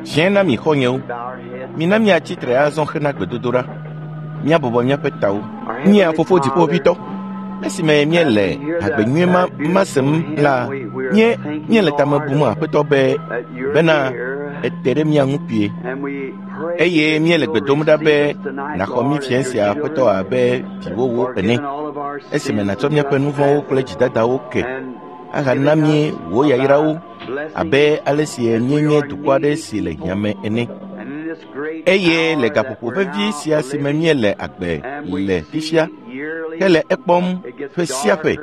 Fiẽ na mi xɔnyewo. Mina miatsi tre azɔ hena gbedodoɖa. Míabɔbɔ míaƒe tawo. Mía Fofo Dziƒoʋĩtɔ, esime míele hagbe nyui ma ma sem la, mía míele tame bum Aƒetɔ be bena ète ɖe mía ŋu kpuie eye míele gbe dom ɖa be nàxɔ mí fiẽ sia Aƒetɔ abe viwòwo ene esime nàtsɔ míaƒe nu vɔ̃wo kple dzidadawo ke ahana mí wò yayrawo abe ale si míenye dukɔ aɖe si le hiã me ene. Eye le gaƒoƒo vevi sia si me míele agbe le fifia hele ekpɔm ƒe sia ƒe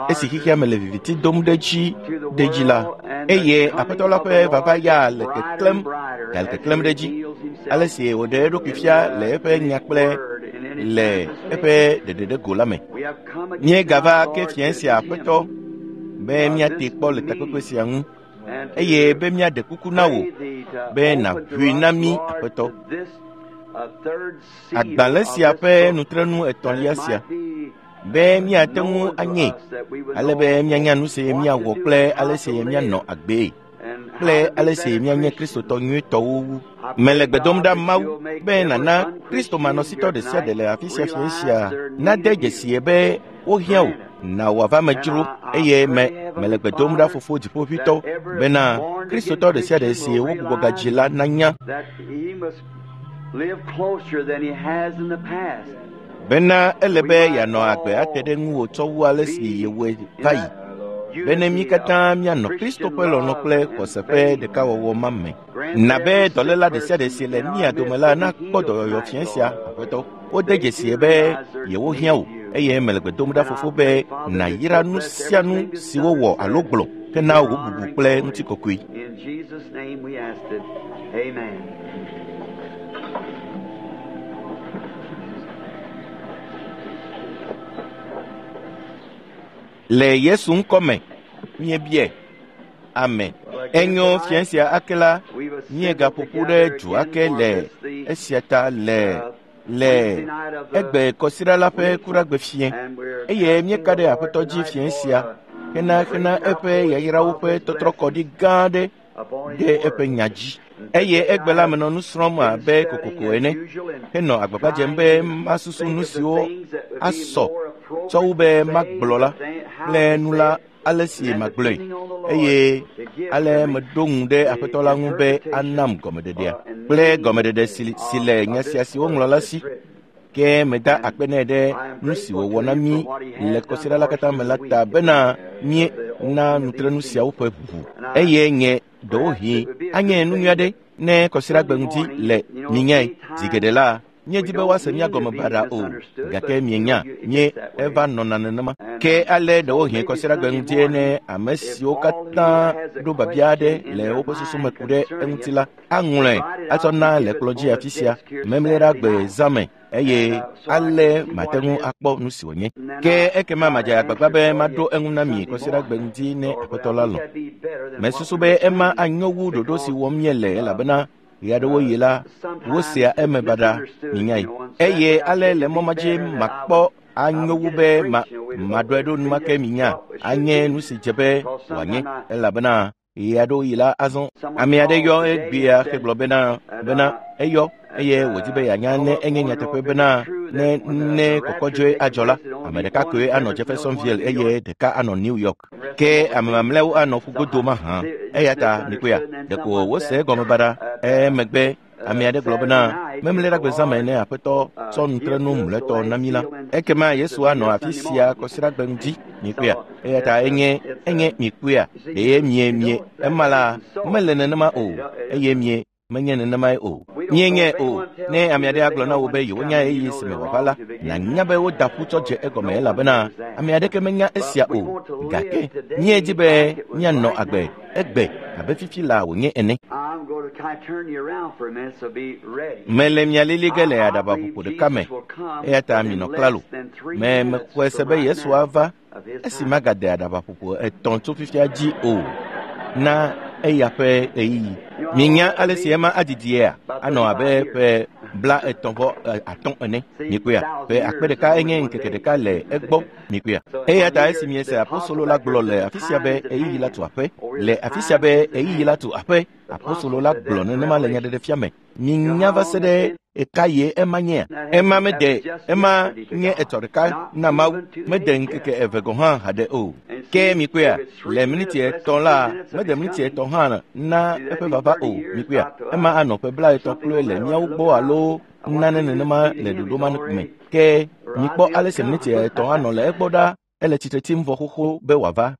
esi xexea me le viviti dom ɖe edzi ɖe edzi la, eye Aƒetɔ la ƒe vava ya le keklẽm gale keklẽm ɖe edzi ale si wòɖe eɖokui fia le eƒe nya kple le eƒe ɖeɖeɖego la me. Míegava ke fiẽ sia Aƒetɔ be míate kpɔ le takpekpe sia ŋu eye be míaɖe kuku na wò be nàʋui na mí Aƒetɔ. Agbalẽ sia ƒe nutrenu etɔ̃lia sia be míate ŋu anye ale be míanya nu si míawɔ kple ale si míanɔ agbee kple ale si míanye Kristotɔ nyuitɔwo wu. Mele gbe dom ɖa Mawu be nàna Kristo manɔsitɔ ɖe sia ɖe le afi sia fiẽ sia nade dzesie be wohiã wò na wòava me dzro eye me mele gbe dom ɖa Fofo Dziƒoʋĩtɔ bena Kristotɔ ɖe sia ɖe si wogbugbɔ gadzi la nanya bena ele be yeanɔ agbe ate ɖe ŋuwò tsɔ wu ale si yewɔe va yi bene mí katã míanɔ Kristo ƒe lɔlɔ̃ kple xɔse ƒe ɖekawɔwɔ ma me. Na be dɔléla ɖe sia ɖe si le mía dome la nakpɔ dɔyɔyɔ fiẽ sia Aƒetɔ. Wode dzesie be yewohiã wò eye mele gbe dom ɖa Fofo be nàyra nu sia nu si wowɔ alo gblɔ hena wò bubu kple ŋutikɔkɔe. In Jesus' name we ask it. Amen. Le Yesu ŋkɔ me míebiae. Amen. Enyo fiẽ sia ake la, míegaƒo ƒu ɖe du ake le esia ta le le egbe kɔsiɖa la ƒe kuɖagbe fiẽ eye míeka ɖe Aƒetɔ dzi fiẽ sia hena hena eƒe yayrawo ƒe tɔtrɔkɔɖi gã aɖe ɖe eƒe nya dzi. Eye egbe la menɔ nu srɔ̃m abe kokoko ene henɔ agbagba dzem be masusu nu siwo asɔ tsɔ wu be magblɔ la kple nu la ale si magblɔe eye ale meɖo ŋu ɖe Aƒetɔ la ŋu be anam gɔmeɖeɖea kple gɔmeɖeɖe si le nya sia si woŋlɔ la si. Ke meda akpe nɛ ɖe nu si wòwɔ na mí le kɔsiɖa la katã me la ta bena míena nutrenu siawo ƒe ʋuʋu eye nye ɖewohĩ anye nu nyui aɖe ne kɔsiɖagbe ŋdi le minyae zi geɖe la míedi be woase mía gɔme baɖa o gake mienya mie eva nɔna nenema. Ke ale ɖewohĩ kɔsiɖagbe ŋdie ne ame siwo katã ɖo biabia aɖe le woƒe susu me ku ɖe eŋuti la aŋlɔe atsɔ na le kplɔ̃ dzi afi sia memleɖagbe zã me eye ale mate ŋu akpɔ nu si wònye. Ke ekema madze agbagba be maɖo eŋu na mi kɔsiɖagbe ŋdi ne Aƒetɔ la lɔ̃. Mesusu be ema anyo wu ɖoɖo si wɔm míele elabena ɣeaɖewoɣi la wosea eme baɖa minyae. Eye ale le mɔ ma dzi makpɔ anyo wu be maɖɔe ɖo enumake minya anye nu si dze be wòanye elabena ɣeaɖewoɣi la azɔ ame aɖe yɔ egbea hegblɔ bena bena eyɔ eye wòdi be yeanya ne enye nyateƒe bena ne ne kɔkɔdzɔe adzɔ la ame ɖeka koe anɔ Jeffersonville eye ɖeka anɔ New York ke ame mamlɛawo anɔ ƒugodo mahã eya ta mikpɔea ɖeko wose egɔme baɖa emegbe ame aɖe gblɔ bena memleɖagbe zã me ne Aƒetɔ tsɔ nutrenu mlɔetɔ na mí la ekema Yesu anɔ afi sia kɔsiɖagbe ŋdi mikpɔea eya ta enye enye mikpɔea ɖe mie mie ema la mele nenema o eye mie menye nenemae o. Míenyae o. Ne ame aɖe agblɔ na wò be yewonya ɣeyiɣi si me wòava la, nànya be woda ƒu tsɔ dze egɔme elabena ame aɖeke menya esia o. Gake míedi be míanɔ agbe egbe abe fifi laa wònye ene. I'm going to kind of turn you around for a minute, so be ready. Mele mia lili ge le aɖabaƒoƒo ɖeka me eya ta minɔ klalo. Me mexɔe se be Yesu ava esi magade aɖabaƒoƒo etɔ̃ tso fifia dzi o na eya ƒe ɣeyiɣi. Mienya ale si ema adidiea anɔ abe ƒe 35 ene. Mikpɔea, ƒe akpe ɖeka enye ŋkeke ɖeka le egbɔ. Mikpɔea, eya ta esi miese apostolo la gblɔ le afi sia be ɣeyiɣi la tu aƒe, le afi sia be ɣeyiɣi la tu aƒe, apostolo la gblɔ nenema le nyaɖeɖefia me. Minya va se ɖe eka ye ema nyea? Ema mede, ema nye etɔ ɖeka na Mawu, mede ŋkeke eve gɔ̃ hã haɖe o. Ke mikpɔea, le miniti etɔ̃ la, mede miniti etɔ̃ hã na eƒe vava o. Mikpɔea, ema anɔ ƒe 30 kloe le míawo gbɔ alo nane nenema le ɖoɖo ma me. Ke mikpɔ ale si miniti etɔ̃ anɔ le egbɔ ɖa. Ele tsitre tsim vɔ xoxo be wòava.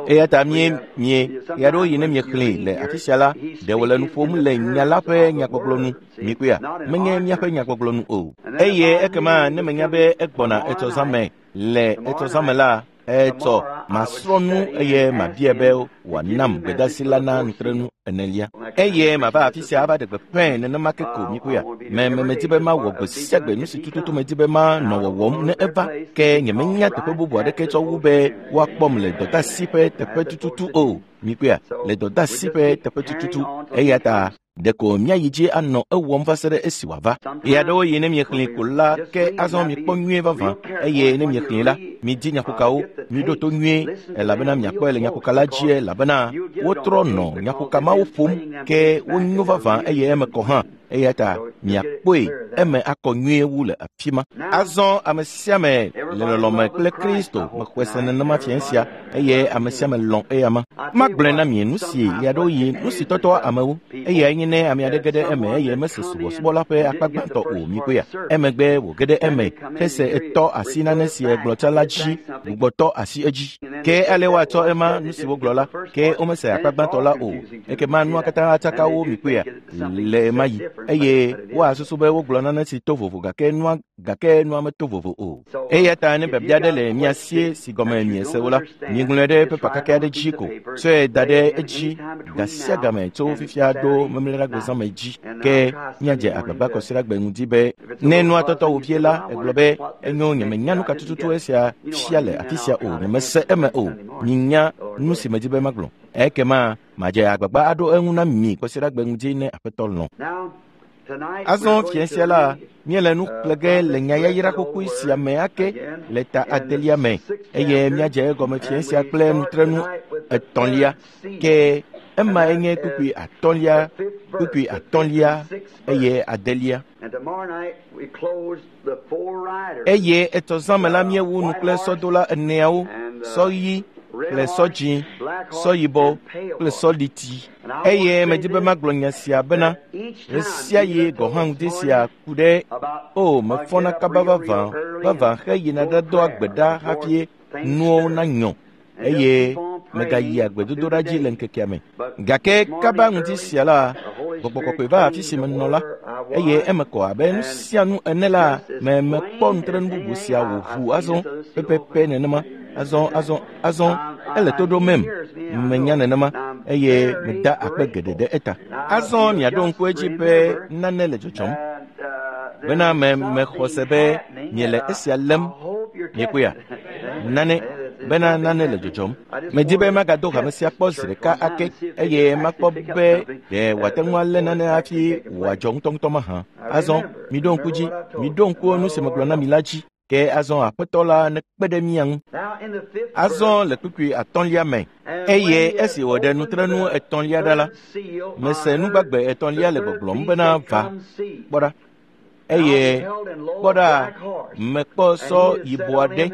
Eya ta mie ɣeaɖewoɣi ne miexlẽe le afi sia la, ɖe wòle nu ƒom le nya la ƒe nyagbɔgblɔ nu. Mikpɔea, menye míaƒe nyagbɔgblɔ nu o. Eye ekema ne menya be egbɔna etsɔ zã me le etsɔ zã me la, etsɔ masrɔ̃ nu eye mabia be wòanam gbedeasi la na nutrenu enelia. Eye mava afi sia ava ɖe gbeƒãe nenema ke ko. Mikpɔea, me medi be mawɔ gbe sia gbe nu si tututu medi be manɔ wɔwɔm ne eva, ke nyemenya teƒe bubu aɖeke tsɔ wu be woakpɔm le dɔdeasi ƒe teƒe tututu o. Mikpɔea, le dɔdeasi ƒe teƒe tututu. Eya ta ɖeko míayi dzi anɔ ewɔm va se ɖe esi wòava. Ɣeaɖewoɣi ne miexlẽe ko la, ke azɔ mikpɔ nyuie vavã, eye ne miexlẽe la, midi nyaƒokawo, miɖo to nyuie, elabena miakpɔe le nyaƒoka la dzi, elabena wotrɔ nɔ nyaƒoka mawo ƒom, ke wonyo vavã eye eme kɔ hã. Eya ta miakpɔe eme akɔ nyuie wu le afi ma. Azɔ ame sia ame le lɔlɔme kple Kristo mexɔe se nenema fia sia, eye ame sia ame lɔ̃ eyama. Magblɔe na mi nu si ɣeaɖewoɣi nu si tɔtɔa amewo, eyae nye ne ame aɖe ge ɖe eme eye mese subɔsubɔ la ƒe akpa gbãtɔ o. Mikpɔea, emegbe wòge ɖe eme hese etɔ asi nane si egblɔ tsã la dzi, gbugbɔtɔ asi edzi. Ke ale woatsɔ ema nu si wogblɔ la, ke womese akpa gbãtɔ la o. Ekema nua katã atsaka wo. Mikpɔea, le ema yi, eye woasusu be wogblɔ nane si to vovo, gake nua meto vovo o. Eya ta ne biabia aɖe le mia sie si gɔme miese o la, miŋlɔe ɖe pepa kake aɖe dzi ko, tsɔe da ɖe edzi gasia game tso fifia ɖo memleɖagbe zã me dzi. Ke míadze agbagba kɔsiɖagbe ŋdi be ne nua tɔtɔ wò vie la, egblɔ be enyo, nyemenya nu ka tututu esia fia le afi sia o, nyemese eme o. Minya nu si medi be magblɔ. Ekema madze agbagba aɖo eŋu na mi kɔsiɖagbe ŋdi ne Aƒetɔ lɔ̃. Azɔ fia sia la, míele nu xlẽ ge le nyayayra xoxoe sia me ake le ta adelia me, eye míadze egɔme fia sia kple nutrenu etɔ̃lia. Ke emae nye kpukpui atɔ̃lia, kpukpui atɔ̃lia eye adelia. Eye etɔ zã me la míewu nu kple sɔdola eneawo, sɔ ɣi kple sɔ dzĩ, sɔ yibɔ kple sɔ liti. Eye medi be magblɔ nya sia bena ɣesiaɣi gɔ̃ hã ŋdi sia ku ɖe o mefɔna kaba vavã vavã heyina ɖadoa gbe ɖa hafi nuwo nanyɔ, eye megayia gbedodoɖa dzi le ŋkekea me. Gake kaba ŋdi sia la, Gbɔgbɔ Kɔkɔe va afi si menɔ la, eye eme kɔ abe nu sia nu ene la, me mekpɔ nutrenu bubu sia wòʋu azɔ pɛpɛpɛ nenema. Azɔ ele to ɖom mem, menya nenema, eye meda akpe geɖe ɖe eta. Azɔ miaɖo ŋku edzi be nane le dzɔdzɔm, bena me mexɔ se be miele esia lém. Miekpɔea? Nane, bena nane le dzɔdzɔm. Medi be magado hame sia kpɔ zi ɖeka ake, eye makpɔ be ɖe wòate ŋu alé nane hafi wòadzɔ ŋutɔŋutɔ mahã. Azɔ miɖo ŋku dzi, miɖo ŋku nu si megblɔ na mi la dzi. Ke azɔ Aƒetɔ la nekpe ɖe mía ŋu. Azɔ le kpukpui atɔ̃lia me, eye esi wòɖe nutrenu etɔ̃lia ɖa la, mese nugbagbe etɔ̃lia le gbɔgblɔm bena va, kpɔ ɖa. Eye kpɔ ɖa, mekpɔ sɔ yibɔ aɖe,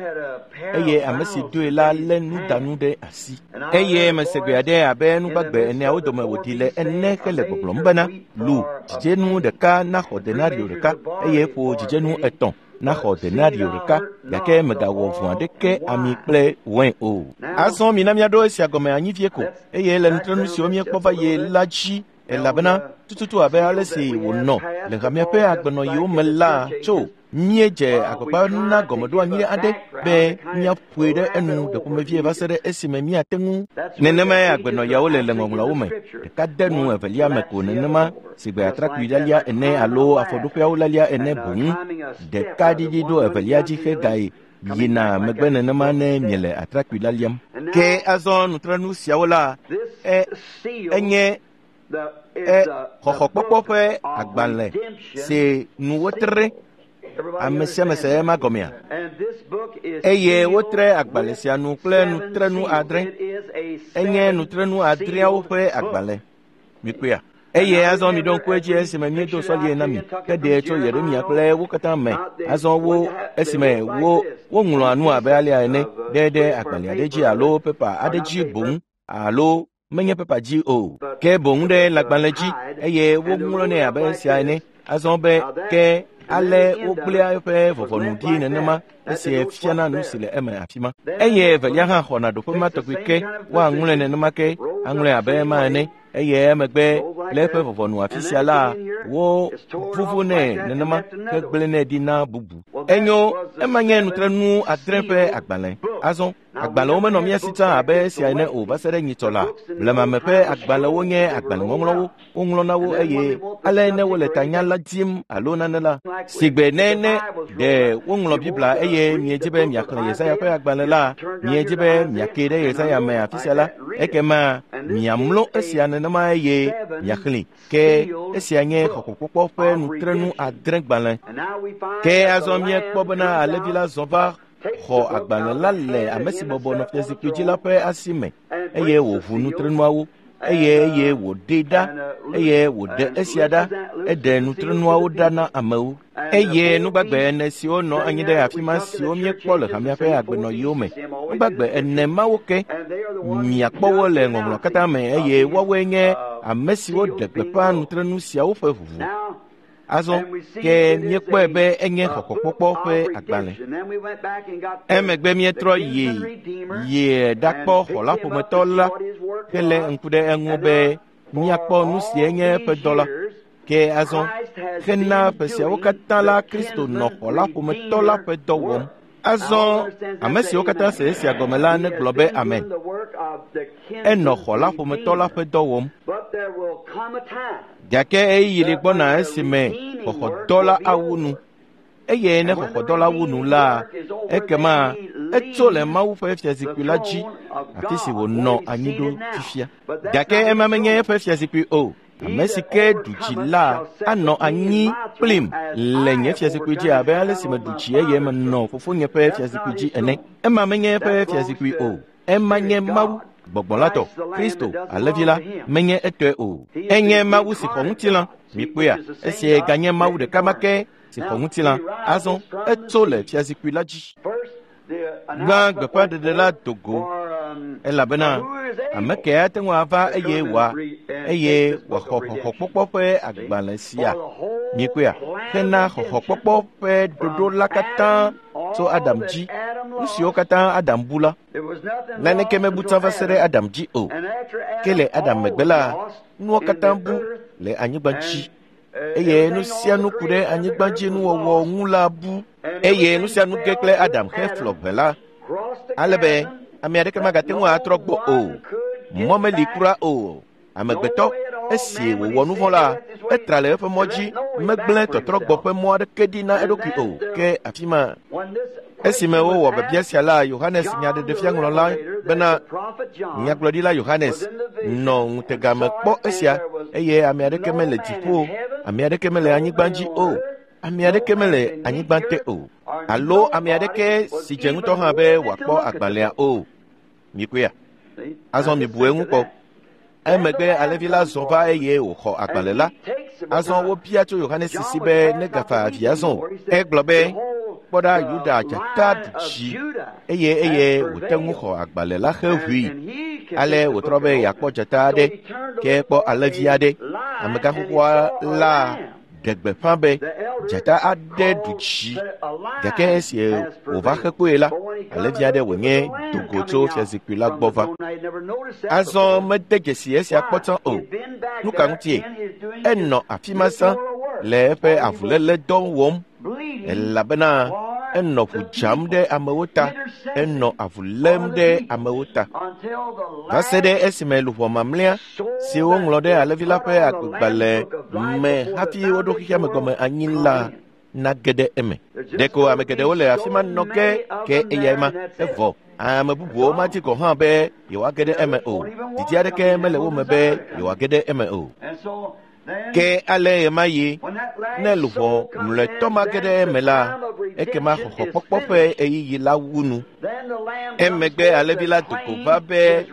eye ame si doe la lé nudanu ɖe asi. Eye mese gbe aɖe abe nugbagbe eneawo dome wòɖi le ene hele gbɔgblɔm bena, lu dzidzenu ɖeka naxɔ denario ɖeka, eye ƒo dzidzenu etɔ̃ naxɔ denario ɖeka, gake megawɔ vɔ̃ aɖeke ami kple wain o. Azɔ mina míaɖo esia gɔme anyi vie ko, eye le nutrenu siwo míekpɔ va yi la dzi, elabena tututu abe ale si wònɔ le hamea ƒe agbenɔɣiwo me la tso míedze agbagba na gɔmeɖoanyi aɖe be míaƒoe ɖe enu ɖeƒomevie va se ɖe esime míate ŋu. Nenemae agbenɔɣiawo le le ŋɔŋlɔawo me, ɖeka de nu evelia me ko nenema si gbe atrakpui lalia ene alo afɔɖoƒeawo lalia ene boŋ. Ɖeka ɖiɖi ɖo evelia dzi hegayi yina megbe nenema ne miele atrakpui laliam. Ke azɔ nutrenu siawo la, enye E xɔxɔkpɔkpɔ ƒe agbalẽ si nu wotre. Ame sia ame se ema gɔmea? Eye wotre agbalẽ sia nu kple nutrenu 7. Enye nutrenu 7 ƒe agbalẽ. Mikpɔea? Eye azɔ miɖo ŋku edzi esime míedo sɔlie na mi heɖee tso Yeremia kple wo katã me. Azɔ wo esime wo woŋlɔa nu abe alea ene ɖe ɖe agbalẽ aɖe dzi alo pepa aɖe dzi boŋ alo menye pepa dzi o, ke boŋ ɖe lãgbalẽ dzi eye woŋlɔnɛ abe esia ene. Azɔ be ke ale wogblẽa eƒe vɔvɔnu ɖi nenema esia fiana nu si le eme afi ma. Eye evelia hã xɔna ɖoƒe ma tɔgbi ke woaŋlɔe nenema ke aŋlɔe abe ema ene. Eye emegbe le eƒe vɔvɔnu afi sia la wo vuvunɛ nenema hegblẽnɛ ɖi na bubu. Enyo, ema nye nutrenu 7 ƒe agbalẽ. Azɔ agbalẽwo menɔ mía si tsã abe esia ene o va se ɖe nyitsɔ la. Blemame ƒe agbalẽwo nye agbalẽŋɔŋlɔwo, woŋlɔna wo eye ale ne wole tanya la dim alo nane la. Sigbe ne ɖe woŋlɔ Biblia eye miedzi be miaxlẽ Yesaya ƒe agbalẽ la, miedzi be miake ɖe Yesaya me afi sia la, ekema miamlɔ esia nenema eye miaxlẽe. Ke esia nye xɔxɔkpɔkpɔ ƒe nutrenu 7 gbalẽ. Ke azɔ míekpɔ bena alẽvi la zɔ va xɔ agbalẽ la le ame si bɔbɔ nɔ fiazikpui dzi la ƒe asi me eye wòʋu nutrenuawo eye wòɖee ɖa eye wòɖe esia ɖa eɖe nutrenuawo ɖa na amewo. Eye nugbagbe 4 siwo nɔ anyi ɖe afi ma siwo míekpɔ le hamea ƒe agbenɔɣiwo me, nugbagbe 4 mawo ke miakpɔ wo le ŋɔŋlɔ katã me eye woawoe nye ame siwo ɖe gbeƒã nutrenu siawo ƒe ʋuʋu. Azɔ ke míekpɔe be enye xɔxɔkpɔkpɔ ƒe agbalẽ. Emegbe míetrɔ yi ɖakpɔ xɔla ƒometɔ la hele ŋku ɖe eŋu be míakpɔ nu si enye eƒe dɔ la. Ke azɔ hena ƒe siawo katã la Kristo nɔ xɔla ƒometɔ la ƒe dɔ wɔm. Azɔ ame siwo katã se esia gɔme la negblɔ be amen. Enɔ xɔla ƒometɔ la ƒe dɔ wɔm. Gake ɣeyiɣi li gbɔna esime xɔxɔdɔ la awu nu. Eye ne xɔxɔdɔ la wu nu la, ekema etso le Mawu ƒe fiazikpui la dzi, afi si wònɔ anyi ɖo fifia. Gake ema menye eƒe fiazikpui o. Ame si ke ɖu dzi la anɔ anyi kplim le nye fiazikpui dzi abe ale si meɖu dzi eye menɔ fofonye ƒe fiazikpui dzi ene. Ema menye eƒe fiazikpui o. Ema nye Mawu gbɔgbɔ la tɔ, Kristo alẽvi la menye etɔe o. Enye Mawu si xɔ ŋutilã. Mikpɔea, esia ganye Mawu ɖeka ma ke si xɔ ŋutilã. Azɔ etso le fiazikpui la dzi. Gbã gbeƒãɖeɖe la do go elabena ame ke ate ŋu ava eye eye wòaxɔ xɔxɔkpɔkpɔ ƒe agbalẽ sia. Mikpɔea, hena xɔxɔkpɔkpɔ ƒe ɖoɖo la katã tso Adam dzi. Nu siwo katã Adam bu la, naneke mebu tsã va se ɖe Adam dzi o. Ke le Adam megbe la, nuwo katã bu le anyigba dzi. Eye nu sia nu ku ɖe anyigba dzi nuwɔwɔ ŋu la bu. Eye nu sia nu ge kple Adam heflɔ ʋe la, ale be ame aɖeke magate ŋu atrɔ gbɔ o. Mɔ meli kura o. Amegbetɔ esi wòwɔ nu vɔ̃ la, etra le eƒe mɔ dzi, megblẽ tɔtrɔgbɔ ƒe mɔ aɖeke ɖi na eɖokui o. Ke afi ma esime wowɔ biabia sia la, Yohanes nyaɖeɖefiaŋlɔla bena nyagblɔɖila Yohanes nɔ ŋutega me kpɔ esia eye ame aɖeke mele dziƒo, ame aɖeke mele anyigba dzi o, ame aɖeke mele anyigba te o, alo ame aɖeke si dze ŋutɔ hã be wòakpɔ agbalẽa o. Mikpɔea? Azɔ mibu eŋu kpɔ. Emegbe alẽvi la zɔ va eye wòxɔ agbalẽ la. Azɔ wobia tso Yohanes si be negafa avi azɔ o. Egblɔ be, kpɔ ɖa Yuda dzata ɖu dzi eye wòte ŋu xɔ agbalẽ la heʋui. Ale wòtrɔ be yeakpɔ dzata aɖe, ke kpɔ alẽvi aɖe. Amegãxoxoa la ɖe gbeƒã be dzata aɖe ɖu dzi. Gake esi wòva xe kpoe la, alẽvi aɖe wònye do go tso fiazikpui la gbɔ va. Azɔ mede dzesi esia kpɔ tsã o. Nu ka ŋutie? Enɔ afi ma sã le eƒe avuléle dɔ wɔm elabena enɔ ʋu dzam ɖe amewo ta, enɔ avu lém ɖe amewo ta. Va se ɖe esime luʋɔ mamlɛa si woŋlɔ ɖe alẽvi la ƒe agbegbalẽ me hafi woɖo xexea me gɔme anyi la nage ɖe eme. Ɖeko ame geɖewo le afi ma nɔ ke eyae ma evɔ. Ame bubuwo madi gɔ̃ hã be yewoage ɖe eme o. Didi aɖeke mele wo me be yewoage ɖe eme o. Ke ale ɣemaɣi, ne luʋɔ mlɔetɔ ma ge ɖe eme la, ekema xɔxɔkpɔkpɔ ƒe ɣeyiɣi la wu nu. Emegbe alẽvi la do go va be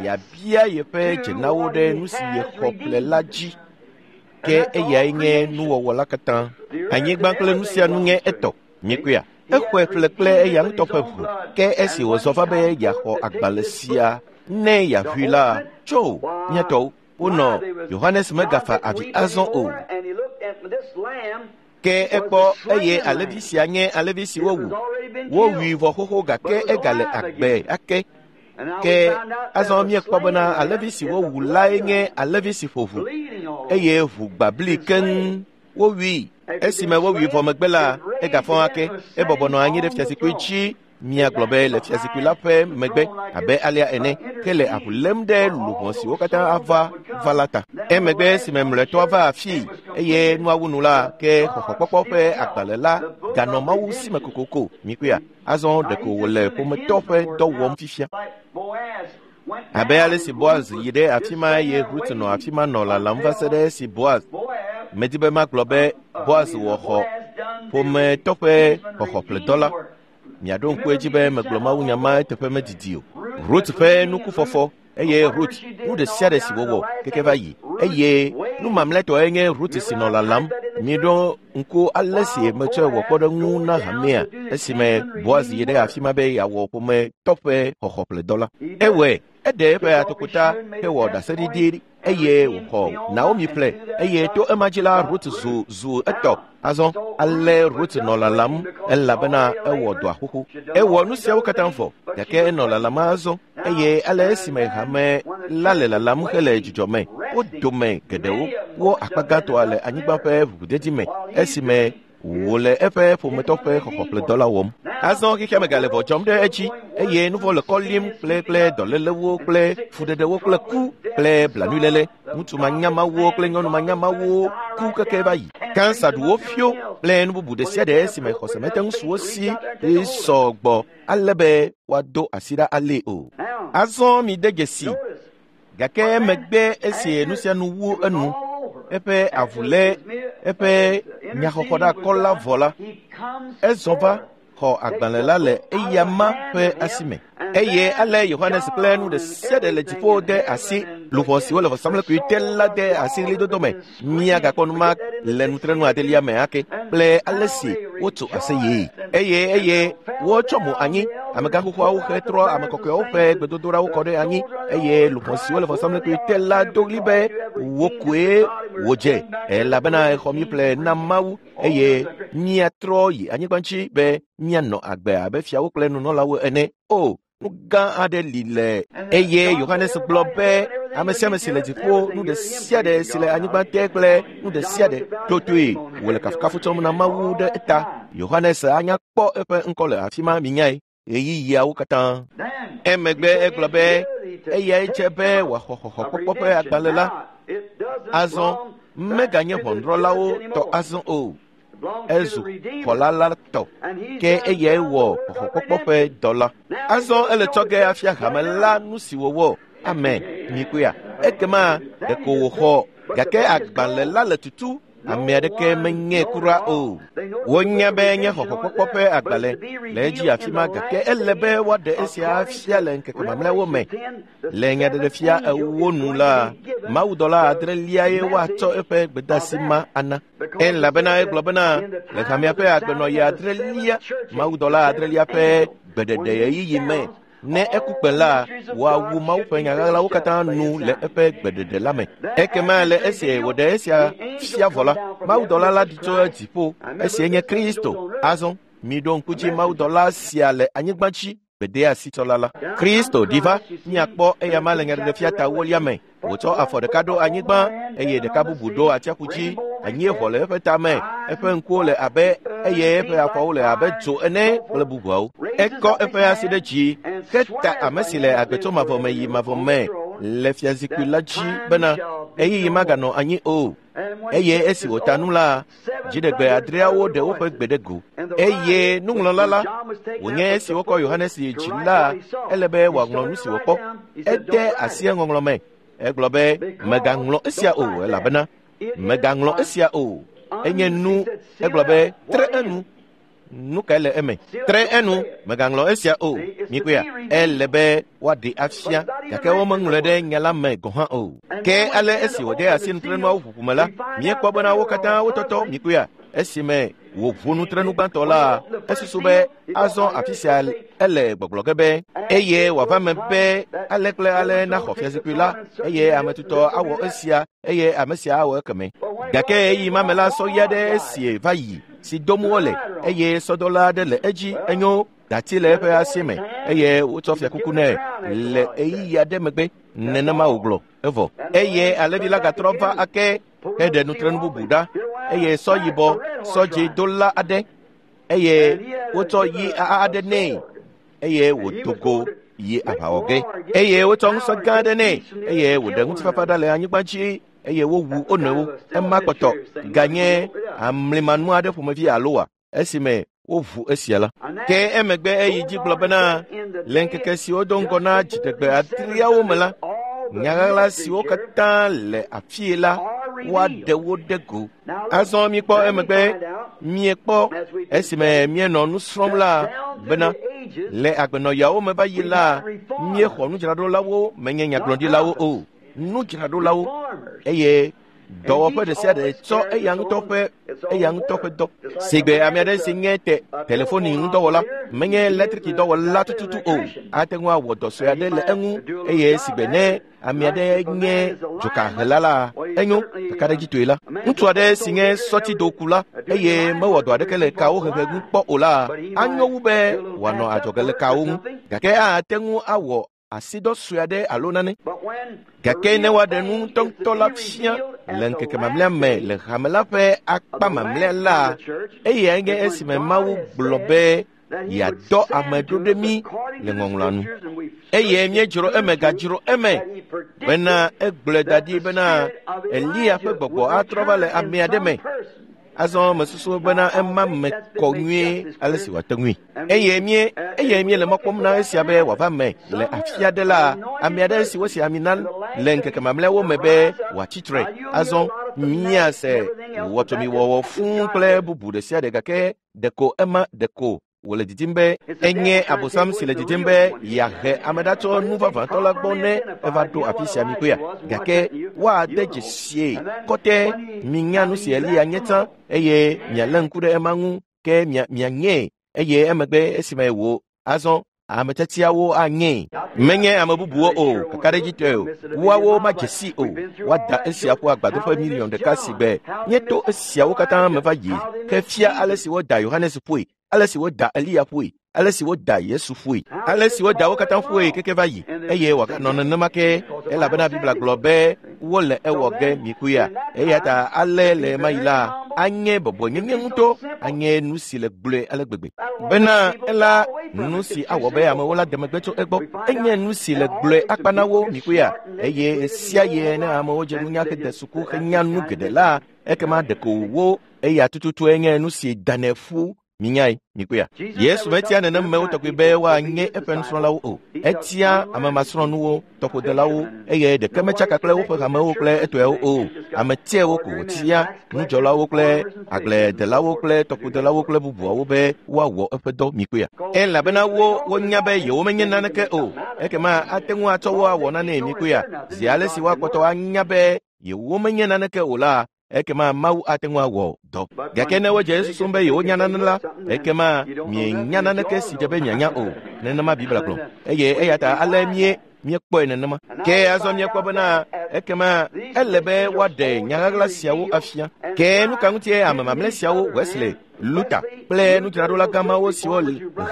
yeabia yeƒe dzenawo ɖe nu si yexɔ ƒle la dzi. Ke eyae nye nuwɔwɔ la katã. Anyigba kple nu sia nu nye etɔ. Míekpɔea? Exɔe ƒle kple eya ŋutɔ ƒe ʋu. Ke esi wòzɔ va be yeaxɔ agbalẽ sia ne yeaʋui la, tso mía tɔwo wonɔ Yohanes megafa avi azɔ o. Ke ekpɔ eye alẽvi sia nye alẽvi si wowu. Wowui vɔ xoxo gake egale agbe ake. Ke azɔ míekpɔ bena alẽvi si wowu lae nye alẽvi si ƒo ʋu eye ʋu gbã bli keŋ. Wowui. Esime wowui vɔ megbe la, egafɔ ake. Ebɔbɔ nɔ anyi ɖe fiazikpui dzi. Míagblɔ be le fiazikpui la ƒe megbe abe alea ene, ke le avu lém ɖe luʋɔ siwo katã ava va la ta. Emegbe esime mlɔetɔa va afii eye nua wu nu la, ke xɔxɔkpɔkpɔ ƒe agbalẽ la ganɔ Mawu si me kokoko. Míkpɔea? Azɔ ɖeko wòle ƒometɔ ƒe dɔ wɔm fifia. Abe ale si Boaz yi ɖe afi ma eye Rut nɔ afi ma nɔ lalam va se ɖe esi Boaz, medi be magblɔ be Boaz wɔ xɔ ƒometɔ ƒe xɔxɔƒledɔ la. Miaɖo ŋku edzi be megblɔ mawunya ma eteƒe medidi o. Rut ƒe nukufɔfɔ eye Rut nu ɖe sia ɖe si wòwɔ keke va yi eye nu mamlɛtɔe nye Rut si nɔ lalam. Miɖo ŋku ale si metsɔe wɔ kpɔɖeŋu na hamea esime Boaz yi ɖe afi ma be yeawɔ ƒometɔ ƒe xɔxɔƒledɔ la. Ewɔe, eɖe eƒe atokota hewɔ ɖaseɖiɖi eye wòxɔ Naomi ƒle eye to ema dzi la Rut zu zu etɔ. Azɔ ale Rut nɔ lalam elabena ewɔ dɔa xoxo. Ewɔ nu siawo katã vɔ gake enɔ lalam azɔ eye ale esime hame la le lalam hele dzidzɔ me, wo dome geɖewo wo akpa gãtɔa le anyigba ƒe ʋuʋudedi me esime wòle eƒe ƒometɔ ƒe xɔxɔƒledɔ la wɔm. Azɔ xexea me gale vɔ dzɔm ɖe edzi eye nu vɔ le kɔ lim kple kple dɔlélewo kple fuɖeɖewo kple ku kple blanuiléle. Ŋutsu manyamawo kple nyɔnu manyamawo ku keke va yi. Kansa ɖu wo fio kple nu bubu ɖe sia ɖe esime xɔse mete ŋu su wo si sɔ gbɔ ale be woado asi ɖa alée o. Azɔ mide dzesi gake emegbe esi nu sia nu wu enu, eƒe avu lé eƒe nyaxɔxɔɖakɔ la vɔ la, ezɔ va xɔ agbalẽ la le eya ma ƒe asi me. Eye ale Yohanes kple nu ɖe sia ɖe le dziƒo de asi luʋɔ siwo le vɔsamlekpui te la de asi ɣlidodo me. Míagakpɔ nu ma le nutrenu adelia me ake kple ale si wotso aseyee. Eye eye wotsɔ mo anyi amegã xoxoawo hetrɔ ame kɔkɔeawo ƒe gbedodoɖawo kɔ ɖe anyi eye luʋɔ siwo le vɔsamlekpui te la do ɣli be wo koe wòdze elabena exɔ mí ƒle na Mawu eye míatrɔ yi anyigba dzi be míanɔ agbe abe fiawo kple nunɔlawo ene. O, nu gã aɖe li le. Eye Yohanes gblɔ be ame sia ame si le dziƒo, nu ɖe sia ɖe si le anyigba te kple nu ɖe sia ɖe totoe wòle kafukafu tsɔm na Mawu ɖe eta. Yohanes anya kpɔ eƒe ŋkɔ le afi ma minyae ɣeyiɣiawo katã. Emegbe egblɔ be eyae dze be wòaxɔ xɔxɔkpɔkpɔ ƒe agbalẽ la. Azɔ meganye ʋɔnudrɔ̃lawo tɔ azɔ o. Ezu xɔla la tɔ ke eyae wɔ xɔxɔkpɔkpɔ ƒe dɔ la. Azɔ ele tsɔ ge afia hame la nu si wòwɔ. Amen. Mikpɔea? Ekema ɖeko wòxɔ gake agbalẽ la le tutu. Ame aɖeke menyae kura o. Wonya be nye xɔxɔkpɔkpɔ ƒe agbalẽ le edzi afi ma gake ele be woaɖe esia afia le ŋkeke mamlɛawo me. Le nyaɖeɖefia ewo nu la, mawudɔla adreliae woatsɔ eƒe gbedeasi ma ana. Elabena egblɔ bena le hamea ƒe agbenɔɣi adrelia, mawudɔla adrelia ƒe gbeɖeɖe ɣeyiɣi me, ne eku kpẽ la, woawu Mawu ƒe nya ɣaɣlawo katã nu le eƒe gbeɖeɖe la me. Ekema le esi wòɖe esia fia vɔ la, mawudɔla la ɖi tso dziƒo, esie nye Kristo. Azɔ miɖo ŋku dzi mawudɔla sia le anyigba dzi gbedeasitsɔla la. Kristo ɖi va, míakpɔ eyama le nyaɖeɖefia ta ewolia me. Wòtsɔ afɔ ɖeka ɖo anyigba eye ɖeka bubu ɖo atsiaƒu dzi. Anyieʋɔ le eƒe tame, eƒe ŋkuwo le abe eye eƒe afɔwo le abe dzo ene kple bubuawo. Ekɔ eƒe asi ɖe dzi heta ame si le agbe tso mavɔ me yi mavɔ me le fiazikpui la dzi bena ɣeyiɣi maganɔ anyi o. Eye esi wòta nu la, dziɖegbe adreawo ɖe woƒe gbe ɖe go. Eye nuŋlɔla la, wònye esi wokɔ Yohanes yi dzi la, ele be wòaŋlɔ nu si wòkpɔ. Ede asi eŋɔŋlɔ me. Egblɔ be, mègaŋlɔ esia o, elabena mègaŋlɔ esia o. Enye nu, egblɔ be, tre enu. Nu kae le eme? Tre enu, mègaŋlɔ esia o. Mikpɔea, ele be woaɖee afia, gake womeŋlɔe ɖe nya la me gɔ̃ hã o. Ke ale esi wòde asi nutrenuawo ʋuʋu me la, míekpɔ bena wo katã wotɔtɔ. Mikpɔea, esime wòʋu nutrenu gbãtɔ la, esusu be azɔ afi sia ele gbɔgblɔ ge be, eye wòava me be ale kple ale naxɔ fiazikpui la, eye ame tutɔ awɔ esia, eye ame sia awɔ ekeme. Gake ɣeyiɣi ma me la, sɔ ɣi aɖe esie va yi si dom wole, eye sɔdɔla aɖe le edzi, enyo dati le eƒe asi me, eye wotsɔ fiakuku nɛ le ɣeyiɣi aɖe megbe. Nenema wògblɔ, evɔ. Eye alẽvi la gatrɔ va ake heɖe nutrenu bubu ɖa, eye sɔ yibɔ, sɔ dzi dola aɖe, eye wotsɔ yi aɖe nɛ, eye wòdo go yi aʋawɔ ge. Eye wotsɔ ŋusẽ gã aɖe nɛ, eye wòɖe ŋutifafa ɖa le anyigba dzi, eye wowu wo nɔewo. Ema kpɔtɔ ganye amlimanu aɖe ƒomevi alo wa esime woʋu esia la. Ke emegbe eyi dzi gblɔ bena, le ŋkeke siwo do ŋgɔ na dziɖegbe adreawo me la, nya ɣaɣla siwo katã le afii la, woaɖe wo ɖe go. Azɔ míekpɔ emegbe, míekpɔ esime míenɔ nu srɔ̃m la bena, le agbenɔyawo me va yi la, míexɔ nudzraɖolawo, menye nyagblɔɖilawo o, nudzraɖolawo, eye dɔwɔƒe ɖe sia ɖe tsɔ eya ŋutɔ ƒe dɔ. Sigbe ame aɖe si nye telefoni ŋudɔwɔla, menye eletriki dɔwɔla tututu o, ate ŋu awɔ dɔ sue aɖe le eŋu, eye sigbe ne ame aɖe nye dzokahela la, enyo kakaɖedzitɔe la. Ŋutsu aɖe si nye sɔtidokula eye mewɔ dɔ aɖeke le kawo hehe ŋu kpɔ o la, anyo wu be wòanɔ adzɔge le kawo ŋu, gake ate ŋu awɔ asidɔ sue aɖe alo nane. Gake ne woaɖe nu ŋutɔŋutɔ la fia le ŋkeke mamlɛa me le hame la ƒe akpa mamlɛa la, eyae nye esime Mawu gblɔ be yeadɔ ame ɖo ɖe mí le ŋɔŋlɔa nu. Eye míedzro eme gadzro eme bena egblɔe da ɖi bena Eliya ƒe gbɔgbɔ atrɔ va le ame aɖe me. Azɔ mesusu bena ema me kɔ nyuie ale si wòate ŋui. Eye míele mɔ kpɔm na esia be wòava me le afi aɖe la, ame aɖe si wosi ami na le ŋkeke mamlɛawo me be wòatsi tre. Azɔ míase wɔtɔmiwɔwɔ fũu kple bubu ɖe sia ɖe, gake ɖeko ema ɖeko wòle didim be enye Abosam si le didim be yeahe ame ɖa tso nu vavãtɔ la gbɔ ne eva ɖo afi sia mikpɔea. Gake woade dzesie kɔtɛ minya nu si Eliya nye tsã, eye mialé ŋku ɖe ema ŋu, ke mianyee, eye emegbe esime wò azɔ ame tiatiawo anyee. Menye ame bubuwo o, kakaɖedzitɔe o, woawo madze si o. Woada esia ƒu agbadɔƒe miliɔn ɖeka si gbe míeto esiawo katã me va yi ke fia ale si woda Yohanes ƒoe, ale si woda Eliya ƒoe, ale si woda Yesu ƒoe, ale si woda wo katã ƒoe keke va yi, eye wòaganɔ nenema ke, elabena Biblia gblɔ be wole ewɔ ge mikuya. Eya ta ale le ɣemaɣi la, anye bɔbɔenyenye ŋutɔ, anye nu si le gblɔe ale gbegbe bena ela nu si awɔ be amewo la de megbe tso egbɔ. Enye nu si le gblɔe akpa na wo mikuya, eye sia ye ne amewo dze nunya hede suku henya nu geɖe la, ekema ɖeko wo eya tututue nye nu si danɛ ƒu. Minyae, mikpɔea. Yesu metia nenemewo tɔgbi be woanye eƒe nusrɔ̃lawo o. Etia ame masrɔ̃nuwo, tɔƒodelawo, eye ɖeke metsaka kple woƒe hamewo kple etɔewo o. Ame tiawo ko wòtia, nudzɔlawo kple agbledelawo kple tɔƒodelawo kple bubuawo be woawɔ eƒe dɔ. Mikpɔea. Elabena wo wonya be yewomenye naneke o. Ekema ate ŋu atsɔ wo awɔ nanee. Mikpɔea. Zi ale si woakpɔtɔ anya be yewomenye naneke o la, ekema Mawu ate ŋu awɔ dɔ. Gake ne wodze susum be yewonya nane la, ekema mienya naneke si dze be mianya o. Nenema Biblia gblɔ. Eye eya ta ale míekpɔe nenema. Ke azɔ míekpɔ bena ekema ele be woaɖe nya ɣaɣla siawo afia. Ke nu ka ŋutie ame mamlɛ siawo, Wesley, Luther kple nudzraɖola gãmawo siwo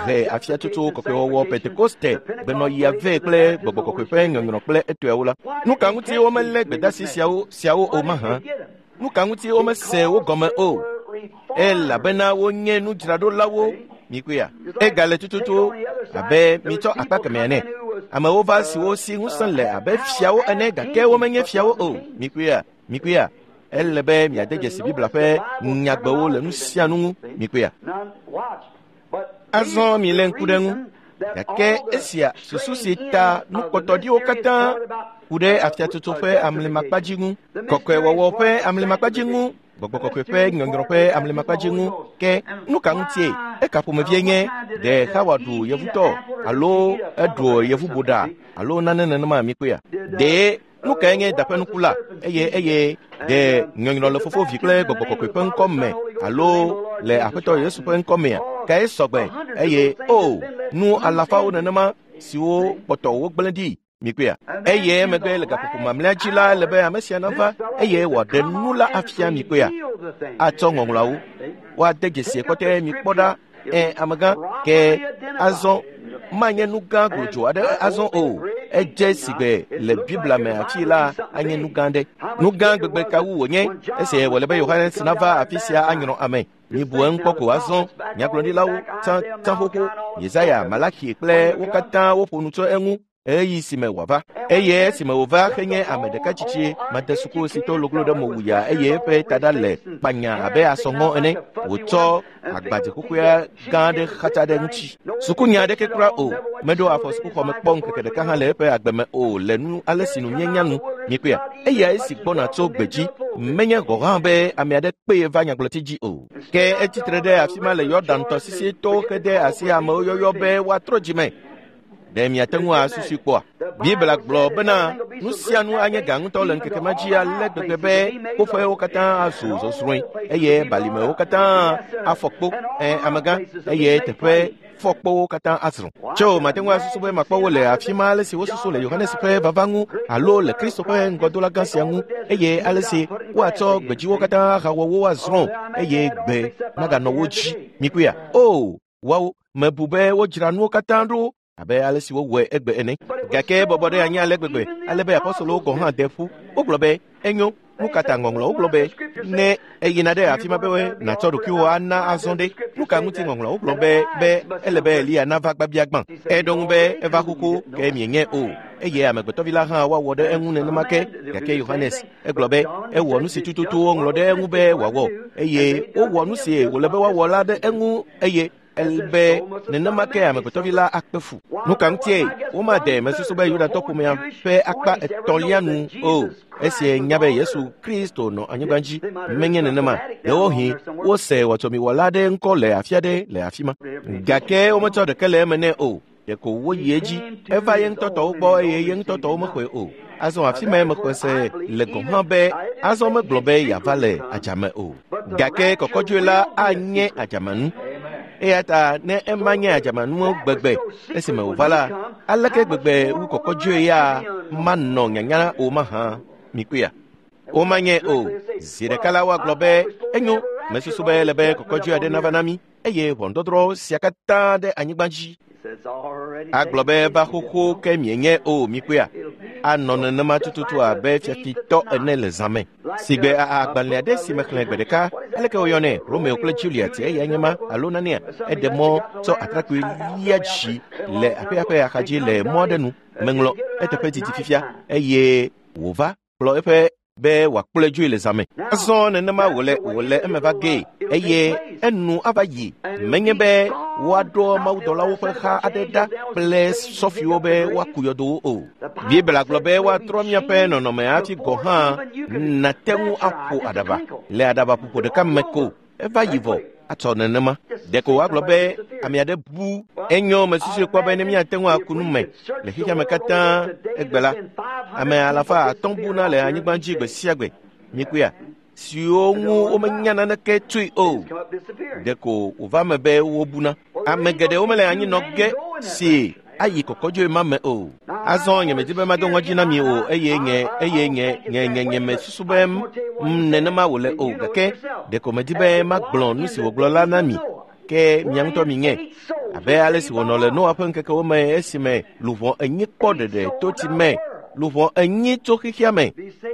he afiatsotso kɔkɔewɔwɔ Pentekoste gbenɔɣia vɛ kple gbɔgbɔ kɔkɔe ƒe nyɔnyrɔ kple etɔewo la, nu ka ŋuti womelé gbedasi siawo o mahã? Nu ka ŋuti womese wo gɔme o? Elabena wonye nudzraɖolawo. Mikpɔea, egale tututu abe mitsɔ akpa kemɛ ene. Amewo va siwo si ŋusẽ le abe fiawo ene, gake womenye fiawo o. Mikpɔea, mikpɔea. Ele be miade dzesi Biblia ƒe nyagbewo le nu sia nu ŋu. Mikpɔea? Azɔ milé ŋku ɖe ŋu. Gake esia susu si ta nukpɔtɔɖiwo katã ku ɖe afiatsotso ƒe amlimakpadzi ŋu, kɔkɔewɔwɔ ƒe amlimakpadzi ŋu, gbɔgbɔ kɔkɔe ƒe nyɔnyrɔ ƒe amlimakpadzi ŋu. Ke nu ka ŋutie? Eka ƒomevie nye ɖe Xawa ɖu yevutɔ alo eɖu yevuboɖa alo nane nenema mikpɔea? Ɖe nu kae nye daƒe nuku la? Eye ɖe nyɔnyrɔ le Fofo, Vi kple Gbɔgbɔ Kɔkɔe ƒe ŋkɔ me alo le Aƒetɔ Yesu ƒe ŋkɔ mea? Kae sɔgbe? Eye o nu alafawo nenema siwo kpɔtɔ wogblẽ ɖi mikpɔea? Eye emegbe le gaƒoƒo mamlɛa dzi la, ele be ame sia nava eye wòaɖe nu la afia mikpɔea? Atsɔ ŋɔŋlɔawo woade dzesi kɔtɛ mikpɔ ɖa. Amegã, ke azɔ manye nu gã glodzo aɖe azɔ o. Edze sigbe le Biblia me afi la anye nu gã ɖe. Nu gã gbegbe ka wu wònye esi wòle be Yohanes nava afi sia anyrɔ ame. Mibu eŋu kpɔ ko azɔ. Nyagblɔɖilawo tsã xoxo, Yesaya, Malaki kple wo katã woƒo nu tso eŋu ɣeyiɣi si me wòava. Eye esime wòva henye ame ɖeka tsitsi madesuku si to loglo ɖe mo wuya eye eƒe taɖa le kpanya abe asɔŋɔ ene, wòtsɔ agbadze xoxoea gã aɖe xatsa ɖe ŋuti. Sukunya aɖeke kura o. Meɖo afɔ sukuxɔme kpɔ ŋkeke ɖeka hã le eƒe agbe me o le nu ale si nu míenya nu. Mikpɔea? Eya esi gbɔna tso gbedzi. Menye gɔ̃ hã be ame aɖe kpee va nyagblɔti dzi o. Ke etsitre ɖe afi ma le Yɔdan tɔsisi to hede asi amewo yɔyɔ be woatrɔ dzime. Ɖe miate ŋu asusui kpɔa? Biblia gblɔ bena nu sia nu anye gã ŋutɔ le ŋkeke ma dzi ale gbegbe be kpoƒewo katã azu zɔzrɔ̃e eye balimewo katã afɔ kpo. Amegã, eye teƒe fɔkpowo katã azrɔ̃. Tso mate ŋu asusu be makpɔ wo le afi ma ale si wosusu le Yohanes ƒe vava ŋu alo le Kristo ƒe ŋgɔdola gã sia ŋu, eye ale si woatsɔ gbedziwo katã ahawɔ wo azrɔ̃ eye gbe maganɔ wo dzi. Mikpɔea? O, woawo mebu be wodzra nuwo katã ɖo abe ale si wowɔe egbe ene. Gake bɔbɔ ɖe anyi ale gbegbe ale be apɔstolowo gɔ̃ hã de ƒu. Wogblɔ be enyo. Nu ka ta ŋɔŋlɔwo gblɔ be ne eyina ɖe afi ma be nàtsɔ ɖokuiwò ana azɔ ɖe? Nu ka ŋuti ŋɔŋlɔwo gblɔ be ele be Eliya nava gbabia gbã? Eɖo ŋu be eva xoxo ke mienye o, eye amegbetɔvi la hã woawɔ ɖe eŋu nenema ke. Gake Yohanes egblɔ be ewɔ nu si tututu woŋlɔ ɖe eŋu be wòawɔ, eye wowɔ nu si wòle be woawɔ la ɖe eŋu, eye be nenema ke amegbetɔvi la akpe fu. Nu ka ŋutie womade mesusu be Yudatɔ ƒomea ƒe akpa etɔ̃lia nu o, esi nya be Yesu Kristo nɔ anyigba dzi? Menye nenema. Ɖewohĩ wose wɔtsɔmiwɔla aɖe ŋkɔ le afi aɖe le afi ma, gake wometsɔ ɖeke le eme nɛ o. Ɖeko woyi edzi. Eva ye ŋutɔ tɔwo gbɔ eye ye ŋutɔ tɔwo mexɔe o. Azɔ afi mae mexɔe se le gɔ̃ hã be azɔ megblɔ be yeava le adzame o. Gake kɔkɔdzoe la anye adzamenu. Eya ta ne ema nye adzamenu gbegbe esime wòva la, aleke gbegbe wu kɔkɔdzoe ya manɔ nyanya o mahã? Mikpɔea? Womanye o. Zi ɖeka la woagblɔ be enyo, mesusu be ele be kɔkɔdzoe aɖe nava na mí eye ʋɔnudɔdrɔ̃ sia katã ɖe anyigba dzi. Agblɔ be va xoxo ke mienye o. Mikpɔea? Anɔ nenema tututu abe fiafitɔ ene le zã me. Sigbe agbalẽ aɖe si mexlẽ gbe ɖeka, aleke woyɔnɛ? Romeo kple Juliet, eya nye ma alo nanea? Eɖe mɔ tsɔ atrakpui lia dzi le aƒea ƒe axadzi le mɔ aɖe nu. Meŋlɔ eteƒe didi fifia eye wòva kplɔ eƒe be wòakplɔe dzoe le zã me. Azɔ nenema wòle eme va gee eye enu ava yi. Menye be woaɖo mawudɔlawo ƒe xa aɖe ɖa kple sɔfiwo be woaku yɔdowo o. Biblia gblɔ be woatrɔ míaƒe nɔnɔme hafi gɔ̃ hã nate ŋu aƒo aɖaba le aɖabaƒoƒo ɖeka me ko. Eva yi vɔ atsɔ nenema. Ɖeko woagblɔ be ame aɖe bu. Enyo, mesusui kpɔ be ne míate ŋu aku nu me le xexea me katã egbe la, ame 500 buna le anyigba dzi gbe sia gbe. Mikpɔea? Siwo ŋu womenya naneke tsoe o. Ɖeko wòva me be wobuna. Ame geɖewo mele anyi nɔ ge si ayi kɔkɔdzoe ma me o. Azɔ nyemedi be mado ŋɔdzi na mi o, eye nye mesusu be nenema wòle o, gake ɖeko medi be magblɔ nu si wògblɔ la na mi, ke mia ŋutɔ miŋe. Abe ale si wònɔ le Noa ƒe ŋkekewo me esime luʋɔ enyi kpɔ ɖeɖe to tsi me, luʋɔ enyi tso xexea me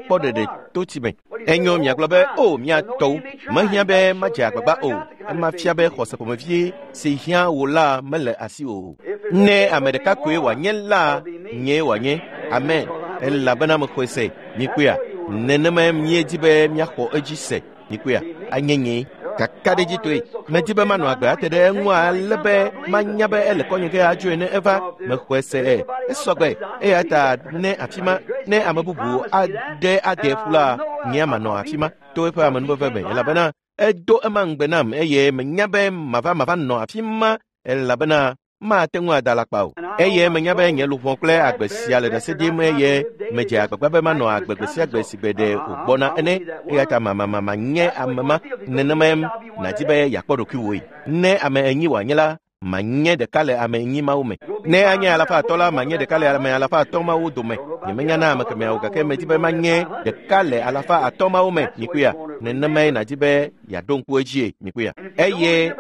kpɔ ɖeɖe to tsi me. Enyo, miagblɔ be o mia tɔwo, mehiã be madze agbagba o. Ema fia be xɔse ƒomevie si hiã wò la mele asi o. Ne ame ɖeka koe wòanye la, nyee wòanye. Amen. Elabena mexɔe se. Mikpɔea? Nenemae míedi be míaxɔ edzi se. Mikpɔea, anye nye kakaɖedzitɔe. Medi be manɔ agbe ate ɖe eŋu ale be manya be ele kɔnye ge adzoe ne eva. Mexɔe se esɔgbe. Eya ta ne afi ma, ne ame bubu aɖe ade ƒu la, nye manɔ afi ma to eƒe amenuveve me, elabena edo ema ŋugbe nam eye menya be mava nɔ afi ma, elabena mate ŋu ada alakpa o. Eye menya be nye luʋɔ kple agbe sia le ɖase ɖim eye medze agbagba be manɔ agbe gbe sia gbe si gbe ɖe wògbɔna ene. Eya ta manye ame ma. Nenemae nàdi be yeakpɔ ɖokuiwòe. Ne ame 4 wòanye la, manye ɖeka le ame 4 mawo me. Ne anye 500 la, manye ɖeka le ame 500 mawo dome. Nyemenya na ame kemɛawo, gake medi be manye ɖeka le 500 mawo me. Mikpɔea, nenemae nàdi be yeaɖo ŋku edzie. Mikpɔea, eye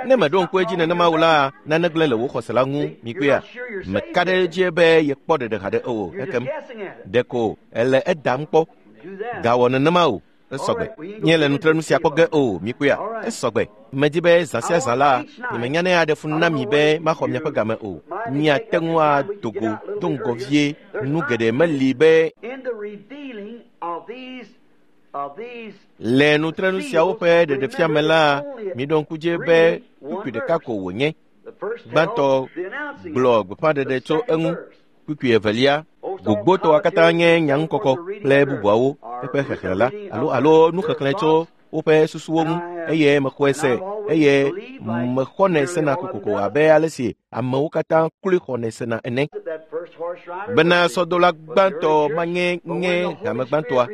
ne meɖo ŋku edzi nenema o la, nane gblẽ le wò xɔse la ŋu. Mikpɔea, meka ɖe edzi be yekpɔ ɖeɖe haɖe o. Ekem ɖeko ele edam kpɔ. Gawɔ nenema o. Esɔgbe. Nye le nutrenu sia kpɔ ge o. Mikpɔea, esɔgbe. Medi be zã sia zã la, nyemenya ne aɖe fu na mi be maxɔ miaƒe game o. Miate ŋu ado go do ŋgɔ vie. Nu geɖe meli be le nutrenu siawo ƒe ɖeɖefia me la, miɖo ŋku dzi be kpukpui ɖeka ko wònye. Gbãtɔ gblɔ gbeƒãɖeɖe tso eŋu. Kpukpui evelia, gbogbotɔa katã nye nyaŋukɔkɔ kple bubuawo eƒe xexlẽ la, alo nuxexlẽ tso woƒe susuwo ŋu, eye mexɔe se, eye mexɔnɛ sena kokoko abe ale si amewo katã kloe xɔnɛ sena ene. Bena sɔdola gbãtɔ manye nye hame gbãtɔa,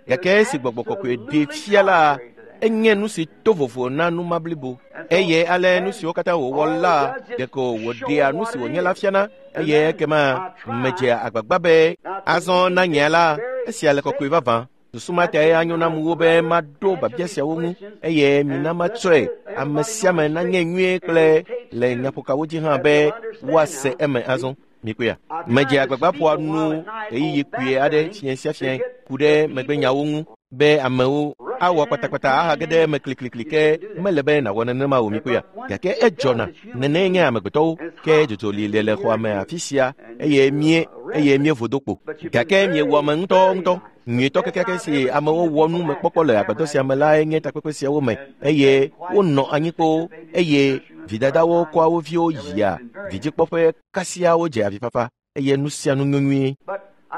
gake esi gbɔgbɔ kɔkɔe ɖee fia la, enye nu si to vovo na numa blibo. Eye ale nu siwo katã wòwɔ la, ɖeko wòɖea nu si wònye la fiana, eye ekema medzea agbagba be azɔ na nye la, esia le kɔkɔe vavã. Susu ma tae anyo nam wu be maɖo biabia siawo ŋu, eye mina matsɔe ame sia ame nanye nyuie kple le nyaƒokawo dzi hã be woase eme azɔ. Mikpɔea, medze agbagba ƒoa nu ɣeyiɣi kpuie aɖe fiẽ sia fiẽ ku ɖe megbenyawo ŋu be amewo awɔ kpatakpata ahage ɖe eme kliklikli, ke mele be nàwɔ nenema o. Mikpɔea, gake edzɔna nenee nye amegbetɔwo, ke dzodzo li le xɔa me afi sia, eye míevo do kpo, gake miewɔ ame ŋutɔŋutɔ. Nyuietɔ kekeake si amewo wɔ nu mekpɔkpɔ le agbadɔ sia me lae nye takpekpe siawo me, eye wonɔ anyi kpoo, eye vidadawo kɔa wo viwo yia vidzikpɔƒe kasia wodze avifafa, eye nu sia nu nyo nyuie.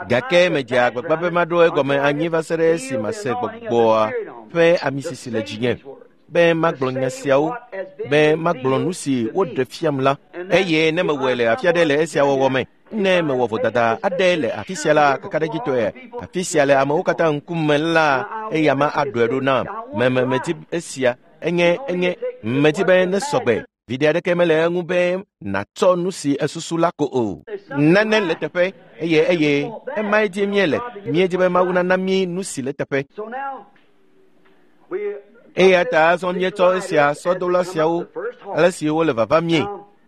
Gake medze agbagba be maɖo egɔme anyi va se ɖe esi mase gbɔgbɔa ƒe amisisi le dzinye, be magblɔ nya siawo, be magblɔ nu si woɖe fiam la, eye ne mewɔe le afi aɖe le esia wɔwɔ me, ne mewɔ vodada aɖe le afi sia la, kakaɖedzitɔe afi sia le amewo katã ŋkume la, eya ma aɖɔe ɖo nam. Medi esia, enye medi be ne sɔgbe. Viɖe aɖeke mele eŋu be nàtsɔ nu si esusu la ko o. Nane le teƒe, eye emae dzi míele. Míedzi be Mawu nana mí nu si le teƒe. Eya ta azɔ míetsɔ esia sɔdola siawo, ale si wole vava mie.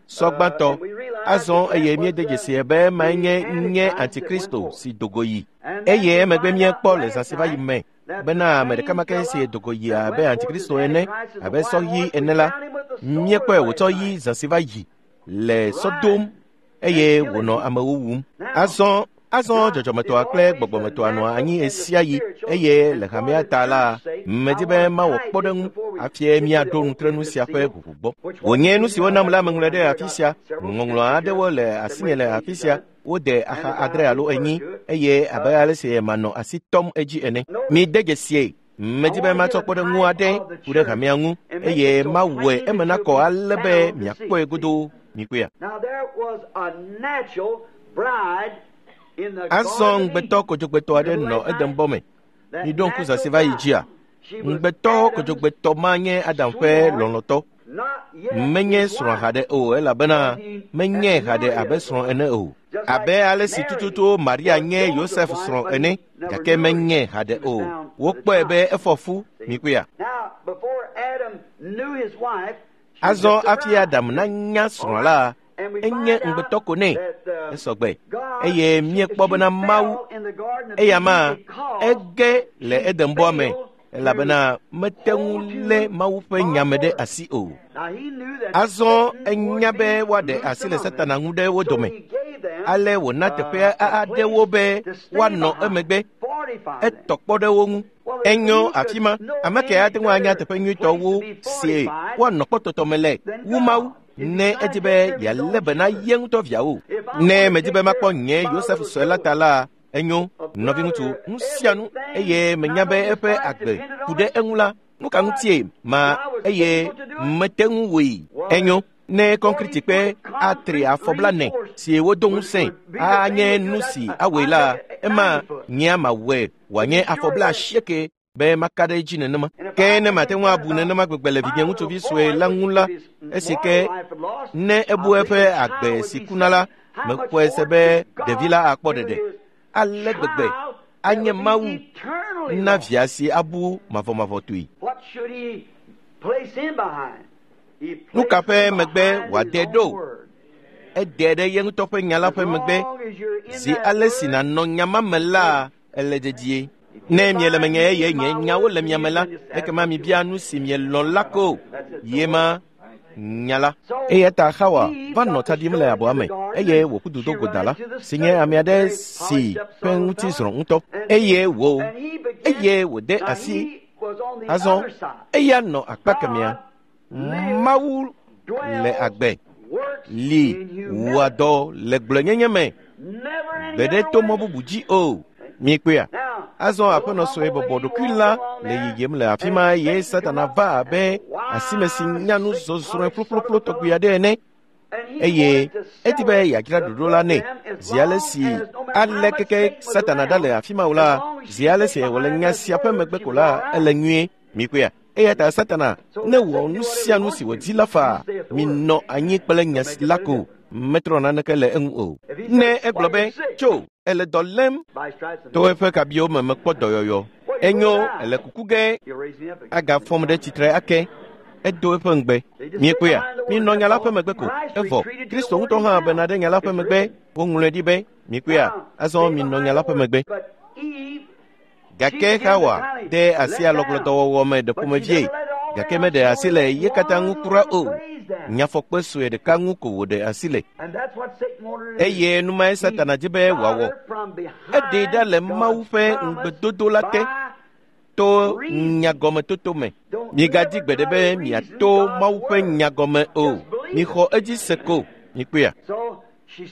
Sɔ gbãtɔ azɔ, eye míede dzesi be emae nye Antikristo si do go yi. Eye emegbe míekpɔ le zã si va yi me bena ame ɖeka ma ke si do go yi abe Antikristo ene, abe sɔ ɣi ene la, míekpɔe wòtsɔ ɣi zã si va yi le sɔ dom, eye wònɔ amewo wum. Azɔ dzɔdzɔmetɔa kple gbɔgbɔmetɔa nɔa anyi ɣesiaɣi, eye le hamea ta la, medi be mawɔ kpɔɖeŋu hafi míaɖo nutrenu sia ƒe ʋuʋu gbɔ. Wònye nu si wonam la meŋlɔe ɖe afi sia. Ŋɔŋlɔ aɖewo le asinye le afi sia. Wode axa 7 alo 4, eye abe ale si manɔ asi tɔm edzi ene. Mide dzesie. Medi be matsɔ kpɔɖeŋu aɖe ku ɖe hamea ŋu, eye mawɔe eme nakɔ ale be miakpɔe godoo. Mikpɔea. Azɔ ŋugbetɔ kodzogbetɔ aɖe nɔ Edenbɔ me. Miɖo ŋku zã si va yi dzia? Ŋugbetɔ kodzogbetɔ ma nye Adam ƒe lɔlɔ̃tɔ. Menye srɔ̃ haɖe o, elabena menye haɖe abe srɔ̃ ene o. Abe ale si tututu Maria nye Yosef srɔ̃ ene, gake menye haɖe o. Wokpɔe be efɔ fu. Mikpɔea. Azɔ hafi Adam nanya srɔ̃ la, enye ŋugbetɔ ko nɛ. Esɔgbe. Eye míekpɔ bena Mawu, eya ma ege le Edenbɔa me, elabena mete ŋu lé Mawu ƒe nyame ɖe asi o. Azɔ enya be woaɖe asi le Satana ŋu ɖe wo dome. Ale wòna teƒe aɖewo be woanɔ emegbe. Etɔ kpɔ ɖe wo ŋu. Enyo afi ma, ame kae ate ŋu anya teƒe nyuitɔ wu si woanɔ kpɔtɔtɔ me le wu Mawu ne edi be yealé be na ye ŋutɔ viawo? Ne medi be makpɔ nye Yosef sue la ta la, enyo, nɔviŋutsu, nu sia nu, eye menya be eƒe agbe ku ɖe eŋu la, nu ka ŋutie ma eye mete ŋu wɔe? Enyo, ne kɔnkritikpe atri afɔblanɛ si wodo ŋusẽ anye nu si awɔe la, ema nyea mawɔe wòanye afɔbla asieke be maka ɖe edzi nenema. Ke ne mate ŋu abu nenema gbegbe le vinye ŋutsuvi sue la ŋu la, esi ke ne ebu eƒe agbe si kuna la, mexɔe se be ɖevi la akpɔ ɖeɖe. Ale gbegbe anye Mawu na via si abu mavɔmavɔtɔe. Nu ka ƒe megbe wòade ɖo? Ede ɖe ye ŋutɔ ƒe nya la ƒe megbe. Zi ale si nànɔ nya ma me la, ele dedie. Ne miele menye eye nye nyawo le mia me la, ekema mibia nu si mielɔ̃ la ko. Ye ma nya la. Eya ta Xawa va nɔ tsa ɖim le abɔa me eye wòƒu du do go da la, si nye ame aɖe si ƒe ŋuti zrɔ̃ ŋutɔ. Eye wò, eye wòde asi azɔ eya nɔ akpa kemɛa. Mawu le agbe li wɔa dɔ le gblɔenyenye me gbe ɖe to mɔ bubu dzi o. Mikpɔea? Azɔ aƒenɔ sue bɔbɔ ɖokui la le yiyim le afi ma eye Satana va abe asime si nya nu zɔzrɔ̃e ƒloƒloƒlo tɔgbi aɖe ene. Eye edi be yeadzra ɖoɖo la nɛ. Zi ale si ale keke Satana ɖa le afi ma o la, zi ale si wòle nya sia ƒe megbe ko la, ele nyuie. Mikpɔea? Eya ta Satana ne wɔ nu sia nu si wòdi la faa, minɔ anyi kple nya la ko, metrɔ naneke le eŋu o. Ne egblɔ be, tso, ele dɔ lém, to eƒe kabiwo me mekpɔ dɔyɔyɔ. Enyo, ele kuku ge, agafɔm ɖe tsitre ake. Edo eƒe ŋugbe. Miekpɔea? Minɔ nya la ƒe megbe ko. Evɔ, Kristo ŋutɔ hã bena ɖe nya la ƒe megbe. Woŋlɔe ɖi be, mikpɔea? Azɔ minɔ nya la ƒe megbe. Gake Xawa de asi alɔgblɔdɔwɔwɔ me ɖe ƒomevie, gake meɖe asi le ye katã ŋu kura o. Nyafɔkpe sue ɖeka ŋu ko wòɖe asi le. Eye nu mae Satana di be wòawɔ. Eɖee ɖa le Mawu ƒe ŋugbedodo la te to nyagɔmetoto me. Migadi gbeɖe be miato Mawu ƒe nyagɔme o. Mixɔ edzi se ko. Mikpɔea?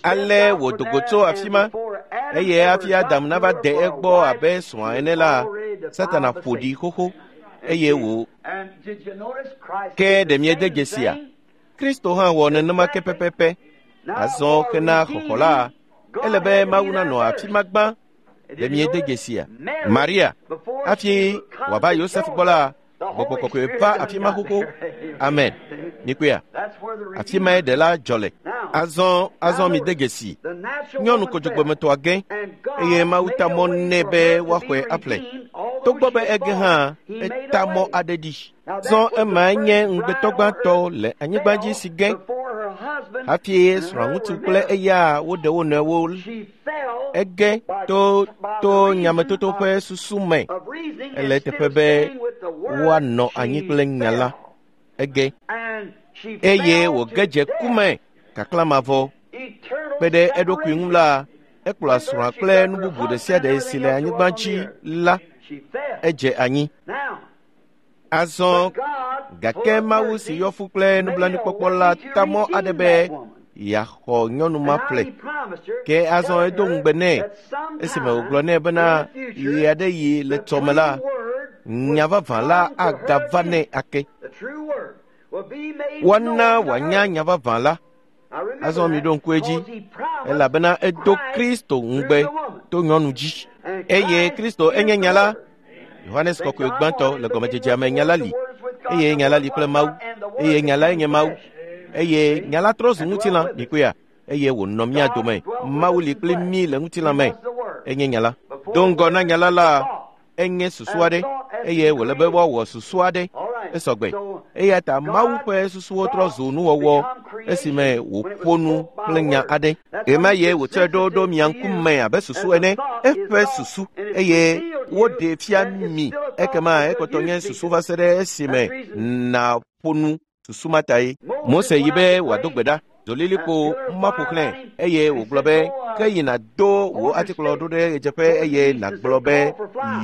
Ale wòdo go tso afi ma, eye hafi Adam nava de egbɔ abe srɔ̃a ene la, Satana ƒo ɖi xoxo eye wò. Ke ɖe miede dzesia? Kristo hã wɔ nenema ke pɛpɛpɛ. Azɔ hena xɔxɔ la, ele be Mawu nanɔ afi ma gbã. Ɖe miede dzesia? Maria, hafi wòava Yosef gbɔ la, Gbɔgbɔ kɔkɔe va afi ma xoxo. Amen. Mikpɔea? Afi mae ɖela dzɔ le. Azɔ mide dzesi. Nyɔnu kodzogbemetɔa ge eye Mawu ta mɔ nɛ be woaxɔe aƒle. Togbɔ be ege hã, eta mɔ aɖe ɖi. Zɔ emae nye ŋugbetɔ gbãtɔ le anyigba dzi si ge hafi srɔ̃ŋutsu kple eya woɖe wo nɔewo. Ege to nyametoto ƒe susu me. Ele teƒe be woanɔ anyi kple nya la. Ege eye wòge dze ku me kaklamavɔ. Kpe ɖe eɖokui ŋu la, ekplɔa srɔ̃a kple nu bubu ɖe sia ɖe si le anyigba dzi la, edze anyi. Azɔ gake Mawu si yɔ fu kple nublanuikpɔkpɔ la ta mɔ aɖe be yeaxɔ nyɔnu ma ƒle. Ke azɔ edo ŋugbe nɛ esime wògblɔ nɛ bena ɣe aɖe yi le tɔme la, nya vavã la agava nɛ ake. Woana wòanya nya vavã la. Azɔ miɖo ŋku edzi, elabena edo Kristo ŋugbe to nyɔnu dzi. Eye Kristo enye nya la. Yohanes kɔkɔe gbãtɔ le gɔmedzedzea me nya la li, eye nya la li kple Mawu, eye nya lae nye Mawu, eye nya la trɔ zu ŋutilã, mikpɔea, eye wònɔ mía dome. Mawu li kpli mí le ŋutilã me, enye nya la. Do ŋgɔ na nya la la, enye susu aɖe, eye wòle be woawɔ susu aɖe. Esɔgbe. Eya ta Mawu ƒe susuwo trɔ zu nuwɔwɔ esime wòƒo nu kple nya aɖe. Ɣemaɣie wòtsɔe ɖo ɖo mia ŋkume abe susu ene, eƒe susu, eye woɖee fia mi. Ekema ekpɔtɔ nye susu va se ɖe esime nàƒo nu susu ma tae. Mose yi be wòado gbe ɖa. Dolilikpo ma ƒo xlãe eye wògblɔ be ke yina do wò atikplɔ ɖo ɖe ɣedzeƒe eye nàgblɔ be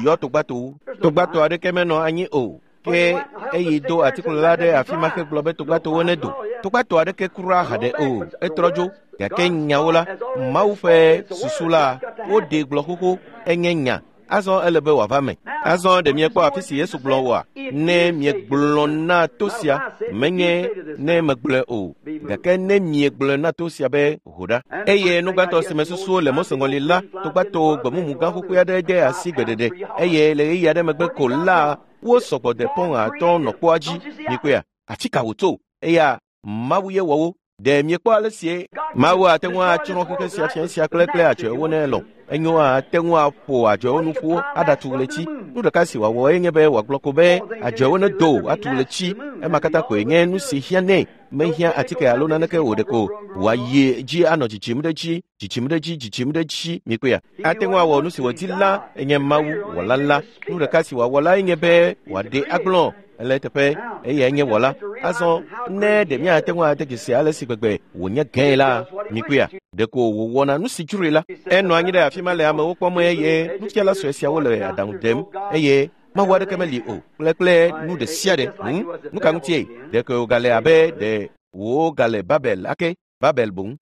yɔ togbatowo. Togbato aɖeke menɔ anyi o. Ke eyi do atikplɔ la ɖe afi ma hegblɔ be togbatowo nedo. Togbato aɖeke kura haɖe o. Etrɔ dzo. Gake nyawo la, Mawu ƒe susu la, woɖee gblɔ xoxo enye nya. Azɔ ele be wòava me. Azɔ ɖe miekpɔ afi si Yesu gblɔ oa? Ne miegblɔ na to sia, menye ne megblɔe o, gake ne miegblɔe na to sia be ho ɖa. Eye nu gbãtɔ si me susuwo le Mose ŋɔli la, togbato gbemumu gã xoxoe aɖe de asi gbeɖeɖe eye le ɣeyiɣi aɖe megbe ko la, wo sɔgbɔ de pɔn atɔ̃ nɔ kpoa dzi. Mikpɔea? Afi ka wòtso? Eya Mawu ye wɔ wo. Ɖe miekpɔ ale sie Mawu ate ŋu atsrɔ̃ xexe sia fia sia kple kple adzɔewo ne elɔ̃. Enyo ate ŋu aƒo adzɔewo nu ƒu aɖatu ɣleti. Nu ɖeka si wòawɔ enye be wòagblɔ ko be adzɔewo nedo atu ɣleti. Ema katã koe nye nu si hiã nɛ. Mehiã atike alo naneke o ɖeko wòayi dzi anɔ dzidzim ɖe dzi, dzidzim ɖe dzi, dzidzim ɖe dzi. Mikpɔea? Ate ŋu awɔ nu si wòdi la enye Mawu wɔla la. Nu ɖeka si wòawɔ la enye be wòaɖe agblɔ ele eteƒe eyae nye wɔla. Azɔ ne ɖe míate ŋu ade dzesi ale si gbegbe wònye gãe la, mikpɔea? Ɖeko wòwɔna nu si dzroe la. Enɔ anyi ɖe afi ma le amewo kpɔm eye nufiala sue siawo le aɖaŋu dem eye Mawu aɖeke meli o kple kple nu ɖe sia ɖe. Nu ka ŋutie? Ɖeko wògale abe ɖe wògale Babel ake, Babel boŋ.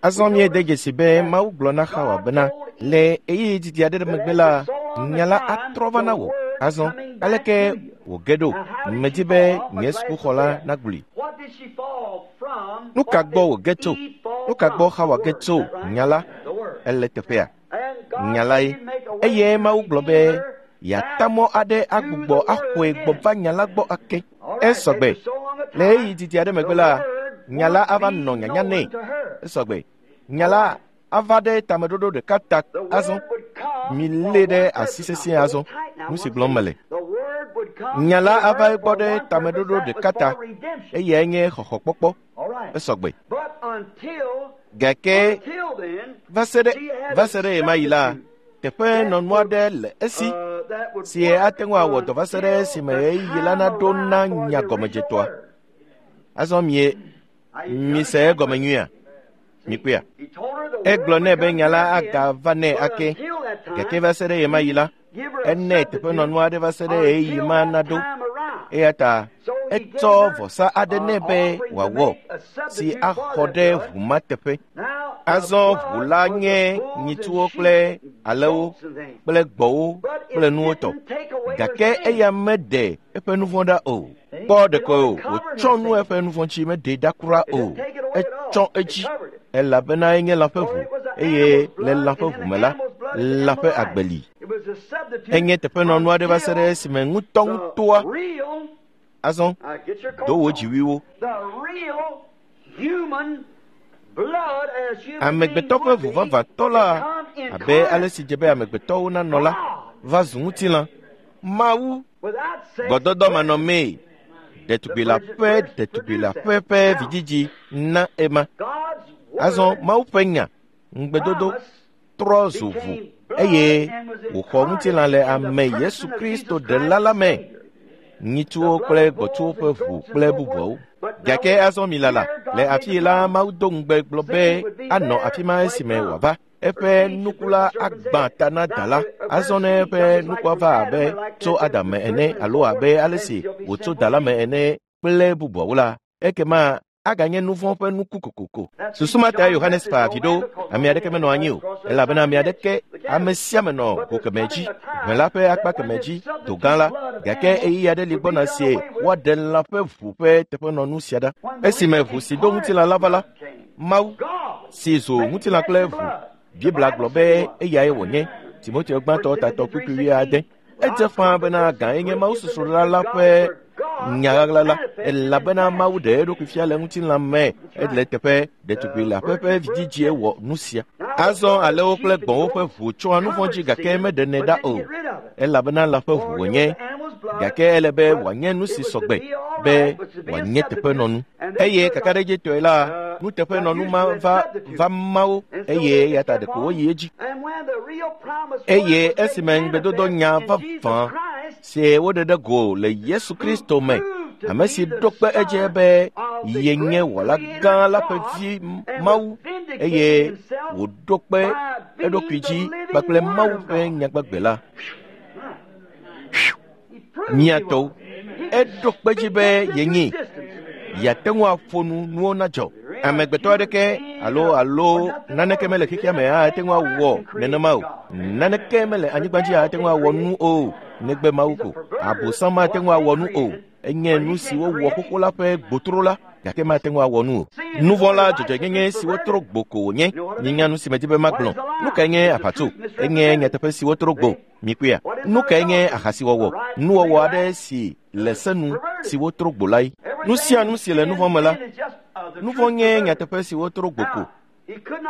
Azɔ míede dzesi be Mawu gblɔ na Xawa bena le ɣeyiɣi didi aɖe megbe la, nya la atrɔ va na wò. Azɔ aleke wòge ɖo? Medi be nye sukuxɔla nagblɔe. Nu ka gbɔ wòge tso? Nu ka gbɔ Xawa ge tso? Nya la ele teƒea. Nya lae. Eye Mawu gblɔ be yeata mɔ aɖe agbugbɔ axɔe gbɔ va nya la gbɔ ake. Esɔgbe. Le ɣeyiɣi didi aɖe megbe la, nya la ava nɔ nyanya nɛ. Esɔgbe. Nya la ava ɖe tameɖoɖo ɖeka ta azɔ. Milé ɖe asi sesĩe azɔ. Nu si gblɔm mele. Nya la ava egbɔ ɖe tameɖoɖo ɖeka ta. Eyae nye xɔxɔkpɔkpɔ. Esɔgbe. Gake va se ɖe va se ɖe ɣemaɣi la, teƒe nɔnu aɖe le esi si ate ŋu awɔ dɔ va se ɖe esime ɣeyiɣi la naɖo na nya gɔmedzetɔa. Azɔ mie mise egɔme nyuia? Mikpɔea? Egblɔ nɛ be nya la agava nɛ ake. Gake va se ɖe ɣemaɣi la, enɛ teƒenɔnu aɖe va se ɖe ɣeyiɣi ma naɖo. Eya ta etsɔ vɔsa aɖe nɛ be wòawɔ si axɔ ɖe ʋu ma teƒe. Azɔ ʋu la nye nyitsuwo kple alẽwo kple gbɔ̃wo kple nuwo tɔ. Gake eya meɖe eƒe nu vɔ̃ ɖa o. Kpɔ ɖeko wòtsɔ nu eƒe nu vɔ̃ dzi meɖee ɖa kura o. Etsɔ edzi elabena enye lã ƒe ʋu eye le lã ƒe ʋu me la, lã ƒe agbe li. Enye teƒenɔnu aɖe va se ɖe esime ŋutɔŋutɔa azɔ do wò dziwuiwo. Amegbetɔ ƒe ʋu vavãtɔ la abe ale si dze be amegbetɔwo nanɔ la va zu ŋutilã. Mawu gbɔdɔdɔ manɔmee ɖetugbui leaƒe ɖetugbui leaƒe ƒe vidzidzi na ema. Azɔ Mawu ƒe nya ŋugbedodo trɔ zu ʋu eye wòxɔ ŋutilã le ame Yesu Kristo ɖela la me. Nyitsuwo kple gbɔ̃tsuwo ƒe ʋu kple bubuawo. Gake azɔ mi lala le afi la Mawu do ŋugbe gblɔ be anɔ afi ma esime wòava. Eƒe nuku la agbã ta na da la. Azɔ ne eƒe nukua va abe tso Adam me ene alo abe ale si wòtso da la me ene kple bubuawo la, ekema aganye nu vɔ̃ ƒe nuku kokoko. Susu ma ta Yohanes fa avi ɖo. Ame aɖeke menɔ anyi o elabena ame aɖeke ame sia ame nɔ go kemɛ dzi, ʋe la ƒe akpa kemɛ dzi, do gã la. Gake ɣeyiɣi aɖe li gbɔna sie woaɖe lã ƒe ʋu ƒe teƒenɔnu sia ɖa. Esime ʋu si ɖo ŋutilã la va la, Mawu si zu ŋutilã kple ʋu. Biblia gblɔ be eyae wònye. Timoteo gbãtɔ tatɔ kpukpui wuiade. Edze ƒãa bena gãe nye Mawu susrɔ̃la la ƒe nya ɣaɣla la elabena Mawu ɖe eɖokui fia le ŋutilã me ele teƒe ɖetugbui leaƒe ƒe vidzidzie wɔ nu sia. Azɔ alẽwo kple gbɔ̃wo ƒe ʋu tsɔa nu vɔ̃ dzi gake meɖenɛ ɖa o elabena lã ƒe ʋu wònye. Gake ele be wòanye nu si sɔgbe be wòanye teƒenɔnu. Eye kakaɖedzitɔe la, nuteƒenɔnu ma va va ma wo eye eya ta ɖeko woyi edzi. Eye esime ŋugbedodo nya vavã si woɖe ɖe go le Yesu Kristo me, ame si ɖo kpe edzi be yenye wɔla gã la ƒe vi Mawu eye wòɖo kpe eɖokui dzi kpakple Mawu ƒe nyagbagbe la. Mia tɔwo, eɖo kpe dzi be yenyee. Yeate ŋu aƒo nu nuwo nadzɔ. Amegbetɔ aɖeke alo naneke mele xexea me ate ŋu awɔ nenema o. Naneke mele anyigba dzi ate ŋu awɔ nu o negbe Mawu ko. Abosam mate ŋu awɔ nu o. Enye nu si wowɔ xoxo la ƒe gbotro la, gake mate ŋu awɔ nu o. Nu vɔ̃ la dzɔdzɔenyenye si wotro gbo ko wònye. Minya nu si medi be magblɔ. Nu kae nye aʋatso? Enye nyateƒe si wotro gbo. Mikpɔea? Nu kae nye ahasiwɔwɔ? Nuwɔwɔ aɖe si le se nu si wotro gbo lae. Nu sia nu si le nu vɔ̃ me la, nu vɔ̃ nye nyateƒe si wotro gbo ko.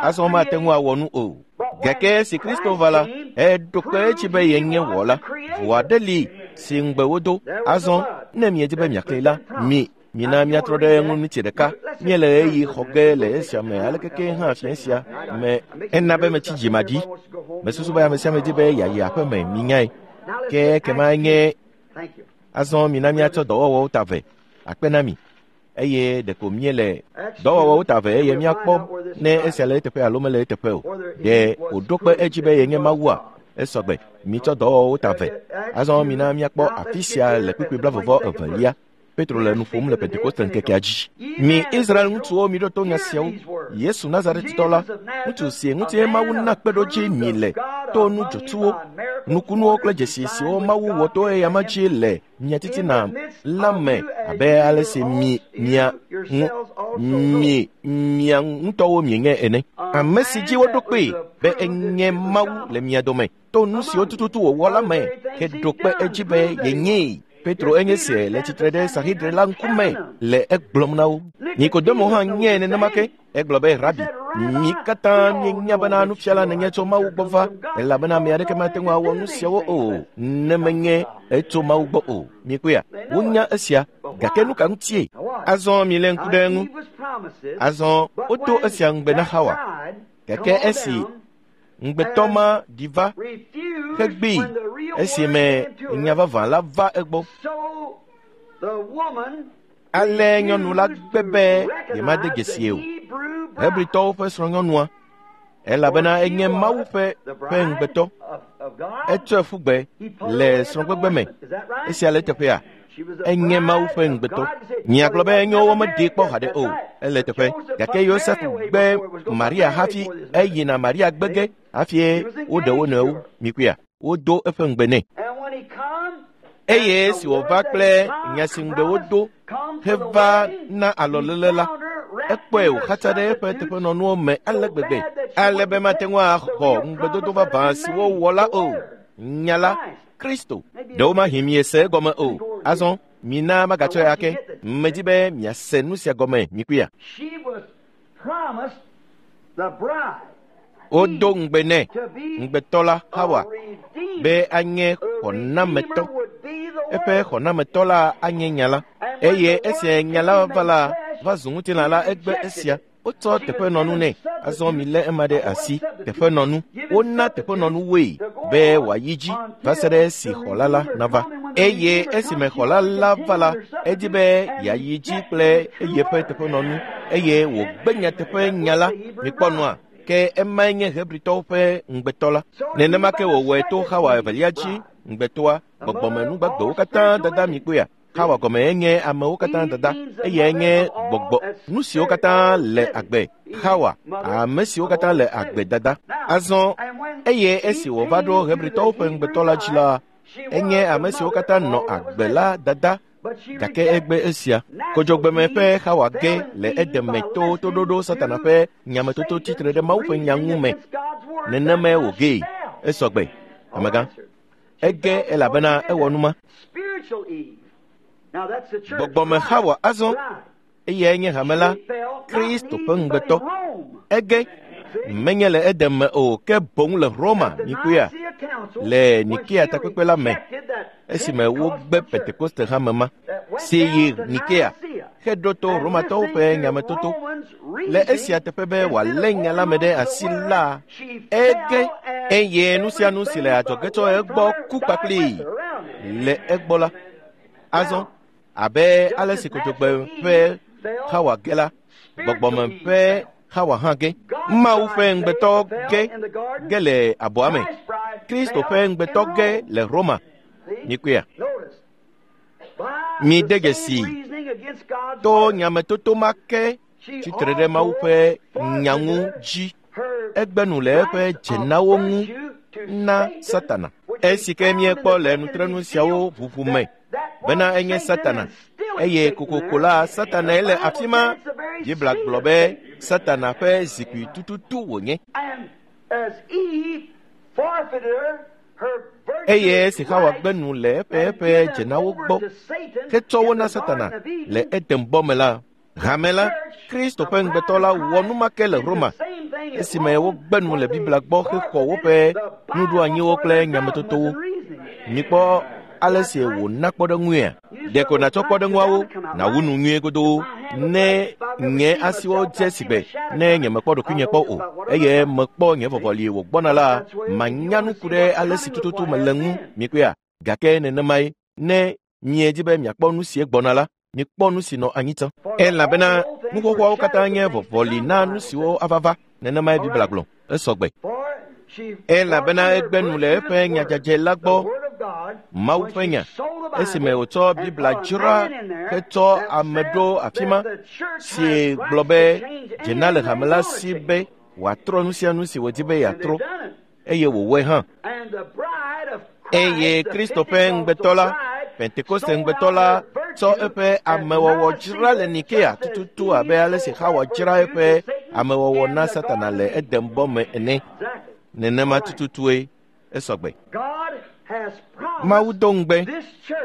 Azɔ mate ŋu awɔ nu o. Gake esi Kristo va la, eɖo kpe edzi be yenye wɔla. Ʋu aɖe li si ŋugbe wodo. Azɔ ne miedi be miaxlẽe la, mi mina miatrɔ ɖe eŋu ŋuti ɖeka. Míele ɣeyiɣi xɔ ge le esia me alekeke hã fiẽ sia me ena be metsi dzimaɖi. Mesusu be ame sia ame di be yeayi aƒe me, minyae. Ke ekema nye azɔ mina míatsɔ dɔwɔwɔwo ta vɛ akpe na mi. Eye ɖeko míele dɔwɔwɔwo ta vɛ eye míakpɔ ne esia le eteƒe alo mele eteƒe o. Ɖe wòɖo kpe edzi be yenye Mawua? Esɔgbe, mitsɔ dɔwɔwɔwo ta vɛ. Azɔ mina míakpɔ afi sia le kpukpui 22. Petro le nu ƒom le Pentekoste ŋkekea dzi. Mi Israel ŋutsuwo miɖo to nya siawo. Yesu Nazaretitɔ la, ŋutsu si ŋuti Mawu na kpeɖodzi mi le to nu dzotsuwo, nukunuwo kple dzesi siwo Mawu wɔ to eyama dzi le mia titina la me abe ale si mi mia ŋutɔwo mienye ene. Ame si dzi woɖo kpee be enye Mawu le mia dome to nu siwo tututu wòwɔ la me heɖo kpe edzi be yenyee. Petro enye se le tsitre ɖe Sanhedrin la ŋkume le egblɔm na wo. Nikodemo hã nye nenema ke. Egblɔ be, Rabi, mi katã míenya bena nufiala nènye tso Mawu gbɔ va, elabena ame aɖeke mate ŋu awɔ nu siawo o ne menye etso Mawu gbɔ o. Mikpɔea? Wonya esia, gake nu ka ŋutie? Azɔ milé ŋku ɖe eŋu. Azɔ wodo esia ŋugbe na Xawa, gake esi ŋugbetɔ ma ɖi va hegbee esime nya vavã la va egbɔ. Ale nyɔnu la gbe be yemade dzesi o. Hebritɔwo ƒe srɔ̃nyɔnua, elabena enye Mawu ƒe ŋugbetɔ. Etsɔe ƒu gbe le srɔ̃gbegbe me. Esia le eteƒea? Enye Mawu ƒe ŋugbetɔ. Miagblɔ be enyo womeɖee kpɔ haɖe o. Ele eteƒe. Gake Yosef gbe Maria hafi eyina Maria gbe ge hafi woɖe wo nɔewo. Mikpɔea? Wodo eƒe ŋugbe nɛ. Eye esi wòva kple nya si ŋugbe wodo heva na alɔlele la, ekpɔe wòxatsa ɖe eƒe teƒenɔnuwo me ale gbegbe ale be mate ŋu axɔ ŋugbedodo vavã si wowɔ la o. Nya la, Kristo. Ɖewomahi miese egɔme o. Azɔ mina magatsɔe ake. Medi be miase nu sia gɔme, mikpɔea? Wodo ŋugbe nɛ, ŋugbetɔ la Xawa, be anye xɔnametɔ. Eƒe xɔnametɔ la anye nya la. Eye esi nya la va la, va zu ŋutilã la egbe esia. Wotsɔ teƒenɔnu nɛ. Azɔ milé ema ɖe asi. Teƒenɔnu. Wona teƒenɔnu woe be wòayi dzi va se ɖe esi xɔla la nava. Eye esime xɔla la va la, edi be yeayi dzi kple eyeƒe teƒenɔnu eye wògbe nyateƒe nya la. Mikpɔ nua? Ke emae nye Hebritɔwo ƒe ŋugbetɔ la. Nenema ke wòwɔe to Xawa evelia dzi, ŋugbetɔa, gbɔgbɔmenugbagbewo katã dada mikpɔea? Xawa gɔme enye amewo katã dada, eyae nye gbɔgbɔ, nu siwo katã le agbe. Xawa, ame siwo katã le agbe dada. Azɔ, eye esi wòva ɖo Hebritɔwo ƒe ŋugbetɔ la dzi la, enye ame siwo katã nɔ agbe la dada, gake egbe esia. Kodzogbeme ƒe Xawa ge le edeme to toɖoɖo Satana ƒe nyametoto tsitre ɖe Mawu ƒe nya ŋu me. Nenemae wògee. Esɔgbe, amegã. Ege elabena ewɔ nu ma. Gbɔgbɔme Xawa azɔ, eyae nye hame la, Kristo ƒe ŋugbetɔ. Ege menye le Eden me o, ke boŋ le Roma, mikpɔea, le Nikea takpekpe la me, esime wogbe Pentekoste hame ma, si yi Nikea, heɖo to Romatɔwo ƒe nyametoto. Le esia teƒe be wòalé nya la me ɖe asi la, ege eye nu sia nu si le adzɔge tso egbɔ ku kpakplii le egbɔ la. Azɔ, abe ale si kodzogbe ƒe Xawa ge la, gbɔgbɔme ƒe Xawa hã ge. Mawu ƒe ŋugbetɔ ge le abɔa me. Kristo ƒe ŋugbetɔ ge le Roma. Mikpɔea? Mide dzesi to nyametoto ma ke tsitre ɖe Mawu ƒe nya ŋu dzi. Egbe nu le eƒe dzenawo ŋu na Satana. Esi ke míekpɔ le nutrenu siawo ʋuʋu me bena enye Satana, eye kokoko la Satanae le afi ma. Biblia gblɔ be Satana ƒe zikpui tututu wònye. Eye esi Xawa gbe nu le eƒe dzenawo gbɔ hetsɔ wo na Satana le Eden bɔ me la, hame la, Kristo ƒe ŋugbetɔ la wɔ nu ma ke le Roma esime wogbe nu le Biblia gbɔ hexɔ woƒe nuɖoanyiwo kple nyametotowo. Mikpɔ ale si wòna kpɔɖeŋuia. Ɖeko nàtsɔ kpɔɖeŋuawo nàwu nu nyuie godoo ne nye asiwo dze sigbe ne nyemekpɔ ɖokuinye kpɔ o eye mekpɔ nye vɔvɔli wògbɔna la, manya nu ku ɖe ale si tututu mele ŋu. Mikpɔea? Gake nenemae ne miedi be miakpɔ nu sie gbɔna la, mikpɔ nu si nɔ anyi tsã. Elabena nu xoxoawo katã nye vɔvɔli na nu siwo ava va. Nenemae Biblia gblɔ. Esɔgbe. Elabena egbe nu le eƒe nyadzadze la gbɔ, Mawu ƒe nya, esime wòtsɔ Biblia dzra hetsɔ ame ɖo afi ma, si gblɔ be dzena le hame la si be wòatrɔ nu sia nu si wòdi be yeatrɔ, eye wòwɔe hã. Eye Kristo ƒe ŋugbetɔ la, Pentekoste ŋugbetɔ la, tsɔ eƒe amewɔwɔ dzra le Nikea tututu abe ale si Xawa dzra eƒe amewɔwɔ na Satana le Eden bɔ me ene. Nenema tututue esɔgbe. Mawu do ŋugbe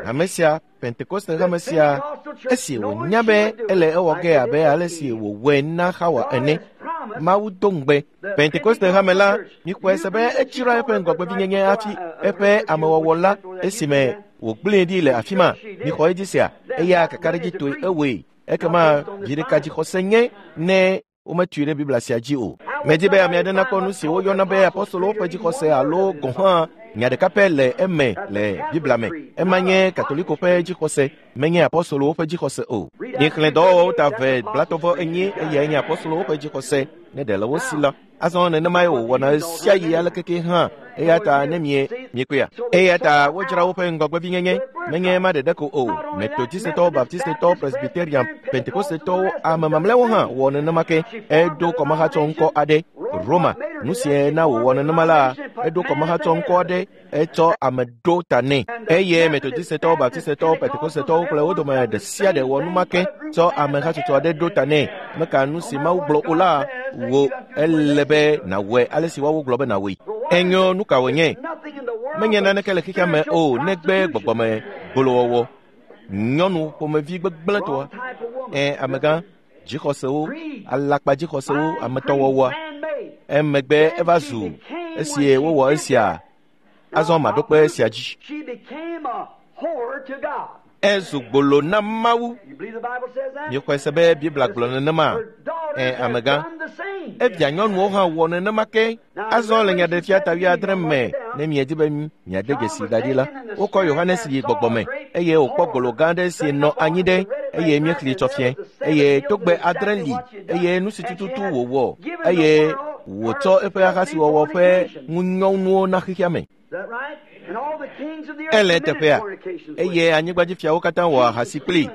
hame sia, Pentekoste hame sia, esi wònya be ele ewɔ ge abe ale si wòwɔe na Xawa ene. Mawu do ŋugbe Pentekoste hame la, mikpɔe se be edzra eƒe ŋgɔgbevinyenye hafi eƒe amewɔwɔ la esime wògblẽe ɖi le afi ma. Mixɔ edzi sea, eya kakaɖedzitɔe ewɔe. Ekema vi ɖeka dzixɔse nye ne wometui ɖe Biblia sia dzi o. Medi be ame aɖe nakpɔ nu si woyɔna be apostolowo ƒe dzixɔse alo gɔ̃ hã nya ɖeka pɛ le eme le Biblia me. Ema nye Katoliko ƒe dzixɔse, menye apostolowo ƒe dzixɔse o. Mixlẽ dɔwɔwɔwo ta 2 34, eyae nye apostolowo ƒe dzixɔse ne ɖe le wo si la. Azɔ nenemae wòwɔna ɣe sia ɣi alekeke hã, eya ta ne mie miekpɔea. Eya ta wodzra woƒe ŋgɔgbevinyenye, menye ema ɖeɖe ko o. Metodistetɔwo, Baptistetɔwo, Presbyterian, Pentekostetɔwo, ame mamlɛawo hã wɔ nenema ke. Eɖo kɔmahatsɔ ŋkɔ aɖe, Roma. Nu sie na wòwɔ nenema la, eɖo kɔmahatsɔ ŋkɔ aɖe, etsɔ ame ɖo ta nɛ. Eye Metodistetɔwo, Baptistetɔwo, Pentekostetɔwo kple wo dome ɖe sia ɖe wɔ nu ma ke, tsɔ ame hatsotso aɖe ɖo ta nɛ. Meka nu si Mawu gblɔ o la, wò ele be nàwɔe ale si woawo gblɔ be nàwɔe. Enyo, nu ka wònye? Menye naneke le xexea me o negbe gbɔgbɔme gbolowɔwɔ, nyɔnu ƒomevi gbegblẽtɔa, amegã, dzixɔsewo, alakpa dzixɔsewo, ametɔwɔwɔa. Emegbe eva zu esi wowɔ esia, azɔ maɖo kpe esia dzi. Ezu gbolo na Mawu. Miexɔe se be Biblia gblɔ nenema? Amegã. Evia nyɔnuwo hã wɔ nenema ke. Azɔ le Nyaɖeɖefia ta 70 me, ne miedi be miade dzesi da ɖi la, wokɔ Yohanes yi gbɔgbɔ me, eye wòkpɔ gbolo gã aɖe si nɔ anyi ɖe, eye míexlẽe tsɔ fiẽ. Eye togbe 7 li, eye nu si tututu wòwɔ, eye wòtsɔ eƒe ahasiwɔwɔ ƒe ŋunyɔnuwo na xexea me. Ele teƒea, eye anyigbadzifiawo katã wɔ ahasi kplii.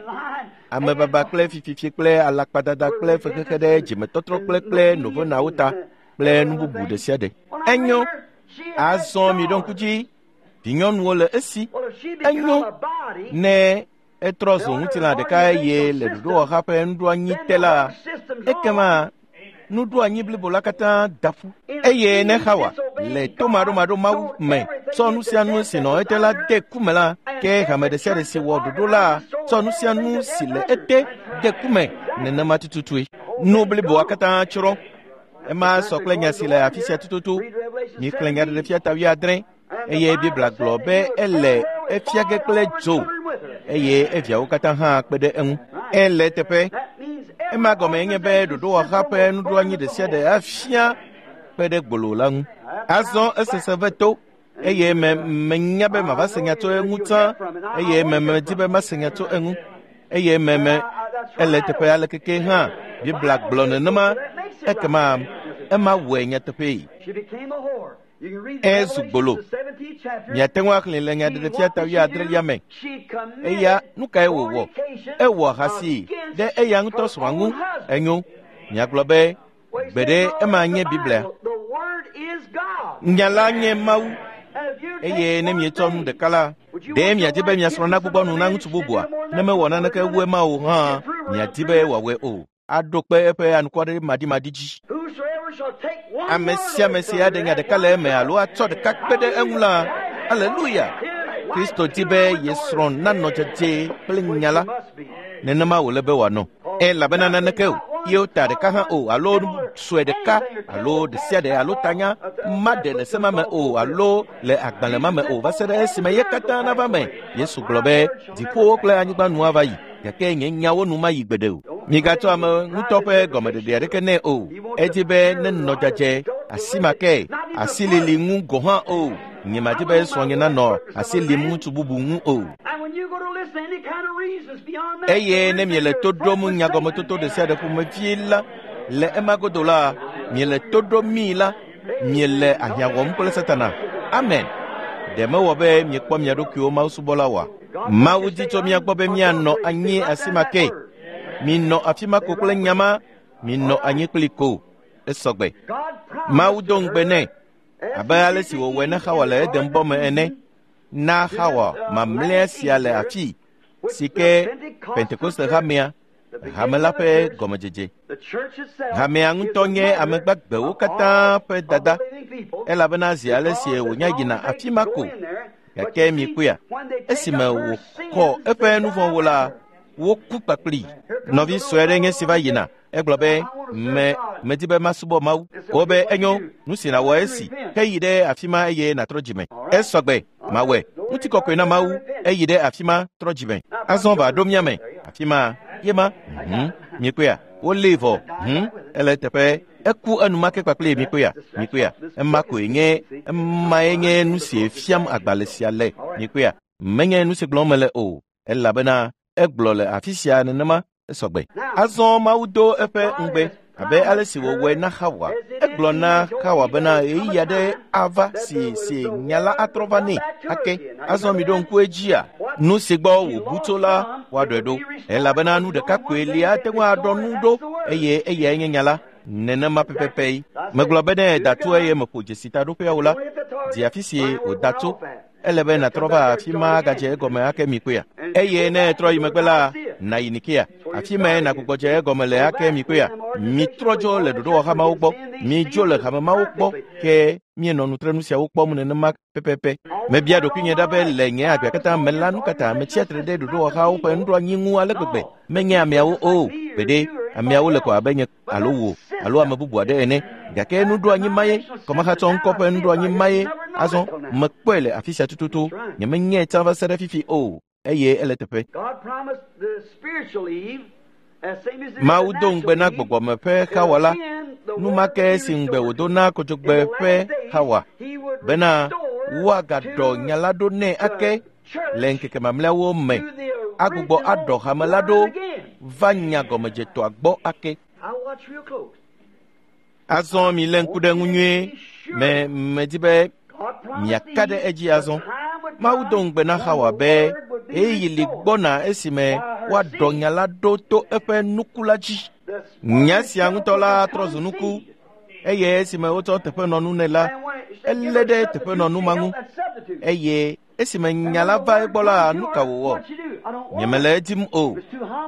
Amebaba kple fififi kple alakpadada kple fexexe ɖe dzimetɔtrɔ kple novenawo ta kple nu bubu ɖe sia ɖe. Enyo, azɔ miɖo ŋku dzi, vinyɔnuwo le esi. Enyo, ne etrɔ zu ŋutilã ɖeka eye le ɖoɖowɔha ƒe nuɖoanyi te la, ekema nuɖoanyi blibo la katã da ƒu. Eye ne Xawa le tomaɖomaɖo Mawu me tsɔ nu sia nu si nɔ ete la de ku me la, ke hame ɖe sia ɖe si wɔ ɖoɖo la tsɔ nu sia nu si le ete de ku me nenema tututue. Nu bliboa katã tsrɔ̃. Ema sɔ kple nya si le afi sia tututu. Mixlẽ Nyaɖeɖefia ta 70, eye Biblia gblɔ be ele efia ge kple dzo, eye eviawo katã hã kpe ɖe eŋu. Ele teƒe. Ema gɔme nye be ɖoɖowɔha ƒe nuɖoanyi ɖe sia ɖe afia kpe ɖe gbolo la ŋu. Azɔ esese ve to, eye menya be mava se nya tso eŋu tsã, eye medi be mase nya tso eŋu, eye me. Ele teƒe aleke ke hã Biblia gblɔ nenema, ekema ema wɔe nyateƒee. Ezu gbolo. Miate ŋu axlẽ le Nyaɖeɖefia ta wuiadrelia me. Eya nu kae wòwɔ? Ewɔ ahasi ɖe eya ŋutɔ srɔ̃a ŋu. Enyo. Miagblɔ be gbeɖe ema nye Biblia. Nya la nye Mawu. Eye ne mietsɔ nu ɖeka la, ɖe miadi be miasrɔ̃ nagbugbɔ nu na ŋutsu bubua? Ne mewɔ naneke wu ema o hã, miadi be wòawɔe o. Aɖo kpe eƒe anukware-madimadi dzi. Ame sia ame si aɖe nya ɖeka le eme alo atsɔ ɖeka kpe ɖe eŋu la, aleluya! Kristo di be ye srɔ̃ nanɔ dzedzɛ kple nya la. Nenema wòle be wòanɔ. Elabena naneke o, ye wota ɖeka hã o, alo nu sue ɖeka, alo ɖe sia ɖe, alo tanya maɖe le se ma me o, alo le agbalẽ ma me o, va se ɖe esime ye katã nava me. Yesu gblɔ be, dziƒowo kple anyigba nu ava yi, gake nye nyawo nu mayi gbeɖe o. Migatsɔ ame ŋutɔ ƒe gɔmeɖeɖe aɖeke nɛ o. Edi be nenɔ dzadzɛ, asi ma ke, asilili ŋu gɔ̃ hã o. Nyemadi be srɔ̃nye nanɔ asi lim ŋutsu bubu ŋu o. Eye ne miele to ɖom nyagɔmetoto ɖe sia ɖe ƒomevie la, le ema godo la, miele to ɖom mii la, miele ahiã wɔm kple Satana. Amen. Ɖe mewɔ be miekpɔ mia ɖokuiwo mawusubɔla oa? Mawu di tso mía gbɔ be míanɔ anyi asi ma ke. Minɔ afi ma ko kple nya ma, minɔ anyi kpli ko. Esɔgbe. Mawu do ŋugbe nɛ, abe ale si wòwɔe na Xawa le Eden bɔ me ene. Na Xawa mamlɛa sia le afii, si ke Pentekoste hamea, hame la ƒe gɔmedzedze. Hamea ŋutɔ nye ame gbagbewo katã ƒe dada, elabena zi ale si wònya yina afi ma ko. Gake mikpɔea, esime wòkɔ eƒe nu vɔ̃wo la, woku kpakplii. Nɔvi sue aɖe nye si va yina. Egblɔ be, me medi be masubɔ Mawu. Wobe enyo, nu si nàwɔ esi, heyi ɖe afi ma eye nàtrɔ dzime. Esɔgbe, mawɔe. Ŋutikɔkɔe na Mawu, eyi ɖe afi ma, trɔ dzime. Azɔ va ɖo mía me. Afi ma, ye ma. Mikpɔea, wolée vɔ. Ele eteƒe. Eku enumake kpakple mikpɔea, mikpɔea. Ema koe nye, emae nye nu si fiam agbalẽ sia le. Mikpɔea, menye nu si gblɔm mele o, elabena egblɔ le afi sia nenema esɔgbe. Azɔ Mawu do eƒe ŋugbe abe ale si wòwɔe na Xawa. Egblɔ na Xawa bena ɣeyiɣi aɖe ava si si nya la atrɔ va nɛ ake. Azɔ miɖo ŋku edzia, nu si gbɔ wòbu tso la woaɖɔe ɖo, elabena nu ɖeka koe li ate ŋu aɖɔ nu ɖo, eye eyae nye nya la. Nenema pɛpɛpɛ. Megblɔ be ne da tso eye meƒo dzesi taɖoƒea o la, di afi si wòda tso. Ele be nàtrɔ va afi ma agadze egɔme ake mikpɔea. Eye ne etrɔ yi megbe la, nàyi Nikea. Afi mae nàgbugbɔ dze egɔme le ake mikpɔea. Mitrɔ dzo le ɖoɖowɔhamawo gbɔ. Midzo le hamemawo gbɔ ke mienɔ nutrenu siawo kpɔm nenema pɛpɛpɛ. Mebia ɖokuinye ɖa be le nye agbea katã me la, nu katã metsia tre ɖe ɖoɖowɔhawo ƒe nuɖoanyi ŋu ale gbegbe. Menye ameawo o. Gbeɖe, ameawo le ko abe nye alo wò alo ame bubu aɖe ene. Gake nuɖoanyi ma ye, kɔmahatsɔ ŋkɔ ƒe nuɖoanyi ma ye. Azɔ mekpɔe le afi sia tututu. Nyemenyae tsã va se ɖe fifi o, eye ele teƒe. Mawu do ŋugbe na gbɔgbɔme ƒe Xawa la, nu ma ke si ŋugbe wòdo na kodzogbe ƒe Xawa, bena woagaɖɔ nya la ɖo nɛ ake le ŋkeke mamlɛawo me, agbugbɔ aɖɔ hame la ɖo va nya gɔmedzetɔa gbɔ ake. Azɔ milé ŋku ɖe ŋu nyuie. Me medi be miaka ɖe edzi azɔ. Mawu do ŋugbe na Xawa be ɣeyiɣi li gbɔna esime woaɖɔ nya la ɖo to eƒe nuku la dzi. Nya sia ŋutɔ la trɔ zu nuku, eye esime wotsɔ teƒenɔnu nɛ la, elé ɖe teƒenɔnu ma ŋu. Eye esime nya la va egbɔ la, nu ka wòwɔ? Nyemele edim o.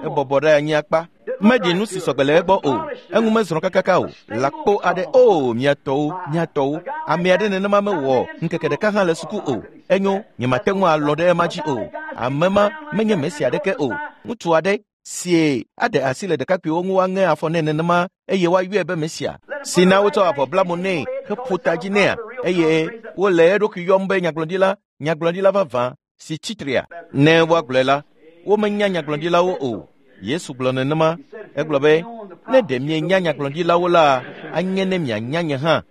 Ebɔbɔ ɖe anyi akpa. Meɖi nu si sɔgbe le egbɔ o. Eŋu mezrɔ̃ kakaka o. Lãkpo aɖe o, mia tɔwo, mia tɔwo. Ame aɖe nenema mewɔ ŋkeke ɖeka hã le suku o. Enyo, nyemate ŋu alɔ ɖe ema dzi o. Ame ma menye Mesia aɖeke o. Ŋutsu aɖe sie aɖe asi le ɖekakpuiwo ŋu woaŋe afɔ nɛ nenema eye woayɔe be Mesia, si na wotsɔ avɔ bla mo nɛ heƒo ta dzi nɛa, eye wole eɖokui yɔm be nyagblɔɖila, nyagblɔɖila vavã si tsitrea. Ne woagblɔe la, womenya nyagblɔɖilawo o. Yesu gblɔ nenema. Egblɔ be, ne ɖe mienya nyagblɔɖilawo la, anye ne mianya nye hã.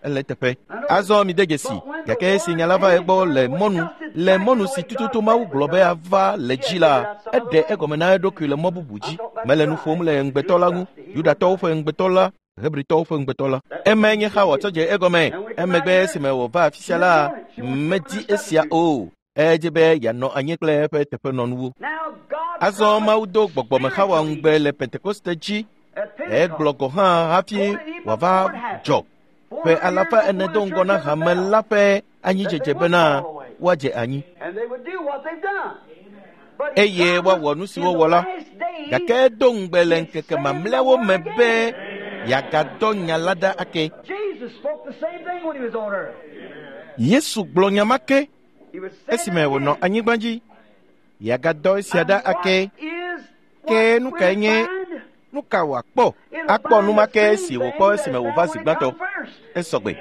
Ele teƒe. Azɔ mide dzesi. Gake esi nya la va egbɔ le mɔnu, le mɔnu si tututu Mawu gblɔ be ava le dzi la, eɖe egɔme na eɖokui le mɔ bubu dzi. Mele nu ƒom le ŋugbetɔ la ŋu, Yudatɔwo ƒe ŋugbetɔ la, Hebritɔwo ƒe ŋugbetɔ la. Emae nye Xawa tsɔ dze egɔme. Emegbe esime wòva afi sia la, medi esia o. Edze be yeanɔ anyi kple eƒe teƒenɔnuwo. Azɔ Mawu do gbɔgbɔme Xawa ŋugbe le Pentekoste dzi. Egblɔ gɔ̃ hã hafi wòava dzɔ ƒe alafa ene do ŋgɔ na hame la ƒe anyidzedze bena woadze anyi eye woawɔ nu si wowɔ la. Gake edo ŋugbe le ŋkeke mamlɛawo me be yeagadɔ nya la ɖa ake. Yesu gblɔ nya ma ke esime wònɔ anyigba dzi. Yeagadɔ esia ɖa ake. Ke nu kae nye nu ka wòakpɔ? Akpɔ nu ma ke si wòkpɔ esime wòva zi gbãtɔ. Esɔgbe.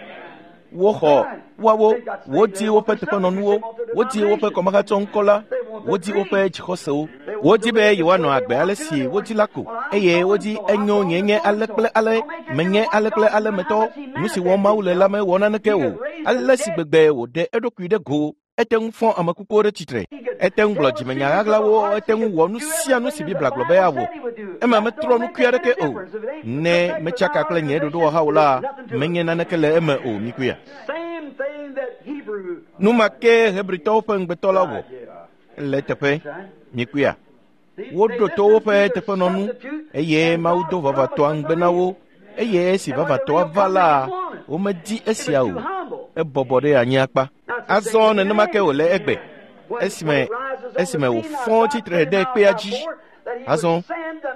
Woxɔ woawo, wodi woƒe teƒenɔnuwo, wodi woƒe kɔmahatsɔ ŋkɔ la, wodi woƒe dzixɔsewo. Wodi be yewoanɔ agbe ale si wodi la ko, eye wodi enyo nye nye ale kple ale, menye ale kple ale metɔ. Nu si wɔm Mawu le la mewɔ naneke o. Ale si gbegbe wòɖe eɖokui ɖe go, ete ŋu fɔ ame kukuwo ɖe tsitre, ete ŋu gblɔ dzimenya ɣaɣlawo, ete ŋu wɔ nu sia nu si Biblia gblɔ be yeawɔ. Ema metrɔ nukui aɖeke o. Ne metsaka kple nye ɖoɖowɔhawo la, menye naneke le eme o, mikuia. Nu ma ke Hebritɔwo ƒe ŋugbetɔ la wɔ le teƒe, mikuia. Woɖo to woƒe teƒenɔnu eye Mawu do vavatɔa ŋugbe na wo, eye esi vavatɔa va la, womedi esia o. Ebɔbɔ ɖe anyi akpa. Azɔ nenema ke wòle egbe, esime esime wòfɔ tsitre ɖe kpea dzi. Azɔ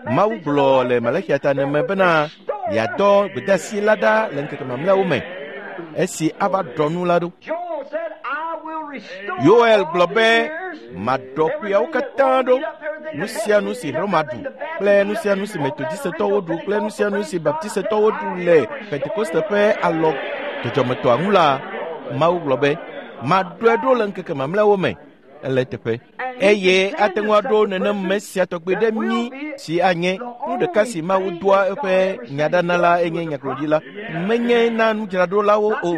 Mawu gblɔ le Malaxia ta me bena yeadɔ gbedeasi la ɖa le ŋkeke mamlɛawo me, esi ava ɖɔ nu la ɖo. Yoel gblɔ be maɖɔ ƒeawo katã ɖo, nu sia nu si Roma ɖu kple nu sia nu si Metodisetɔwo ɖu kple nu sia nu si Baptisetɔwo ɖu le Pentekoste ƒe alɔ dzɔdzɔmetɔa ŋu la, Mawu gblɔ be maɖɔe ɖo le ŋkeke mamlɛawo me. Ele teƒe. Eye ate ŋu aɖo nenem me sia tɔgbi ɖe mí si anye nu ɖeka si Mawu doa eƒe nya ɖa na la enye nyagblɔɖila. Menye na nudzraɖolawo o,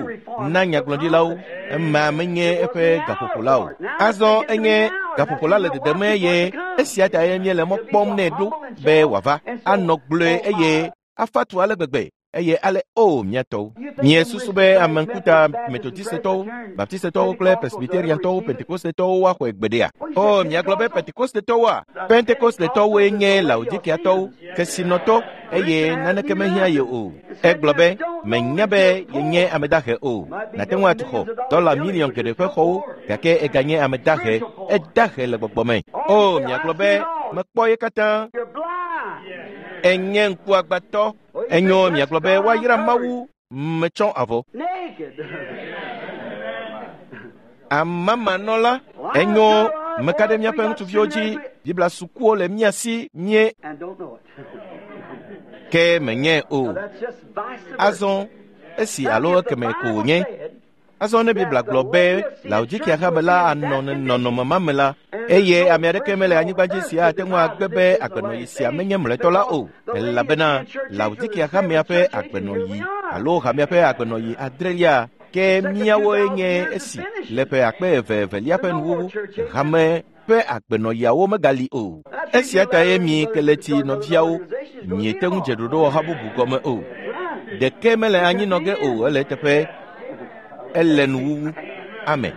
na nyagblɔɖilawo. Ema menye eƒe gaƒoƒo la o. Azɔ enye gaƒoƒo la le dedem eye esia ta ye míele mɔ kpɔm nɛ ɖo be wòava anɔ gblɔe eye afa tu ale gbegbe. Eye ale o miatɔwo. Miesusu be ame ŋkuta Metodisetɔwo, Baptisetɔwo kple Presbyteriantɔwo, Pentekostetɔwo woaxɔe gbeɖea? O, miagblɔ be Pentekostetɔwoa? Pentekostetɔwoe nye Laodikiatɔwo, kesinɔtɔ, eye naneke mehiã ye o. Egblɔ be, menya be yenye ame dahe o. Nàte ŋu atu xɔ dɔla miliɔn geɖe ƒe xɔwo, gake eganye ame dahe. Edahe le gbɔgbɔ me. O, miagblɔ be, mekpɔ ye katã. Enye ŋkuagbãtɔ. Enyo miagblɔ be woayra Mawu metsɔ avɔ. Amamanɔla, enyo meka ɖe míaƒe ŋutsuviwo dzi. Biblia sukuwo le mía si mie ke menye o. Azɔ esi alo ekeme ko wònye. Azɔ ne Biblia gblɔ be Laodikia hame la anɔ nɔnɔme ma me la, eye ame aɖeke mele anyigba dzi si ate ŋu agbe be agbenɔɣi sia menye mlɔetɔ la o, elabena Laodikia hamea ƒe agbenɔɣi alo hamea ƒe agbenɔɣi adrelia ke míawoe nye esi le ƒe akpe eve evelia ƒe nuwuwu. Hame ƒe agbenɔɣiawo megali o. Esia tae mi keleti nɔviawo miete ŋu dze ɖoɖowɔha bubu gɔme o. Ɖeke mele anyi nɔ ge o, ele eteƒe. Ele nuwuwu. Ame.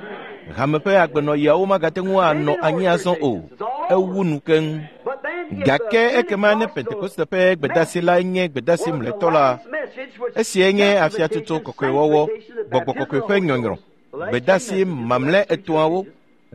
Hame ƒe agbenɔɣiawo magate ŋu anɔ anyi azɔ o. Ewu nu keŋ. Gake ekema ne Pentekoste ƒe gbedasi la nye gbedasi mlɔetɔ la, esie nye afiatsotso kɔkɔewɔwɔ, gbɔgbɔ kɔkɔe ƒe nyɔnyrɔ, gbedasi mamlɛ etɔ̃awo,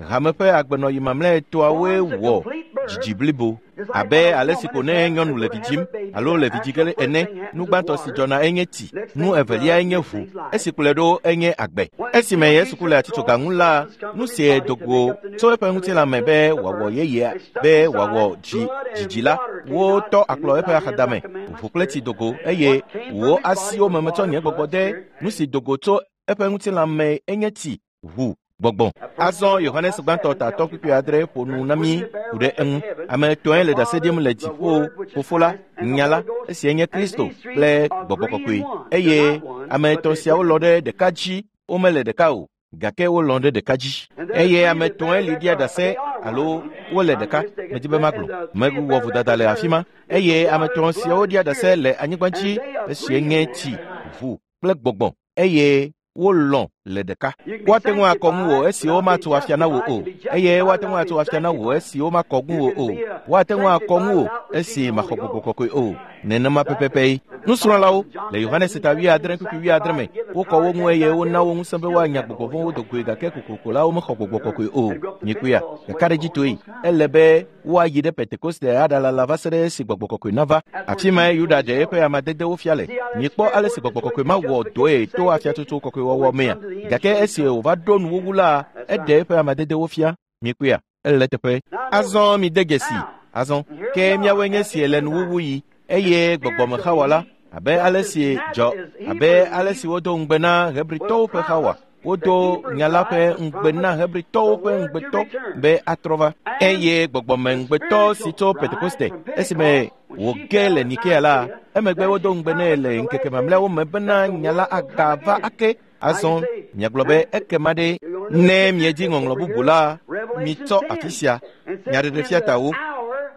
hame ƒe agbenɔɣi mamlɛ etɔ̃awoe wɔ dzidzi blibo. Abe ale si ko ne nyɔnu le vi dzim alo le vi dzi ge ene, nu gbãtɔ si dzɔna enye tsi, nu evelia enye ʋu, esi kplɔe ɖo enye agbe. Esime Yesu ku le atitsoga ŋu la, nu sie do go tso eƒe ŋutilã me be wòawɔ yeyea, be wòawɔ dzidzi la, wotɔ akplɔ eƒe axadame, ʋu kple tsi do go, eye wò asiwo me metsɔ nye gbɔgbɔ de. Nu si do go tso eƒe ŋutilã me enye tsi, ʋu, gbɔgbɔ. Azɔ Yohanes gbãtɔ tatɔ kpukpui adre ƒo nu na mí ku ɖe eŋu. Ame etɔ̃e le ɖase ɖim le dziƒo, Fofo la, Nya la, esie nye Kristo kple Gbɔgbɔ Kɔkɔe. Eye ame etɔ̃ siawo lɔ ɖe ɖeka dzi, womele ɖeka o. Gake wolɔ̃ ɖe ɖeka dzi. Eye ame etɔ̃e li ɖia ɖase alo wole ɖeka, medi be magblɔ. Mewɔ vodada le afi ma. Eye ame etɔ̃ siawo ɖia ɖase le anyigba dzi, esie nye tsi, ʋu kple gbɔgbɔ, eye wolɔ̃ le ɖeka. Woate ŋu akɔ ŋu wò esi womatu afia na wò o, eye woate ŋu atu afia na wò esi womakɔ ŋu wò o. Woate ŋu akɔ ŋu wò esi maxɔ gbɔgbɔ kɔkɔe o. Nenema pɛpɛpɛ. Nusrɔ̃lawo le Yohanes ta 7:7 me, wokɔ wo ŋu eye wona wo ŋusẽ be woanya gbɔgbɔ vɔ̃wo do goe, gake kokoko la womexɔ gbɔgbɔ kɔkɔe o. Mikpɔea, ɖekaɖedzitɔe, ele be woayi ɖe Pentekoste aɖalala va se ɖe esi gbɔgbɔ kɔkɔe nava. Afi mae Yuda ɖe eƒe amadedewo fia le. Mikpɔ ale si gbɔgbɔ kɔkɔe ma wɔ dɔe to afiatsotso kɔkɔewɔwɔ mea. Gake esi wòva ɖo nuwuwu la, eɖe eƒe amadedewo fia. Mikpɔea, ele teƒe. Azɔ mide dzesi. Azɔ ke míawoe nye si le nuwuwu yi, eye gbɔgbɔme Xawa la, abe ale si dzɔ, abe ale si wodo ŋugbe na Hebritɔwo ƒe Xawa, wodo nya la ƒe ŋugbe na Hebritɔwo ƒe ŋugbetɔ be atrɔ va. Eye gbɔgbɔme ŋugbetɔ si tso Pentekoste, esime wòge le Nikea la, emegbe wodo ŋugbe nɛ le ŋkeke mamlɛawo me bena nya la agava ake. Azɔ miagblɔ be ekema ɖe, ne miedzi ŋɔŋlɔ bubu la, mitsɔ afi sia, nyaɖeɖefia ta wo.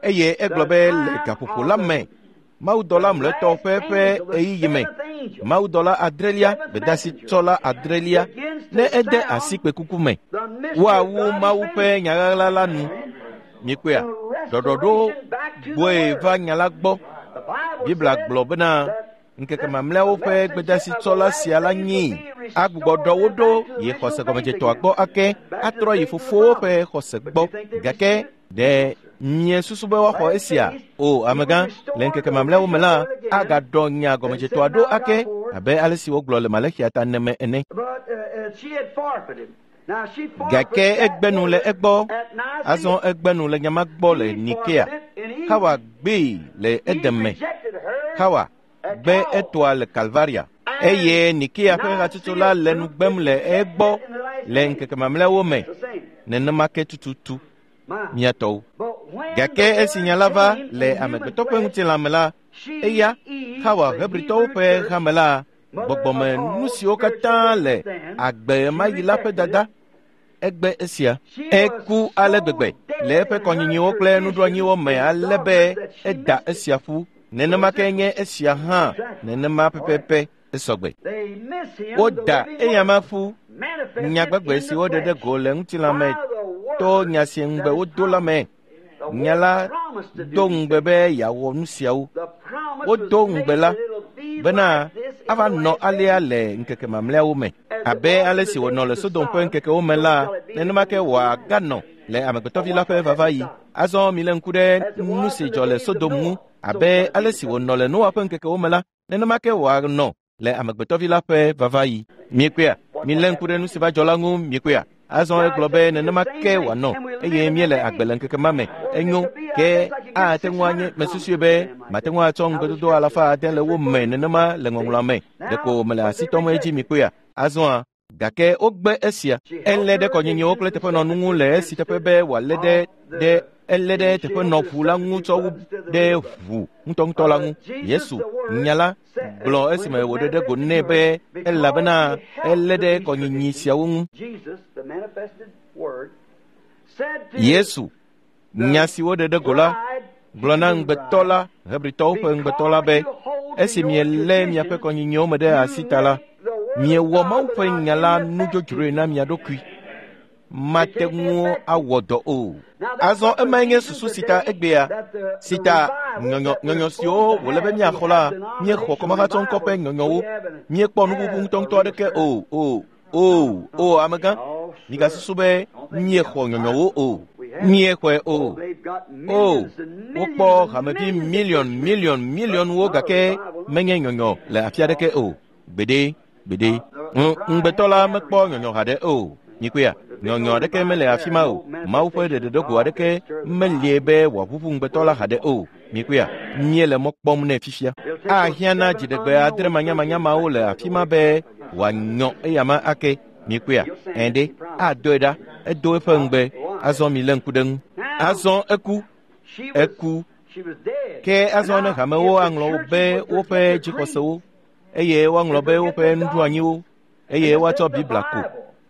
Eye egblɔ be le gaƒoƒo la me, mawudɔla mlɔetɔ ƒe ƒe ɣeyiɣi me, mawudɔla adrelia, gbedasitsɔla adrelia, ne ede asi kpekuku me, woawu Mawu ƒe nyaɣaɣla la nu. Mikpɔea, ɖɔɖɔɖo gbɔe va nya la gbɔ. Biblia gblɔ bena ŋkeke mamlɛawo ƒe gbedasitsɔla sia la nyi agbugbɔ ɖɔ wo ɖo yi xɔse gɔmedzetɔa gbɔ ake, atrɔ yi fofowo ƒe xɔse gbɔ. Gake ɖe miesusu be woaxɔ esia? O, amegã, le ŋkeke mamlɛawo me la, agaɖɔ nya gɔmedzetɔa ɖo ake, abe ale si wogblɔ le Malexia ta neme ene. Gake egbe nu le egbɔ. Azɔ egbe nu le nyama gbɔ le Nikea. Xawa gbee le Eden me. Xawa gbe etɔa le Kalvaria. Eye Nikea ƒe hatsotso la le nu gbem le egbɔ le ŋkeke mamlɛawo me. Nenema ke tututu mía tɔwo. Gake esi nya la va le amegbetɔ ƒe ŋutilã me la, eya Xawa Hebritɔwo ƒe hame la, gbɔgbɔme nu siwo katã le agbe ma yi la ƒe dada, egbe esia. Eku ale gbegbe le eƒe kɔnyinyiwo kple nuɖoanyiwo me ale be eda esia ƒu. Nenema ke nye esia hã, nenema pɛpɛpɛ esɔgbe. Woda eyama ƒu. Nya gbegbe si woɖe ɖe go le ŋutilã me to nya si ŋugbe wodo la me. Nya la do ŋugbe be yeawɔ nu siawo. Wodo ŋugbe la bena ava nɔ alea le ŋkeke mamlɛawo me. Abe ale si wònɔ le Sodom ƒe ŋkekewo me la, nenema ke wòaganɔ le amegbetɔvi la ƒe vava yi. Azɔ milé ŋku ɖe nu si dzɔ le Sodom ŋu. Abe ale si wònɔ le Noa ƒe ŋkekewo me la, nenema ke wòanɔ le amegbetɔvi la ƒe vava yi. Miekpɔea? Milé ŋku ɖe nu si va dzɔ la ŋu, miekpɔea? Azɔ egblɔ be nenema ke wòanɔ, eye míele agbe le ŋkeke ma me. Enyo, ke ate ŋu anye, mesusui be mate ŋu atsɔ ŋugbedodo alafa ade le wo me nenema le ŋɔŋlɔa me. Ɖeko mele asi tɔm edzi, mikpɔea? Azɔa, gake wogbe esia. Elé ɖe kɔnyinyiwo kple teƒenɔnu ŋu le esi teƒe be wòalé ɖe ɖe elé ɖe teƒenɔʋu la ŋu tsɔ wu ɖe ʋu ŋutɔŋutɔ la ŋu. Yesu, nya la, gblɔ esime wòɖe ɖe go nɛ be elabena elé ɖe kɔnyinyi siawo ŋu. Yesu, nya si woɖe ɖe go la, gblɔ na ŋugbetɔ la, Hebritɔwo ƒe ŋugbetɔ la be, esi mielé miaƒe kɔnyinyiwo me ɖe asi ta la, miewɔ Mawu ƒe nya la nudzodzroe na mia ɖokui. Mate ŋu awɔ dɔ o. Azɔ emae nye susu si ta egbea, si ta nyɔnyɔ siwo wòle be míaxɔ la, míexɔ kɔmahatsɔŋkɔ ƒe nyɔnyɔwo. Míekpɔ nububu ŋutɔŋutɔ aɖeke o, o, o, o, amegã. Migasusu be míexɔ nyɔnyɔwo o. Míexɔe o. O, wokpɔ hamevi miliɔn, miliɔn, miliɔnwo gake menye nyɔnyɔ le afi aɖeke o. Gbeɖe, gbeɖe. Ŋugbetɔ la mekpɔ nyɔnyɔ haɖe o. Mikpɔea, nyɔnyɔ aɖeke mele afi ma o. Mawu ƒe ɖeɖeɖego aɖeke melie be wòaʋuʋu ŋugbetɔ la haɖe o. Mikpɔea, míele mɔ kpɔm nɛ fifia. Ahiã na dziɖegbe adre manyamanyamawo le afi ma be wòanyɔ eyama ake. Mikpɔea, ɛ̃ ɖe, adɔe ɖa, edo eƒe ŋugbe. Azɔ milé ŋku ɖe ŋu. Azɔ eku, eku. Ke azɔ ne hamewo aŋlɔ wo be woƒe dzixɔsewo, eye woaŋlɔ be woƒe nuɖoanyiwo, eye woatsɔ Biblia ko.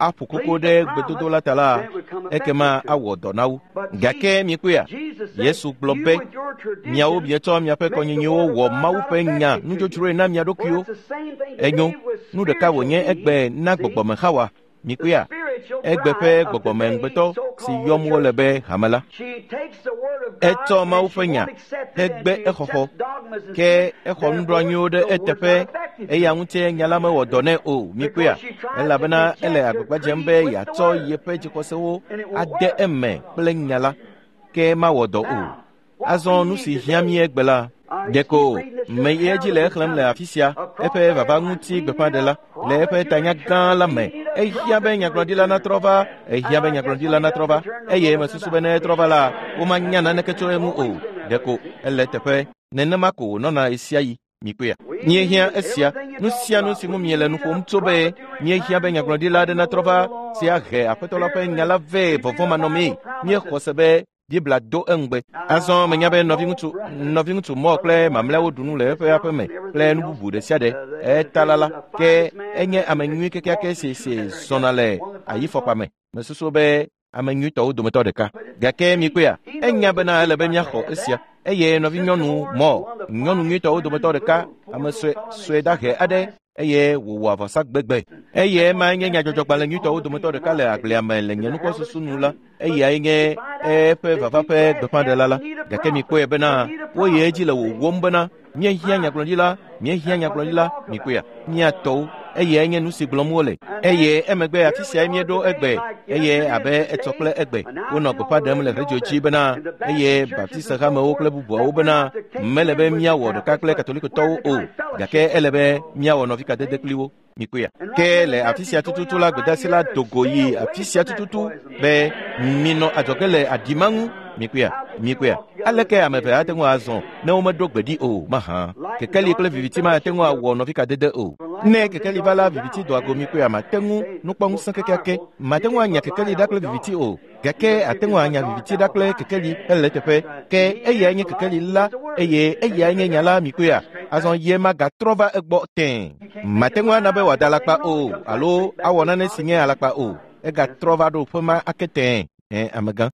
aƒo koko ɖe gbedodo la ta la, ekema awɔ dɔ na wo. Gake mikpɔea, Yesu gblɔ be, miawo mietsɔ miaƒe kɔnyinyiwo wɔ Mawu ƒe nya nudzodzroe na mia ɖokuiwo. Enyo, nu ɖeka wònye egbe na gbɔgbɔme Xawa. Mikpɔea, egbe ƒe gbɔgbɔme ŋugbetɔ si yɔm wole be hame la. Etsɔ Mawu ƒe nya hegbe exɔxɔ, ke exɔ nuɖoanyiwo ɖe eteƒe, eya ŋutie nya la mewɔ dɔ nɛ o. Mikpɔea, elabena ele agbagba dzem be yeatsɔ yeƒe dzixɔsewo ade eme kple nya la, ke mawɔ dɔ o. Azɔ nu si hiã mí egbe la, ɖeko meyi edzi le exlẽm le afi sia, eƒe vava ŋuti gbeƒãɖela le eƒe tanya gã la me. Ehiã be nyagblɔɖila natrɔ va, ehiã be nyagblɔɖila natrɔ va, eye mesusu be ne etrɔ va la, womanya naneke tso eŋu o. Ɖeko ele teƒe. Nenema ko wònɔna ɣesiaɣi. Mikpɔea, míehiã esia. Nu sia nu si ŋu miele nu ƒom tso be míehiã be nyagblɔɖila aɖe natrɔ va si ahe Aƒetɔ la ƒe nya la vɛ vɔvɔ̃manɔmee. Míexɔ se be Biblia do eŋugbe. Azɔ menya be nɔviŋutsu Moore kple mamlɛawo ɖu nu le eƒe aƒe me kple nu bubu ɖe sia ɖe. Etala la, ke enye ame nyui kekeake si si zɔna le ayifɔkpa me. Mesusu be ame nyuitɔwo dometɔ ɖeka. Gake mikpɔea, enya bena ele be míaxɔ esia. Eye nɔvinyɔnu Moore, nyɔnu nyuitɔwo dometɔ ɖeka, ame sue sue dahe aɖe, eye wòwɔ avɔsa gbegbe. Eye ema nye nyadzɔdzɔgbalẽ nyuitɔwo dometɔ ɖeka le agblea me le nye nukpɔsusu nu la. Eyae nye eƒe vava ƒe gbeƒãɖela la. Gake mikpɔe bena woyi edzi le wòwom bena míehiã nyagblɔɖila, míehiã nyagblɔɖila, mikpɔea, míatɔwo. Eyae nye nu si gblɔm wole. Eye emegbe afi siae míeɖo egbe, eye abe etsɔ kple egbe, wonɔ gbeƒã ɖem le redio dzi bena, eye Baptiste hamewo kple bubuawo bena, mele be míawɔ ɖeka kple Katolikotɔwo o, gake ele be míawɔ nɔvikadede kpli wo. Mikpɔea, ke le afi sia tututu la, gbedeasi la do go yi afi sia tututu be minɔ adzɔge le aɖi ma ŋu. Mikpɔea, mikpɔea, aleke ame eve ate ŋu azɔ ne womeɖo gbe ɖi o mahã? Kekeli kple viviti mate ŋu awɔ nɔvikadede o. Ne kekeli va la, viviti doa go. Mikpɔea, mate ŋu nukpɔŋusẽ kekeake, mate ŋu anya kekeli ɖa kple viviti o. Gake ate ŋu anya viviti ɖa kple kekeli hele teƒe. Ke eyae nye kekeli la, eye eyae nye nya la. Mikpɔea, azɔ ye magatrɔ va egbɔ tẽe. Mate ŋu ana be wòada alakpa o, alo awɔ nane si nye alakpa o. Egatrɔ va ɖo ƒe ma ake tẽe. Amegã.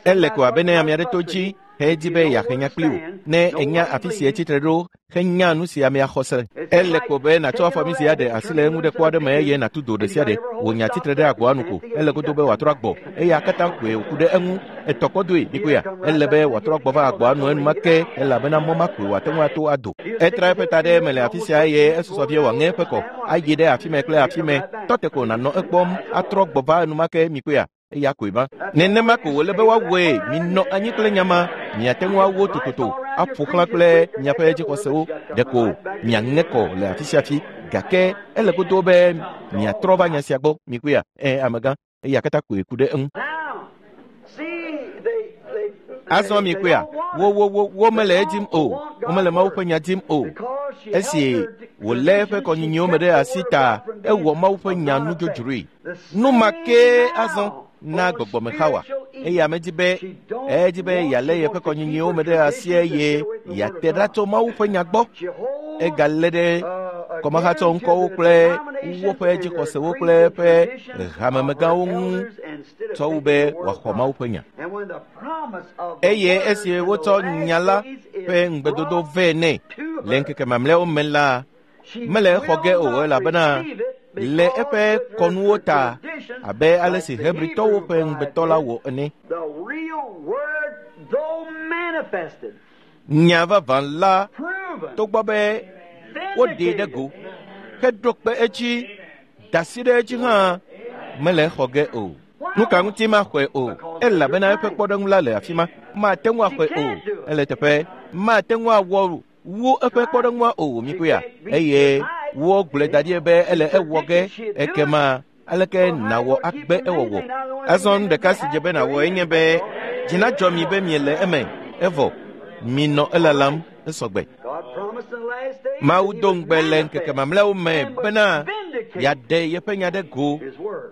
Ele ko abe ne ame aɖe to dzi hedi be yeahe nya kpli wò. Ne ènya afi si etsitre ɖo henya nu si amea xɔ se. Ele ko be nàtsɔ afɔmi si aɖe asi le eŋu ɖe kpo aɖe me eye nàtu do ɖe sia ɖe. Wò nya tsitre ɖe agboa nu ko. Ele godo be wòatrɔ agbɔ. Eya katã koe wòku ɖe eŋu. Etɔ kpɔ doe, mikpɔea. Ele be wòatrɔ agbɔ va agboa nu enumake elabena mɔ ma koe wòate ŋu ato ado. Etra eƒe ta ɖe eme le afi sia eye esusɔ vie wòaŋe eƒe kɔ ayi ɖe afi mɛ kple afi mɛ. Tɔ te ko nànɔ ekpɔm atrɔ gbɔ va enumake, mikpɔea. Eya koe ma. Nenema ko wòle be woawɔe. Minɔ anyi kple nya ma. Miate ŋu awo tototo aƒo xlã kple miaƒe dzixɔsewo. Ɖeko miaŋe kɔ le afi sia afi. Gake ele godo be miatrɔ va nya sia gbɔ. Mikpɔea? Amegã. Eya katã koe ku ɖe eŋu. Azɔ mikpɔea? Wo womele edim o. Womele Mawu ƒe nya dim o. Esi wòlé eƒe kɔnyinyiwo me ɖe asi ta, ewɔ Mawu ƒe nya nudzodzroe. Nu ma kee azɔ na gbɔgbɔme Xawa. Eye ame di be edi be yealé yeƒe kɔnyinyiwo me ɖe asi eye yeate ɖa tso Mawu ƒe nya gbɔ. Egalé ɖe kɔmahatsɔ ŋkɔwo kple woƒe dzixɔsewo kple eƒe hamemegãwo ŋu tsɔ wu be wòaxɔ Mawu ƒe nya. Eye esi wotsɔ nya la ƒe ŋugbedodo vɛ nɛ le ŋkeke mamlɛawo me la, mele exɔ ge o elabena le eƒe kɔnuwo ta abe ale si Hebritɔwo ƒe ŋugbetɔ la wɔ ene. Nya vavã la, togbɔ be woɖee ɖe go heɖo kpe edzi, da asi ɖe edzi hã, mele exɔ ge o. Nu ka ŋuti maxɔe o? Elabena eƒe kpɔɖeŋu la le afi ma. Mate ŋu axɔe o. Ele teƒe. Mate ŋu awɔ wu eƒe kpɔɖeŋua o, mikpɔea. Eye wogblɔe da ɖi be ele ewɔ ge. Ekema aleke nàwɔ agbe ewɔwɔ? Azɔ nu ɖeka si dze be nàwɔ enye be dzi nadzɔ mi be miele eme. Evɔ minɔ elalam esɔgbe. Mawu do ŋugbe le ŋkeke mamlɛawo me bena yeaɖe yeƒe nya ɖe go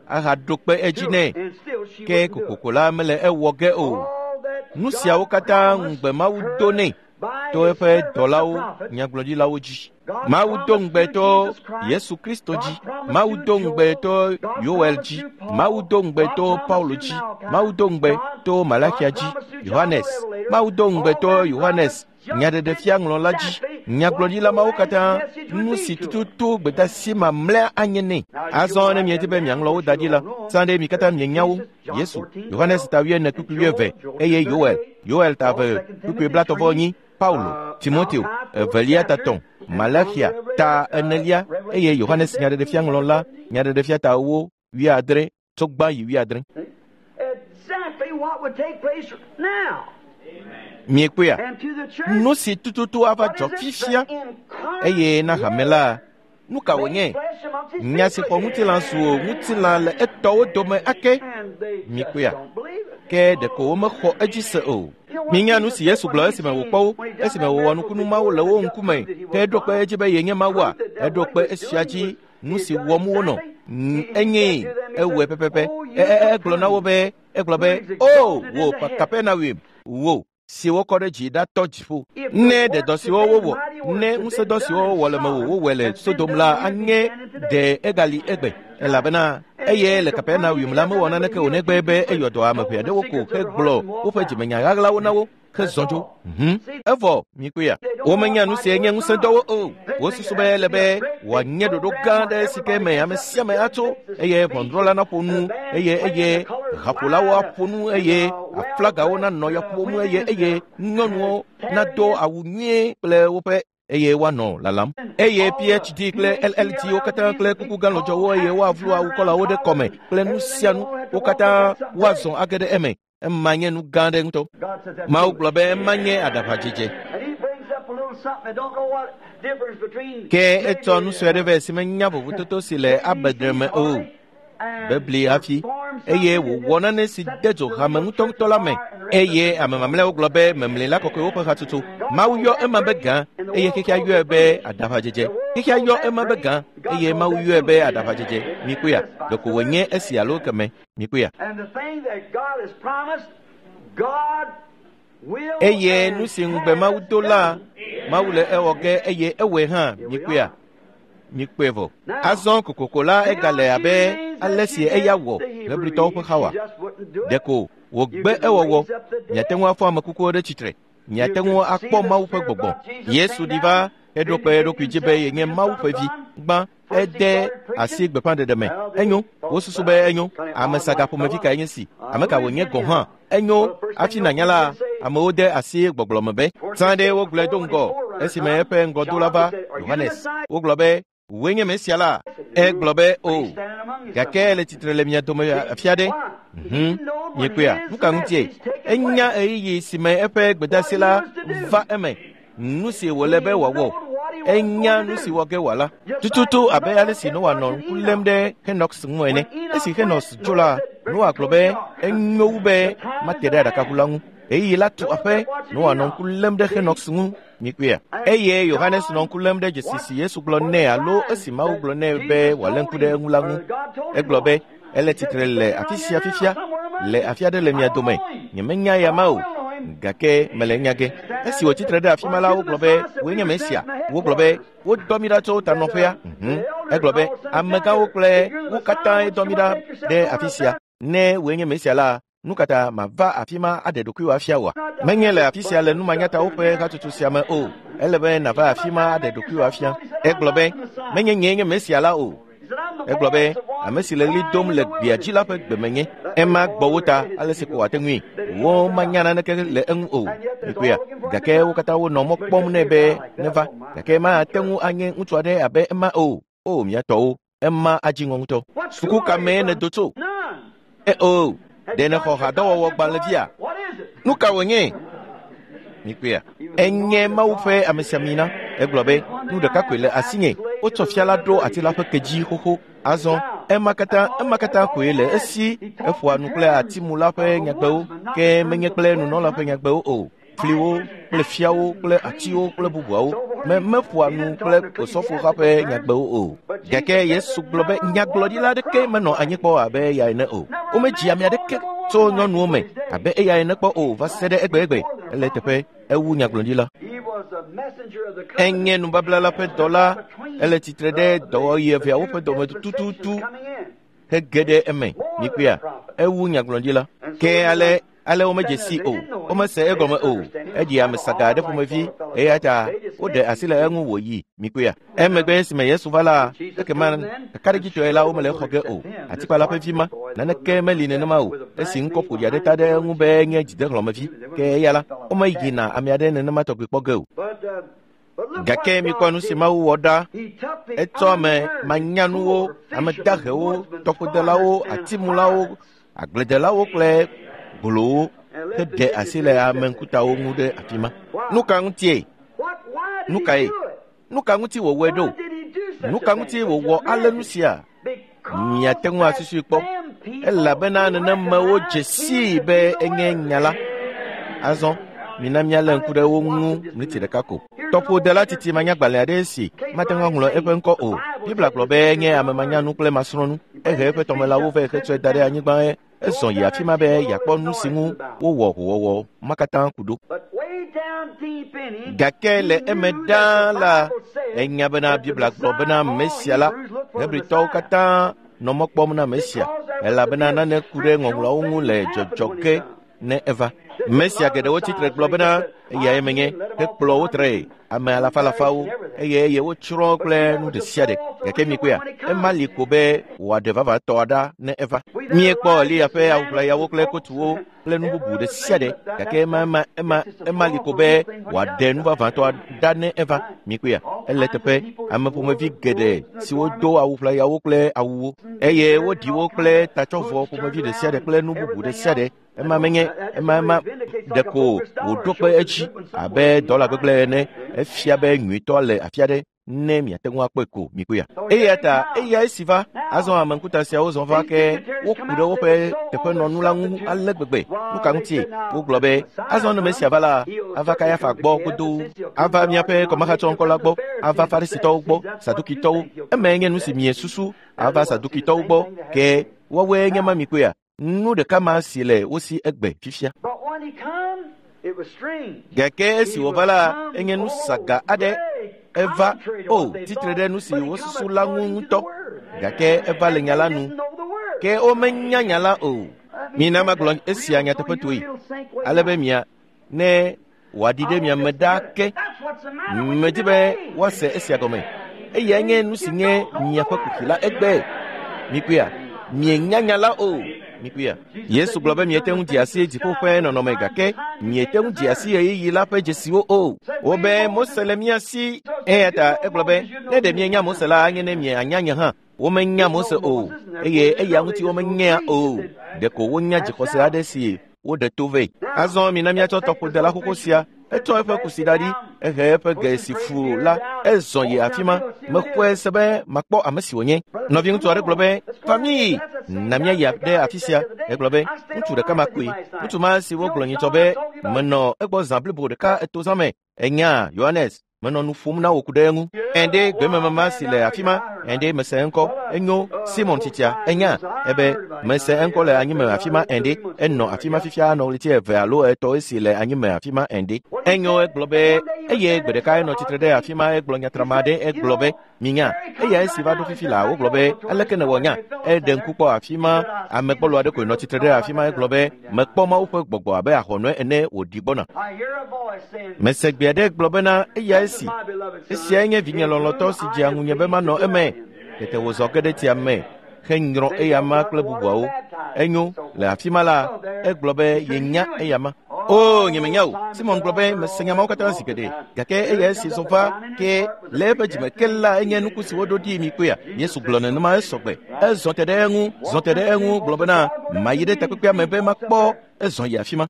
ahaɖo kpe edzi nɛ. Ke kokoko la mele ewɔ ge o. Nu siawo katã ŋugbe Mawu do nɛ. to eƒe dɔlawo nyagblɔɖilawo dzi. Mawu do ŋugbe to Yesu Kristo dzi. Mawu do ŋugbe to Yoel dzi. Mawu do ŋugbe to Paulo dzi. Mawu do ŋugbe to Malakia dzi. Yohanes. Mawu do ŋugbe to Yohanes nyaɖeɖefia ŋlɔla dzi. Nyagblɔɖila mawo katã nu si tututu gbedasi mamlɛa anye nɛ. Azɔ ne miedi be miaŋlɔ wo da ɖi la, sã ɖe mi katã mienya wo. Yesu, Yohanes ta 4 kpukpui 20 eye Yoel, Yoel ta 2 kpukpui 34, Paulo, Timoteo, 2 ta 3, Malakia ta 4 eye Yohanes nyaɖeɖefia ŋlɔla nyaɖeɖefia ta 4 8 tso gbã yi 8. Exactly what would take place now. Miekpɔea? And to the church, Nu si tututu ava what dzɔ is it? fifia The incarnate eye na hame la, nu ka wònye? flesh amongst his Nya si xɔ people. ŋutilã zu o, ŋutilã le etɔwo dome ake. And they just Miekpɔea? don't believe it. Ke ɖeko womexɔ edzi se o. Minya nu si Yesu gblɔ esime wòkpɔ wo, esime wòwɔ nukunu mawo le wo ŋkume, ke eɖo kpe edzi be yenye Mawua? Eɖo kpe esia dzi nu si wɔm wonɔ. Enye ewɔe pɛpɛpɛ. Egblɔ na wo be, egblɔ be, o wò Kapernaum, wò si wokɔ ɖe dzi ɖatɔ dziƒo. Ne ɖe dɔ siwo wowɔ, ne ŋusẽdɔ siwo wowɔ le mewò wowɔe le Sodom la anye ɖe egali egbe, elabena eye le Kapernaum la mewɔ naneke o negbe be eyɔ dɔ ame ʋɛ aɖewo ko hegblɔ woƒe dzimenya ɣaɣlawo na wo hezɔ dzo. Evɔ mikpɔea, womenya nu si nye ŋusẽdɔwo o. Wosusu be ele be wòanye ɖoɖo gã aɖe si ke me ame sia ame atso eye ʋɔnudrɔ̃la naƒo nu eye eye haƒolawo aƒo nu eye aflagawo nanɔ ya ƒom eye eye nyɔnuwo nado awu nyuie kple woƒe eye woanɔ lalam. Eye PhD kple LLD wo katã kple kuku gã lɔdzɔwo eye woavlu awukɔlawo ɖe kɔme kple nu sia nu wo katã woazɔ age ɖe eme. Ema nye nu gã aɖe ŋutɔ. God says that's Mawu foolish. gblɔ be ema nye aɖaʋadzedze. And he brings up a little something that don't know what difference between Ke etsɔ nu sue aɖe vɛ si menya vovototo si le abedre me o. Bebli hafi eye wòwɔ nane si de dzo hame ŋutɔŋutɔ la me eye ame mamlɛawo gblɔ be memli la kɔkɔewo ƒe hatsotso. Mawu yɔ ema be gã eye xexea yɔe be aɖaʋadzedze. Xexea yɔ ema be gã eye Mawu yɔe be aɖaʋadzedze. Mikpɔea, ɖeko wònye esi alo keme. Mikpɔea. And the thing that God has promised, God will Eye and nu si ŋugbe Mawu do la, has done. Mawu le ewɔ ge eye ewɔe hã. Mikpɔea, mikpɔe vɔ. Azɔ kokoko la egale abe ale si eya wɔ Hebritɔwo ƒe Xawa. Ɖeko wògbe ewɔwɔ. Miate ŋu afɔ ame kukuwo ɖe tsitre. Miate ŋu akpɔ Mawu ƒe gbɔgbɔ. Yesu ɖi va heɖo kpe eɖokui dzi be yenye Mawu ƒe vi. Gbã ede asi gbeƒãɖeɖe me. Enyo, wosusu be enyo. Ame saga ƒomevi kae nye si? Ame ka wònye gɔ̃ hã? Enyo, hafi nànya la, amewo de asi gbɔgblɔ me be, zã ɖe wogblɔe do ŋgɔ esime eƒe ŋgɔdola va, Yohanes. Wogblɔ be, wòe nye Mesia la? Egblɔ be, o, gake ele tsitre le mia dome afi aɖe. Miekpɔea? Nu ka ŋutie? Enya ɣeyiɣi si me eƒe gbedasi la va eme. Nu si wòle be wòawɔ. Enya nu si wɔ ge wòala. Tututu abe ale si Noa nɔ ŋku lém ɖe Henox ŋu ene. Esi Henox tso la, Noa gblɔ be enyo wu be mate ɖe aɖakaʋu la ŋu. Ɣeyiɣi la tu aƒe, Noa nɔ ŋku lém ɖe Henox ŋu. Mikpɔea? Eye Yohanes nɔ ŋku lém ɖe dzesi si Yesu gblɔ nɛ alo esi Mawu gblɔ nɛ be wòalé ŋku ɖe eŋu la ŋu. Egblɔ be, ele tsitre le afi sia fifia, le afi aɖe le mia dome. Nyemenya ya ma o, gake mele enya ge. Esi wòtsi tre ɖe afi ma la, wogblɔ be, wòe nye Mesia. Wogblɔ be, wodɔ mí ɖa tso tanɔƒea. Egblɔ be, amegãwo kple wo katãe dɔ mí ɖa ɖe afi sia. Ne wòe nye Mesia la, nu ka ta mava afi ma aɖe ɖokuiwò afia wòa? Menye le afi sia le numanyatawo ƒe hatsotso sia me o. Ele be nàva afi ma aɖe ɖokuiwò afia. Egblɔ be, menye nyee nye Mesia la o. Egblɔ be, ame si le ɣli dom le gbea dzi la ƒe gbe menye. Ema gbɔ wo ta ale si ko wòate ŋui. Wo manya naneke le eŋu o. Mikpɔea? Gake wo katã wonɔ mɔ kpɔm nɛ be neva. Gake mate ŋu anye ŋutsu aɖe abe ema o. O, mia tɔwo, ema adzi ŋɔ ŋutɔ. Suku ka mee nèdo tso? O, ɖe nèxɔ hadɔwɔwɔ gbalẽvia? Nu ka wònye? Mikpɔea? Enye Mawu ƒe amesiamina. Egblɔ be, nu ɖeka koe le asinye. Wotsɔ fia la ɖo ati la ƒe ke dzi xoxo. Azɔ, ema katã koe le esi. Eƒoa nu kple atimula ƒe nyagbewo, ke menye kple nunɔla ƒe nyagbewo o. Fliwo kple fiawo kple atiwo kple bubuawo. Meƒoa nu kple osɔfoha ƒe nyagbewo o. Gake Yesu gblɔ be nyagblɔɖila aɖeke menɔ anyi kpɔ abe eya ene o. Womedzi ame aɖeke tso nyɔnuwo me abe eya ene kpɔ o va se ɖe egbegbe. Ele teƒe ewu nyagblɔɖila. Enye nubabla la ƒe dɔla, ele tsitre ɖe dɔwɔɣi eveawo ƒe dɔme tututu hege ɖe eme. Mikpɔea, ewu nyagblɔɖila. Ke ale ale womedze si o, womese egɔme o. Eɖi ame saga aɖe ƒomevi eya ta woɖe asi le eŋu wòyi. Mikpɔea, emegbe esime Yesu va la, ekema kakaɖedzitɔe la womele exɔ ge o. Atikpala ƒe vi ma, naneke meli nenema o. Esi ŋkɔ ƒoɖi aɖe ta ɖe eŋu be enye dzidehlɔ̃mevi, ke eya la, womeyina ame aɖe nenema tɔgbi kpɔ ge o. Gake mikpɔ nu si Mawu wɔ ɖa. Etsɔ ame manyanuwo, ame dahewo, tɔƒodelawo, atimulawo, agbledelawo kple gbolowo heɖe asi le ame ŋkutawo ŋu ɖe afi ma. Nu ka ŋutie? Nu kae? Nu ka ŋuti wòwɔe ɖo? Nu ka ŋuti wòwɔ ale nu sia? Miate ŋu asusui kpɔ, elabena nenemewo dze sii be enye nya la. Azɔ mina míalé ŋku ɖe wo ŋu miniti ɖeka ko. Tɔƒodela titi manyagbalẽ aɖe si mate ŋu aŋlɔ eƒe ŋkɔ o. Biblia gblɔ be enye ame manyanu kple masrɔ̃nu. Ehe eƒe tɔmelãwo vɛ hetsɔe da ɖe anyigba ezɔ yi afi ma be yeakpɔ nu si ŋu wowɔ howɔwɔ ma katã ku ɖo. Gake le eme ɖaa la, enya bena Biblia gblɔ bena Mesia la, Hebritɔwo katã nɔ mɔ kpɔm na Mesia, elabena nane ku ɖe ŋɔŋlɔawo ŋu le dzɔdzɔ ge ne eva. Mesia geɖewo tsitre gblɔ bena eyae menye, hekplɔ wo tree ame alafalafawo eye eye wotsrɔ̃ kple nu ɖe sia ɖe. Gake mikpɔea, ema li ko be wòaɖe vavãtɔ ɖa ne eva. Míekpɔ Eliya ƒe awuʋlayawo kple kotuwo kple nu bubu ɖe sia ɖe, gake ema ema ema ema li ko be wòaɖe nu vavãtɔ ɖa ne eva. Mikpɔea, ele teƒe ame ƒomevi geɖe siwo do awuʋlayawo kple awuwo eye woɖi wo kple tatsɔvɔ ƒomevi ɖe sia ɖe kple nu bubu ɖe sia ɖe. Ema menye ema ema ɖeko wòɖo kpe edzi abe dɔla gbegblẽ ene. Efia be nyuitɔ le afi aɖe ne miate ŋu akpɔe ko mikpɔea. Eya ta eya esi va azɔ ame ŋkuta siawo zɔ va ke woku ɖe woƒe teƒenɔnu la ŋu ale gbegbe. Nu ka ŋutie? Wogblɔ be azɔ ne Mesia va la, ava Kayafa gbɔ godoo, ava míaƒe kɔmahatsɔŋkɔ la gbɔ, ava Farisitɔwo gbɔ, Sadukitɔwo. Emae nye nu si miesusu ava Sadukitɔwo gbɔ ke woawoe nye ma mikpɔea. Nu ɖeka ma si le wo si egbe fifia. Gake esi wòva la, enye nu saga aɖe. Eva, o, tsitre ɖe nu si wosusu la ŋu ŋutɔ. Gake eva le nya la nu. Ke womenya nya la o. Mina magblɔ esia nyateƒetoe, ale be mia ne wòaɖi ɖe mia me ɖaa ke. Medi be woase esia gɔme. Eyae nye nu si nye miaƒe kuxi la egbe. Mikpɔea, mienya nya la o. Mikpɔea, Yesu gblɔ be miete ŋu dze asi dziƒo ƒe nɔnɔme gake miete ŋu dze asi ɣeyiɣi la ƒe dzesiwo o. Wobe Mose le mía si. Eya ta egblɔ be ne ɖe mienya Mose la, anye ne mianya nye hã. Womenya Mose o eye eya ŋuti womenyea o. Ɖeko wonya dzixɔse aɖe si woɖe to vɛ. Azɔ mina míatsɔ tɔƒodela xoxo sia. Etsɔ eƒe kusi da ɖi, ehe eƒe ge si fu la, ezɔ yi afi ma. Mexɔe se be makpɔ ame si wònye. Nɔviŋutsu aɖe gblɔ be, "Va míyi, na míayi ɖe afi sia." Egblɔ be, "Ŋutsu ɖeka ma koe. Ŋutsu ma si wogblɔ nyitsɔ be menɔ egbɔ zã blibo ɖeka eto zã me. Ènya, Yohanes, menɔ nu ƒom na wò ku ɖe eŋu. Ɛ̃ɖe gbememama si le afi ma, ɛ̃ɖe mese eŋkɔ. Enyo, Simon tsitsia, enya ebe mese eŋkɔ le anyime afi ma ɛ̃ɖe. Enɔ afi ma fifia nɔ ɣleti eve alo etɔ̃ esi le anyime afi ma ɛ̃ɖe. Enyo, egblɔ be eye gbe ɖeka enɔ tsitre ɖe afi ma egblɔ nyatrama aɖe egblɔ be minya eya esi va ɖo fifi la wogblɔ be aleke nèwɔ nya eɖe ŋku kpɔ afi ma ame gbɔlo aɖe koe nɔ tsitre ɖe afi ma egblɔ be mekpɔ Mawu ƒe gbɔgbɔ abe ahɔnɔe ene wòɖi gbɔna. Mese gbe aɖe gblɔ bena eya esi esiae nye vinye lɔlɔ̃tɔ si dzea ŋunye be manɔ eme. Tete wòzɔ ge ɖe tsia me henyrɔ eyama kple bubuawo. Enyo, le afi ma la, egblɔ be yenya eyama. O, nyemenya o. Simon gblɔ be mese nya mawo katã zi geɖe, gake eya esi zɔ va ke le eƒe dzime ke la enye nuku si woɖo ɖi mi kpɔea. Yesu gblɔ nenema esɔgbe. Ezɔ te ɖe eŋu, zɔ te ɖe eŋu gblɔ bena mayi ɖe takpekpea me be makpɔ ezɔ yi afi ma.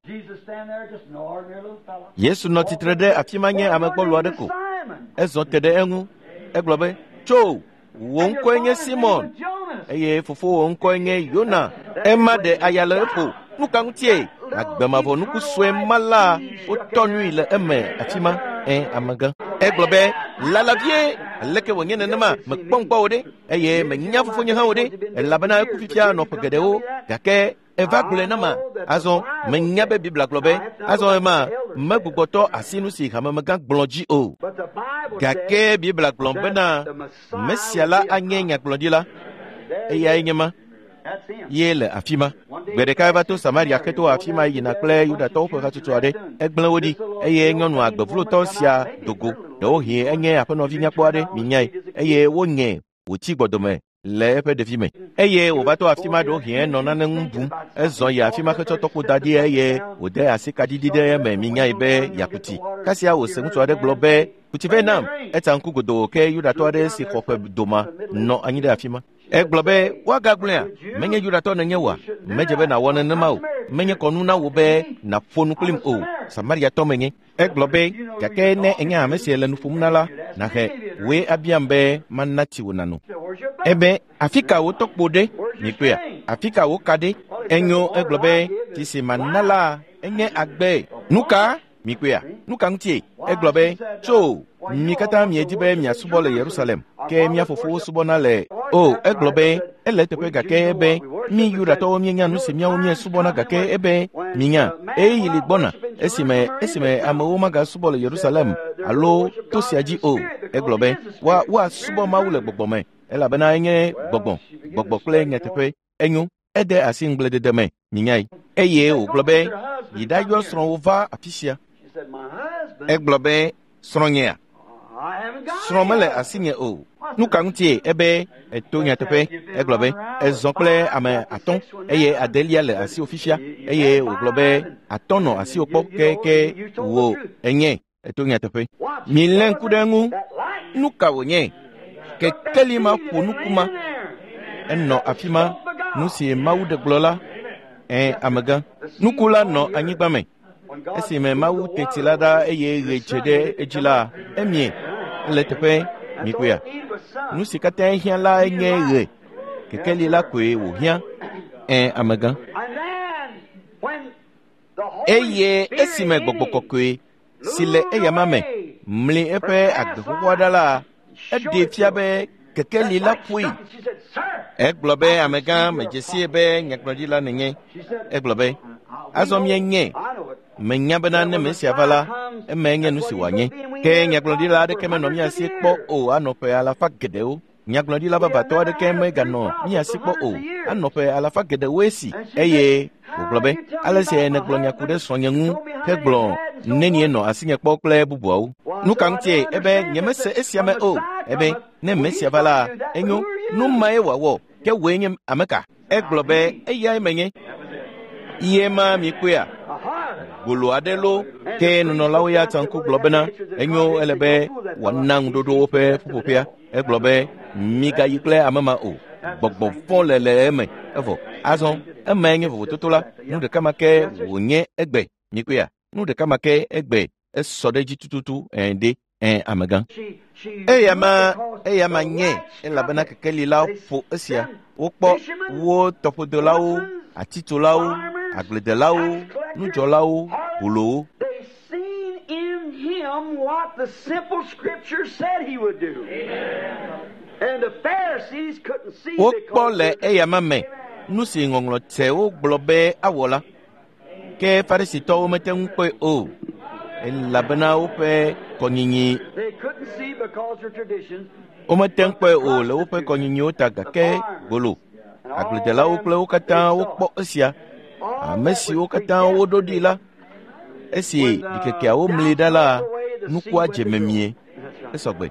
Yesu nɔ tsitre ɖe afi ma nye ame gbɔlo aɖe ko. Ezɔ te ɖe eŋu. Egblɔ be, tso, wò ŋkɔe nye Simon eye fofowò ŋkɔe nye Yona. Ema ɖe aya le eƒo. Nu ka ŋutie? Agbemavɔ nuku sue ma la wotɔ nui le eme afi ma. Ẽ, amegã. Egblɔ be, lala vie, aleke wònye nenema? Mekpɔ ŋkpɔ wò ɖe eye menya fofonye hã wò ɖe, elabena eku fifia nɔ ƒe geɖewo gake Eva gblɔe na ma. Azɔ menya be Biblia gblɔ be azɔ ema megbugbɔtɔ asi nu si hamemegã gblɔ dzi o. Gake Biblia gblɔ bena Mesia la anye nyagblɔɖila. Eyae nye ma. Ye le afi ma. Gbe ɖeka eva to Samaria xeto afi ma yina kple Yudatɔwo ƒe hatsotso aɖe. Egblẽ wo ɖi eye nyɔnu agbevlotɔ sia do go. Ɖewohĩ enye aƒenɔvi nyakpɔ aɖe, minyae, eye wonye wòtsi gbɔdome le eƒe ɖevime. Eye wòva to afi ma ɖewohĩ enɔ nane ŋu bum. Ezɔ yi afi ma hetsɔ tɔkpo da ɖi eye wòde asi kaɖiɖi ɖe eme minyae be yeaku tsi. Kasia wòse ŋutsu aɖe gblɔ be, "Ku tsi vɛ nam." Etsa ŋku godoo ke Yudatɔ aɖe si xɔ ƒe doma nɔ anyi ɖe afi ma. Egblɔ be, "Woagagblɔea? Menye Yudatɔ nènye oa? Medze be nàwɔ nenema o. Menye kɔnu na wò be nàƒo nu kplim o. Samariatɔ menye." Egblɔ be, "Gake ne ènya ame si le nu ƒom na la, nàhe wòe abiam be mana tsi wò nàno." Ebe, "Afi ka wò tɔkpo ɖe? Mikpɔea? Afi ka wò ka ɖe?" Enyo, egblɔ be, "Tsi si mana la enye agbe." Nu ka? Mikpɔea? Nu ka ŋutie? Egblɔ be, "Tso, mi katã miedi be miasubɔ le Yerusalem, ke mía fofowo subɔna le o." Egblɔ be, "Ele eteƒe gake be mi Yudatɔwo mienya nu si míawo míesubɔna gake ebe minya ɣeyiɣi li gbɔna esime amewo magasubɔ le Yerusalem alo to sia dzi o." Egblɔ be, "Woasubɔ Mawu le gbɔgbɔ me, elabena enye gbɔgbɔ, gbɔgbɔ kple nyateƒe." Enyo, ede asi ŋugbledede me, minyae. Eye wògblɔ be, "Yi ɖayɔ srɔ̃wò va afi sia." Egblɔ be, "Srɔ̃nyea? Srɔ̃ mele asinye o." Nu ka ŋutie? Ebe, "Eto nyateƒe." Egblɔ be, "Ezɔ kple ame 5 eye 8 le asiwò fifia." Eye wògblɔ be, 5 nɔ asiwò kpɔ ke wò enye. Eto nyateƒe. Milé ŋku ɖe eŋu. Nu ka wònye? Kekeli ma ƒo nuku ma. Enɔ afi ma. Nu si Mawu ɖe gblɔ la, amegã. Nuku la nɔ anyigba me. Esime Mawu te tsi la ɖa eye ɣe dze ɖe edzi la, emie. Ele teƒe, mikpɔea? Nu si katã hiã la nye ɣe. Kekeli la koe wòhiã. Amegã. Eye esime gbɔgbɔ kɔkɔe si le eyama me mli eƒe agbe xoxoa ɖa la, eɖee fia be kekeli la ƒoe. Egblɔ be, "Amegã, medze sie be nyagblɔɖila nènye." Egblɔ be, "Azɔ mienye. Menya bena ne Mesia va la, emae nye nu si wòanye." Ke nyagblɔɖila aɖeke menɔ mía si kpɔ o anɔ ƒe alafa geɖewo. Nyagblɔɖila vavãtɔ aɖeke meganɔ mía si kpɔ o anɔ ƒe alafa geɖewoe si. Eye wògblɔ be, "Ale si nègblɔ nya ku ɖe srɔ̃nye ŋu hegblɔ nenie nɔ asinye kpɔ kple bubuawo. Nu ka ŋutie? Ebe, nyemese esia me o. Ebe, ne Mesia va la, enyo, nu mae wòawɔ, ke wòe nye ame ka?" Egblɔ be, "Eyae menye." Ye ma mikpɔea? Golo aɖe lo. Ke nunɔlawo ya tsa ŋku gblɔ bena, enyo, ele be wòana ŋuɖoɖo woƒe ƒuƒoƒea. Egblɔ be, "Migayi kple ame ma o. Gbɔgbɔ vɔ̃ le eme." Evɔ azɔ emae nye vovototo la. Nu ɖeka ma ke wònye egbe. Mikpɔea? Nu ɖeka ma ke egbe. Esɔ ɖe edzi tututu. Ɖe. Amegã. Eyama nye, elabena kekeli la ƒo esia. Wokpɔ wo tɔƒodelawo, atitsolawo, agbledelawo, nudzɔlawo, bolowo. Wokpɔ le eyama me nu si ŋɔŋlɔ tsewo gblɔ be awɔ la. Ke Farisitɔwo mete ŋu kpɔe o, elabena woƒe kɔnyinyi. Womete ŋu kpɔe o le woƒe kɔnyinyiwo ta, gake gbolo, agbledelawo kple wo katã wokpɔ esia. Ame siwo katã woɖo ɖi la, esi ɖikekeawo mli ɖa la, nukua dze memie. Esɔgbe.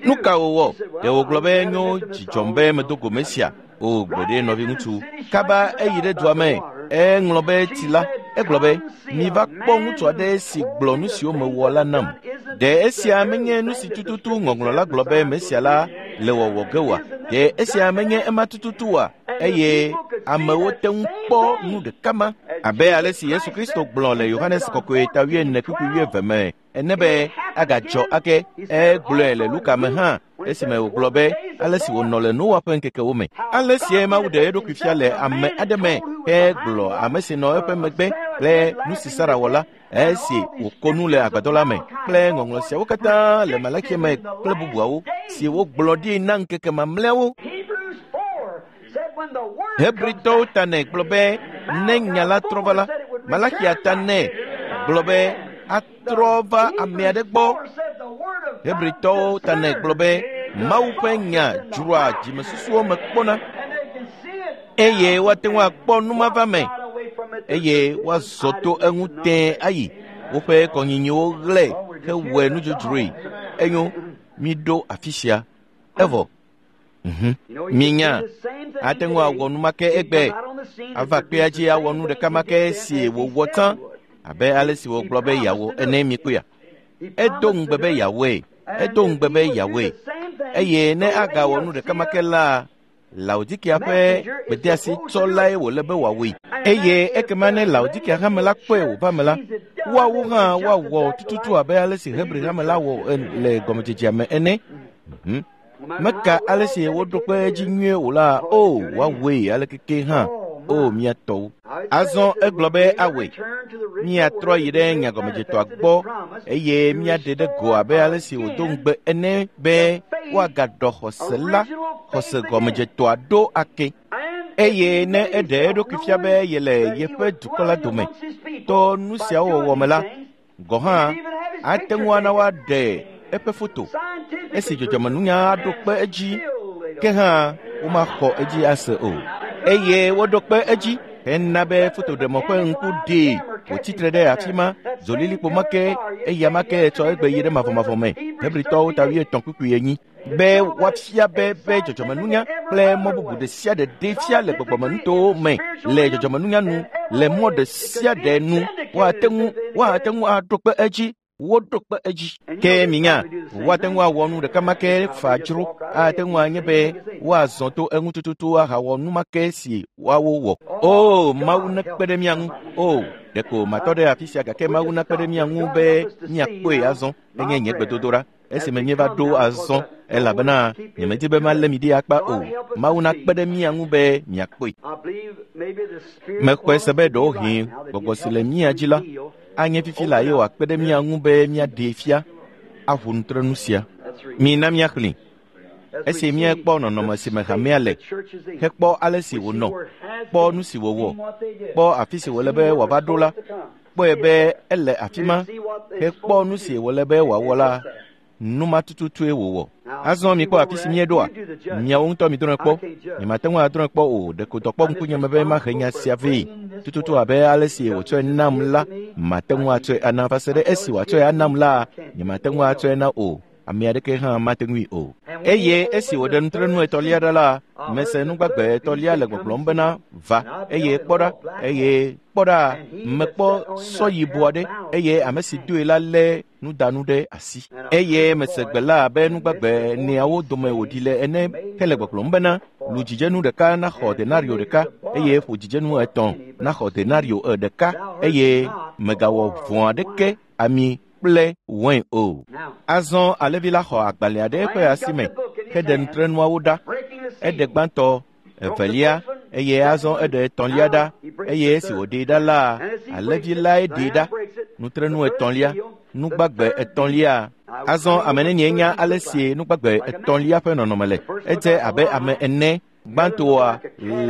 Nu ka wòwɔ? Ɖe wògblɔ be, "Nyo, dzidzɔm be medo go Mesia." O, gbeɖe, nɔviŋutsu. Kaba eyi ɖe dua me. Eŋlɔ be tsi la. Egblɔ be, "Miva kpɔ ŋutsu aɖe si gblɔ nu siwo mewɔ la nam. Ɖe esia menye nu si tututu ŋɔŋlɔ la gblɔ be Mesia la le wɔwɔ ge oa? Ɖe esia menye ema tututu oa?" Eye amewo te ŋu kpɔ nu ɖeka ma. Abe ale si Yesu Kristo gblɔ le Yohanes kɔkɔe ta 24:22 me ene be agadzɔ ake. Egblɔe le Luka me hã esime wògblɔ be ale si wònɔ le Noa ƒe ŋkekewo me. Ale sie Mawu ɖe eɖokui fia le ame aɖe me hegblɔ ame si nɔ eƒe megbe kple nu si Sara wɔ la esi wòko nu le agbadɔ la me kple ŋɔŋlɔ siawo katã le Malakia me kple bubuawo si wogblɔ ɖi na ŋkeke mamlɛawo. Hebritɔwo ta nɛ gblɔ be ne nya la trɔ va la, Malakia ta nɛ gblɔ be atrɔ va ame aɖe gbɔ. Hebritɔwo ta nɛ gblɔ be Mawu ƒe nya dzroa dzimesusuwo me kpɔna eye woate ŋu akpɔ numava me eye woazɔ to eŋu tẽe ayi woƒe kɔnyinyiwo ɣlẽ hewɔe nudzodzroe. Enyo, miɖo afi sia. Evɔ. Minya, ate ŋu awɔ nu ma ke egbe. Ava kpea dzi awɔ nu ɖeka ma ke si wòwɔ tsã abe ale si wògblɔ be yeawɔ ene mikpɔea. Edo ŋugbe be yeawɔe. Edo ŋugbe be yeawɔe. Eye ne agawɔ nu ɖeka ma ke la, Laodikia ƒe gbedeasi tsɔlae wòle be wòawɔe. Eye ekema ne Laodikia hame la kpɔe wòva me la, woawo hã woawɔ tututu abe ale si Hebri hame la wɔ le gɔmedzedzea me ene. Meka ale si woɖo kpe edzi nyuie o la, o woawɔe alekeke hã, o mía tɔwo. Azɔ egblɔ be awɔe. Míatrɔ yi ɖe nyagɔmedzetɔa gbɔ eye míaɖe ɖe go abe ale si wòdo ŋugbe ene be woagaɖɔ xɔse la, xɔse gɔmedzetɔa ɖo ake. Eye ne eɖe eɖokui fia be yele yeƒe dukɔ la dome to nu siawo wɔwɔ me la, gɔ̃ hã ate ŋu ana woaɖe eƒe foto esi dzɔdzɔmenunya aɖo kpe edzi, ke hã womaxɔ edzi ase o. Eye woɖo kpe edzi hena be fotoɖemɔ ƒe ŋku ɖee wòtsitre ɖe afi ma zolilikpo ma ke eya ma ke tsɔ egbe yi ɖe mavɔmavɔ me. Hebritɔwo ta 7:4 be woafia be dzɔdzɔmenunya kple mɔ bubu ɖe sia ɖe ɖee fia le gbɔgbɔmenutowo me le dzɔdzɔmenunya nu le mɔ ɖe sia ɖe nu woate ŋu aɖo kpe edzi. Woɖo kpe edzi. Ke minya, woate ŋu awɔ nu ɖeka ma ke fa dzro. Ate ŋu anye be woazɔ to eŋu tututu ahawɔ nu ma ke si woawo wɔ. O, Mawu nekpe ɖe mía ŋu. O, ɖeko matɔ ɖe afi sia gake Mawu nakpe ɖe mía ŋu be míakpɔe azɔ. Enye nye gbedodoɖa esime míeva ɖo azɔ elabena nyemedi be malé mi ɖi akpa o. Mawu nakpe ɖe mía ŋu be miakpɔe. Mexɔe se be ɖewohĩ gbɔgbɔ si le mía dzi la anye fifi la ye wòakpe ɖe mía ŋu be míaɖee fia aʋu nutrenu sia. Mina míaxlẽ. Esi míekpɔ nɔnɔme si me hamea le, hekpɔ ale si wònɔ, kpɔ nu si wòwɔ, kpɔ afi si wòle be wòava ɖo la, kpɔe be ele afi ma, hekpɔ nu si wòle be wòawɔ la, nu ma tututue wòwɔ. Azɔ mikpɔ afi si míeɖoa, miawo ŋutɔ midrɔ̃e kpɔ. Nyemate ŋu adrɔ̃e kpɔ o, ɖeko dɔ kpɔ ŋkunye me be mahe nya sia vɛ. Tututu abe ale si wòtsɔe nam la, mate ŋu atsɔe ana va se ɖe esi wòatsɔe anam la, nyemate ŋu atsɔe na o. Ame aɖeke hã mate ŋui o. Eye esi wòɖe nutrenu etɔ̃lia ɖa la, mese nugbagbe etɔ̃lia le gbɔgblɔm bena va, eye kpɔ ɖa, eye kpɔ ɖa, mekpɔ sɔ yibɔ aɖe, eye ame si doe la lé nudanu ɖe asi. Eye mese gbe la abe nugbagbe eneawo dome wòɖi le ene hele gbɔgblɔm bena lu dzidzenu ɖeka naxɔ denario ɖeka eye ƒo dzidzenu 3 naxɔ denario ɖeka eye megawɔ vɔ̃ aɖeke ami kple wain o. Azɔ alẽvi la xɔ agbalẽ aɖe eƒe asi me heɖe nutrenuawo ɖa. Eɖe gbãtɔ, evelia, eye azɔ eɖe etɔ̃lia ɖa eye esi wòɖee ɖa la, alẽvi lae ɖee ɖa. Nutrenu etɔ̃lia, nugbagbe etɔ̃lia. Azɔ ame nenie nya ale si nugbagbe etɔ̃lia ƒe nɔnɔme le. Edze abe ame ene. Gbãtɔa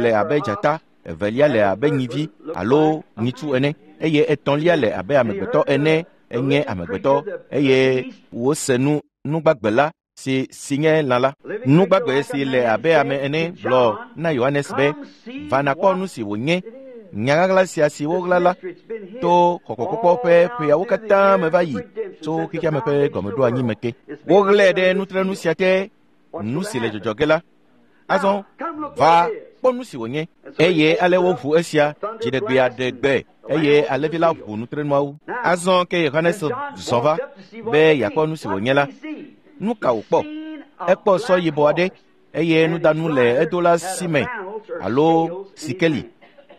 le abe dzata, evelia le abe nyivi alo nyitsu ene eye etɔ̃lia le abe amegbetɔ ene. Enye amegbetɔ eye wose nu nugbagbe la si nye lã la. Nugbagbe si le abe ame ene gblɔ na Yohanes be va nakpɔ nu si wònye. Nya ɣaɣla sia si woɣla la to xɔxɔkpɔkpɔ ƒe ƒeawo katã me va yi tso xexeame ƒe gɔmeɖoanyi me ke. Woɣlae ɖe nutrenu sia te, nu si le dzɔdzɔ ge la. Azɔ va kpɔ nu si wònye. Eye ale woʋu esia dziɖegbea ɖe gbe eye alẽvi la ʋu nutrenuawo. Azɔ ke Yohanes zɔ va be yeakpɔ nu si wònye la. Nu ka wòkpɔ? Ekpɔ sɔ yibɔ aɖe eye nudanu le edola si me alo sikeli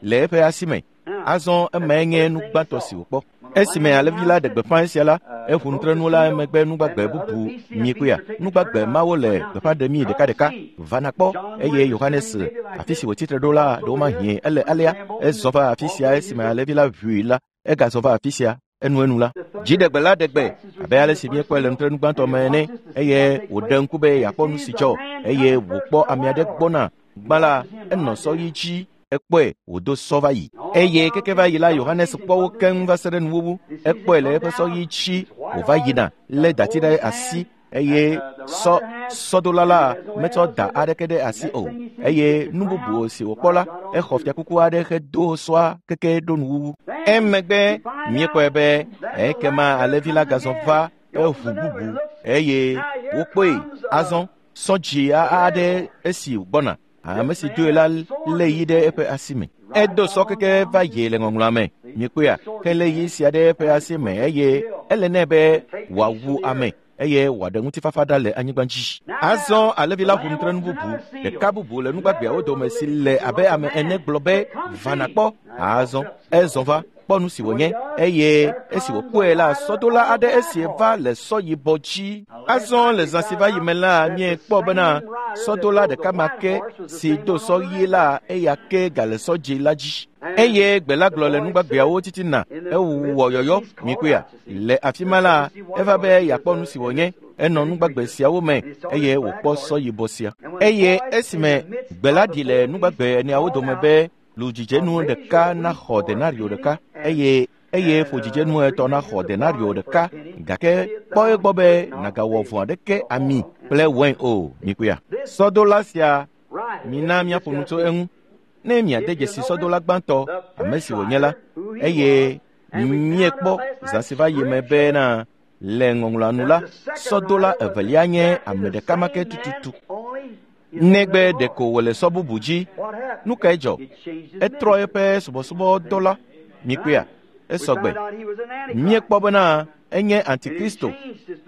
le eƒe asi me. Azɔ emae nye nu gbãtɔ si wòkpɔ. Esime alẽvi la ɖe gbeƒã esia la, eƒo nutrenu la emegbe nugbagbe bubu mikpɔea. Nugbagbe mawo le gbeƒã ɖemi ɖekaɖeka. Va nakpɔ. Eye Yohanes, afi si wòtsitre ɖo la, ɖewomahĩ ele alea. Ezɔ va afi sia esime alẽvi la ʋui la, egazɔ va afi sia enuenu la. Dziɖegbe la ɖe gbe abe ale si míekpɔe le nutrenu gbãtɔ me ene eye wòɖe ŋku be yeakpɔ nu si dzɔ eye wòkpɔ ame aɖe gbɔna Gbã la, enɔ sɔ ɣi dzi, ekpɔe wòdo sɔ va yi. Eye keke va yi la, Yohanes kpɔ wo keŋ va se ɖe nuwuwu. Ekpɔe le eƒe sɔ ɣi dzi wòva yina lé dati ɖe asi eye sɔ sɔdola la metsɔ da aɖeke ɖe asi o. Eye nu bubu si wòkpɔ la, exɔ fiakuku aɖe hedo sɔa keke ɖo nuwuwu. Emegbe míekpɔe be ekema alẽvi la gazɔ va eʋu bubu eye wokpɔe azɔ sɔ dzi aɖe esi gbɔna. Ame si doe la lé yi ɖe eƒe asi me. Edo sɔ keke va yi le ŋɔŋlɔa me. Míekpɔea, helé yi sia ɖe eƒe asi me eye ele nɛ be wòawu ame eye wòaɖe ŋutifafa ɖa le anyigba dzi. Azɔ alẽvi la ƒo nu tre nu bubu ɖeka bubu le nugbagbeawo dome si le abe ame ene gblɔ be, va nàkpɔ. Azɔ ezɔ va kpɔ nu si wònye eye esi wòkpɔe la, sɔdola aɖe esi va le sɔ yibɔ dzi. Azɔ le zã si va yi me la, míekpɔ bena sɔdola ɖeka ma ke si do sɔ ɣi la, eya ke gale sɔ dzi la dzi. Eye gbe la gblɔ le nugbagbeawo titina, ewɔ yɔyɔ, míekpɔea? Le afi ma la, eva be yeakpɔ nu si wònye. Enɔ nugbagbe siawo me eye wòkpɔ sɔ yibɔ sia. Eye esime gbe la ɖi le nugbagbe eneawo dome be lu dzidzenu ɖeka naxɔ denario ɖeka eye ƒo dzidzenu etɔ̃ naxɔ denario ɖeka, gake kpɔ egbɔ be nàgawɔ vɔ̃ aɖeke ami kple wain o. Míekpɔea? Sɔdola sia, mina míaƒo nu tso eŋu. Ne miade dzesi sɔdola gbãtɔ, ame si wònye la, eye míekpɔ zã si va yi me bena le ŋɔŋlɔa nu la, sɔdola evelia nye ame ɖeka ma ke tututu. Negbe ɖeko wòle sɔ bubu dzi. Nu kae dzɔ? Etrɔ eƒe subɔsubɔdɔ la. Míekpɔea? Esɔgbe. Míekpɔ bena enye Antikristo,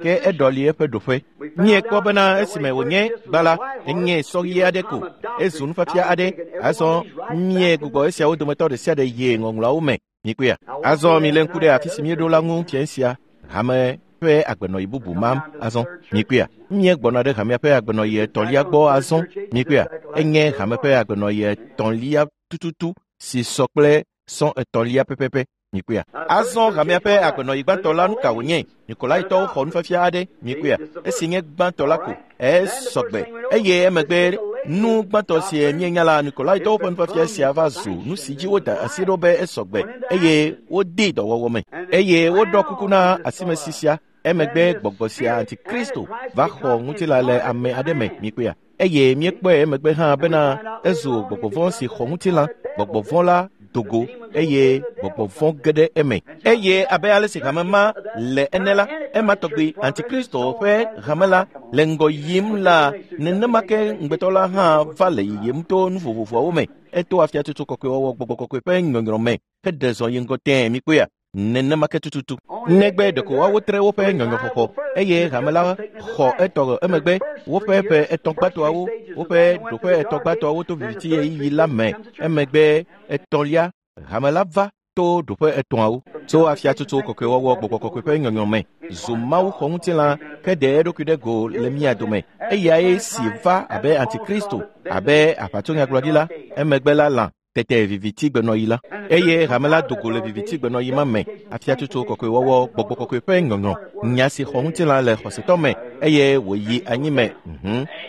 ke eɖɔli eƒe ɖoƒe. Míekpɔ bena esime wònye gbã la, enye sɔ ɣi aɖe ko, ezu nufiafia aɖe. Azɔ míegbugbɔ esiawo dometɔ ɖe sia ɖe yi ŋɔŋlɔawo me. Míekpɔea? Azɔ milé ŋku ɖe afi si míeɖo la ŋu fiẽ sia. Hame ƒe agbenɔɣi bubu mam azɔ. Míekpɔea? Míegbɔna ɖe hamea ƒe agbenɔɣi etɔ̃lia gbɔ azɔ. Míekpɔea? Enye hame ƒe agbenɔɣi etɔ̃lia tututu si sɔ kple sɔ etɔ̃lia pɛpɛpɛ. Míekpɔea? Azɔ hamea ƒe agbenɔɣi gbãtɔ la, nu ka wònye? Nikolaitɔwo xɔ nufiafia aɖe. Míekpɔea? Esi nye gbãtɔ la ko, esɔgbe. Eye emegbe nu gbãtɔ si míenya la, Nikolaitɔwo ƒe nufiafia sia va zu nu si dzi woda asi ɖo be esɔgbe eye wodee dɔwɔwɔ me. Eye woɖɔ kuku na asimesi sia. Emegbe gbɔgbɔ sia Antikristo va xɔ ŋutilã le ame aɖe me. Míekpɔea? Eye míekpɔe emegbe hã bena ezu gbɔgbɔ vɔ̃ si xɔ ŋutilã. Gbɔgbɔ vɔ̃ la dogo eye gbɔgbɔ vɔ̃ ge ɖe eme. Eye abe ale si hame ma le ene la, ema tɔgbi Antikristo ƒe hame la le ŋgɔ yim la, nenema ke ŋugbetɔ la hã va le yiyim to nu vovovoawo me. Eto afiatsotso kɔkɔewɔwɔ gbɔgbɔ kɔkɔe ƒe nyɔnyrɔ me heɖe zɔ yi ŋgɔ tẽe. Míekpɔea? Nenema ke tututu. Negbe ɖeko woawo tre woƒe nyɔnyrɔxɔxɔ eye hame la xɔ etɔ emegbe woƒe ƒe etɔ̃ gbãtɔawo, woƒe ɖoƒe etɔ̃ gbãtɔawo to viviti ɣeyiɣi la me. Emegbe etɔ̃lia, hame la va to ɖoƒe etɔ̃awo. Tso afiatsotso kɔkɔewɔwɔ gbɔgbɔ kɔkɔe ƒe nyɔnyɔ me zu Mawu xɔ ŋutilã ke ɖe eɖokui ɖe go le mía dome. Eyae si va abe Antikristo, abe aʋatsonyagblɔɖila, emegbe la lã tete viviti gbenɔɣi la. Eye hame la do go le viviti gbenɔɣi ma me. Afiatsotso kɔkɔewɔwɔ gbɔgbɔ kɔkɔe ƒe nyɔnyɔ, nya si xɔ ŋutilã le xɔsetɔ me eye wòyi anyi me.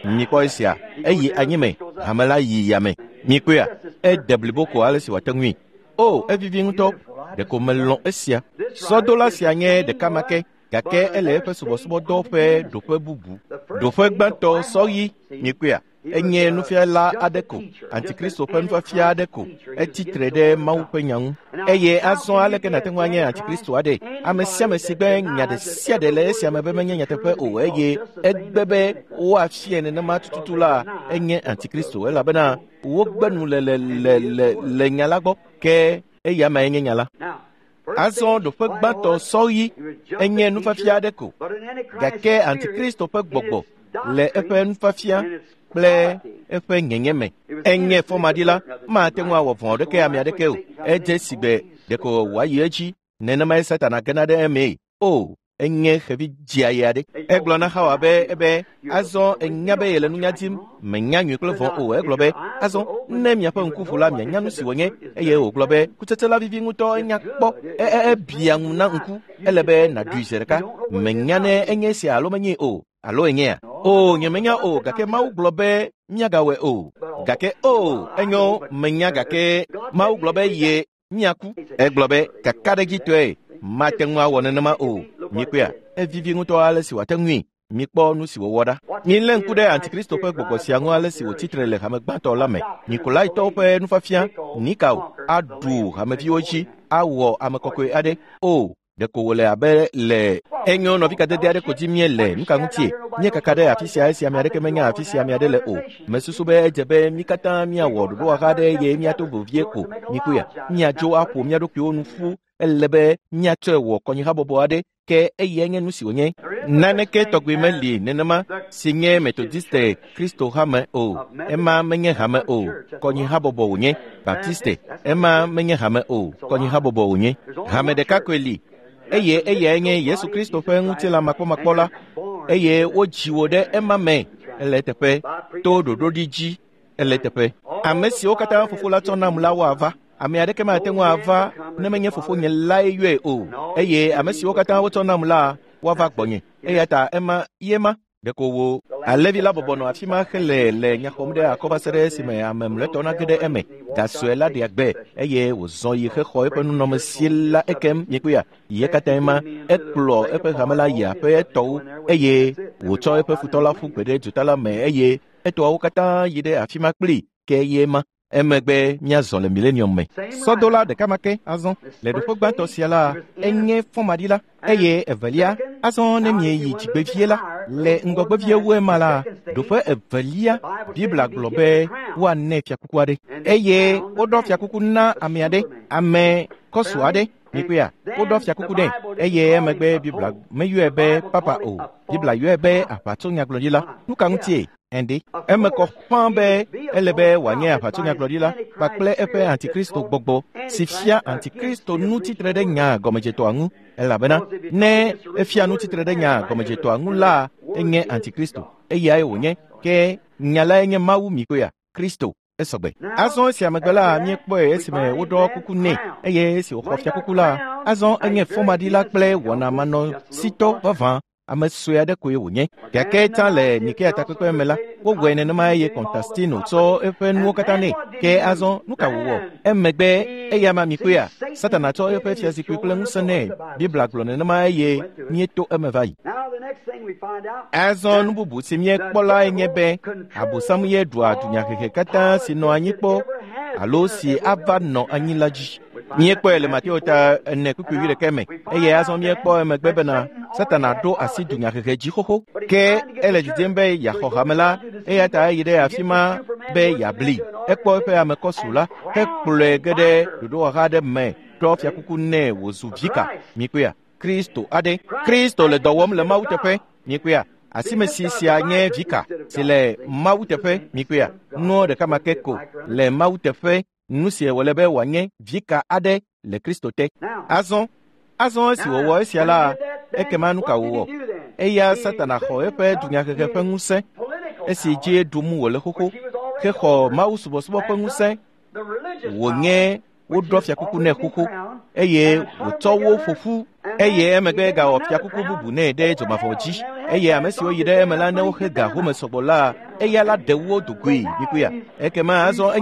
Mikpɔ esia. Eyi anyi me. Hame la yi yame. Mikpɔea? Ede blibo ko ale si wòate ŋui. O, evivi ŋutɔ. Ɖeko melɔ̃ esia. Sɔdola sia nye ɖeka ma ke, gake ele eƒe subɔsubɔdɔ ƒe ɖoƒe bubu. Ɖoƒe gbãtɔ sɔɣi. Mikpɔea? Enye nufiala aɖe ko, Antikristo ƒe nufiafia aɖe ko, etsi tre ɖe Mawu ƒe nya ŋu. Eye azɔ aleke nàte ŋu anye Antikristo aɖe? Ame sia ame si gbe nya ɖe sia ɖe le esia me be menye nyateƒe o eye egbe be woafiae nenema tututu la, enye Antikristo elabena wogbe nu le le le le le nya la gbɔ, ke eya mae nye nya la. Azɔ ɖoƒe gbãtɔ sɔɣi enye nufiafia aɖe ko, gake Antikristo ƒe gbɔgbɔ le eƒe nufiafia kple eƒe nyenye me. Enye fɔmaɖila, mate ŋu awɔ vɔ̃ aɖeke ame aɖeke o. Edze sigbe ɖeko wòayi edzi nenemae Satana gena ɖe emee. O, enye xevi dziayi aɖe. Egblɔ na Xawa be ebe azɔ enya be yele nunya dim, menya nyui kple vɔ̃ o. Egblɔ be azɔ ne miaƒe ŋku ʋu la, mianya nu si wònye. Eye wògblɔ be kutsetse la vivi ŋutɔ, enya kpɔ, ebia ŋu na ŋku. Ele be nàɖui zi ɖeka. Menya ne enye esia alo menyee o. Alo enyea? O, nyemenya o, gake Mawu gblɔ be Míagawɔe o. Gake o, enyo, menya gake Mawu gblɔ be ye míaku. Egblɔ be kakaɖedzitɔe mate ŋu awɔ nenema o. Mikpɔea, evivi ŋutɔ ale si wòate ŋui. Mikpɔ nu si wòwɔ ɖa. Milé ŋku ɖe Antikristo ƒe gbɔgbɔ sia ŋu ale si wòtsi tre le hame gbãtɔ la me. Nikolaitɔwo ƒe nufiafia, Nikao, aɖu hameviwo dzi, awɔ ame kɔkɔe aɖe. O, ɖeko wòle abe le enyo nɔvi kadede aɖe ko dzi míele. Nu ka ŋutie? Míekaka ɖe afi sia esi ame aɖeke menya afi sia ame aɖe le o. Mesusu be edze be mí katã míawɔ ɖoɖowɔha aɖe eye míato vevie ko. Mikpɔea, míadzo aƒo mía ɖokuiwo nu ƒu. Ele be míatsɔe wɔ kɔnyihabɔbɔ aɖe, ke eyae nye nu si wònye. Naneke tɔgbi meli nenema si nye Metodiste Kristo hame o. Ema menye hame o, kɔnyihabɔbɔ wònye. Baptiste, ema menye hame o, kɔnyihabɔbɔ wònye. Hame ɖeka koe li, eye eyae nye Yesu Kristo ƒe ŋutilã makpɔmakpɔ la, eye wodzi wò ɖe ema me. Ele eteƒe, to ɖoɖoɖi dzi. Ele eteƒe. Ame siwo katã Fofo la tsɔ nam la woava. Ame aɖeke mate ŋu ava ne menye Fofonye lae yɔe o. Eye ame siwo katã wotsɔ nam la woava gbɔnye. Eya ta ema ye ma. Ɖeko wò alẽvi la bɔbɔ nɔ afi ma hele le nya xɔm ɖe akɔ va se ɖe esime ame mlɔetɔ nage ɖe eme. Ga sue la ɖea gbe eye wòzɔ yi hexɔ eƒe nunɔamesi la ekem. Mikpɔea, ye katãe ma. Ekplɔ eƒe hame la yi aƒe etɔwo eye wòtsɔ eƒe futɔ la ƒu gbe ɖe duta la me eye etɔawo katã yi ɖe afi ma kplii ke ye ma. Emegbe míazɔ le milenium me. Sɔdola ɖeka ma ke azɔ le ɖoƒe gbãtɔ sia la, enye fɔmaɖila, eye evelia, azɔ ne mieyi dzigbevie la, le ŋgɔgbevie wu ema la, ɖoƒe evelia, Biblia gblɔ be woanɛ fiakuku aɖe. Eye woɖɔ fiakuku na ame aɖe, ame kɔsu aɖe. Mikpɔea, woɖɔ fiakuku ɖe, eye emegbe Biblia meyɔe be papa o. Biblia yɔe be aʋatsonyagblɔɖila. Nu ka ŋutie? Ende. Eme kɔ ƒãa be ele be wòanye aʋatsonyagblɔɖila kpakple eƒe antikristo gbɔgbɔ si fia antikristo nu tsitre ɖe nya gɔmedzetɔa ŋu, elabena ne efia nu tsitre ɖe nya gɔmedzetɔa ŋu la, enye antikristo. Eyae wònye. Ke nya lae nye Mawu mikpɔea, Kristo. Esɔgbe. Azɔ esia megbe la, míekpɔe esime woɖɔ kuku nɛ, eye esi wòxɔ fiakuku la, azɔ enye fɔmaɖila kple wɔnamanɔsitɔ vavã. Ame sue aɖe koe wònye. Gake tsã le Nikea takpekpe me la, wowɔe nenema eye Konstantino tsɔ eƒe nuwo katã nɛ. Ke azɔ, nu ka wòwɔ? Emegbe eya ma mikpɔea, Satana tsɔ eƒe fiazikpui kple ŋusẽ nɛ. Biblia gblɔ nenema eye míeto eme va yi. Azɔ nu bubu si míekpɔ lae nye be Abosam ye ɖua dunyahehe katã si nɔ anyi kpɔ alo si ava nɔ anyi la dzi. Míekpɔe le Mateo ta 4:21 me, eye azɔ míekpɔ emegbe bena Satana ɖo asi dunyahehe dzi xoxo. Ke ele didim be yeaxɔ hame la, eya ta eyi ɖe afi ma be yeabli. Ekpɔ eƒe ame kɔsu la hekplɔe ge ɖe ɖoɖowɔha aɖe me, ɖɔ fiakuku nɛ wòzu vika. Mikpɔea, Kristo aɖe. Kristo le dɔ wɔm le Mawu teƒe. Mikpɔea, asimesi sia nye vika si le Mawu teƒe. Mikpɔea, nuɔ ɖeka ma ke ko le Mawu teƒe. Nu si wòle be wòanye vika aɖe le Kristo te. Azɔ esi wòwɔ esia la, ekema nu ka wòwɔ? Eya Satana xɔ eƒe dunyahehe ƒe ŋusẽ, esi dzi ɖum wòle xoxo, hexɔ Mawu subɔsubɔ ƒe ŋusẽ, wònye woɖɔ fiakuku nɛ xoxo, eye wòtsɔ wo ƒo ƒu, eye emegbe gawɔ fiakuku bubu nɛ ɖe dzomavɔ dzi. Eye ame siwo yi ɖe eme la, ne woxe ga home sɔgbɔ la, eya la ɖe wo dogoe. Mikpɔea, ekema azɔ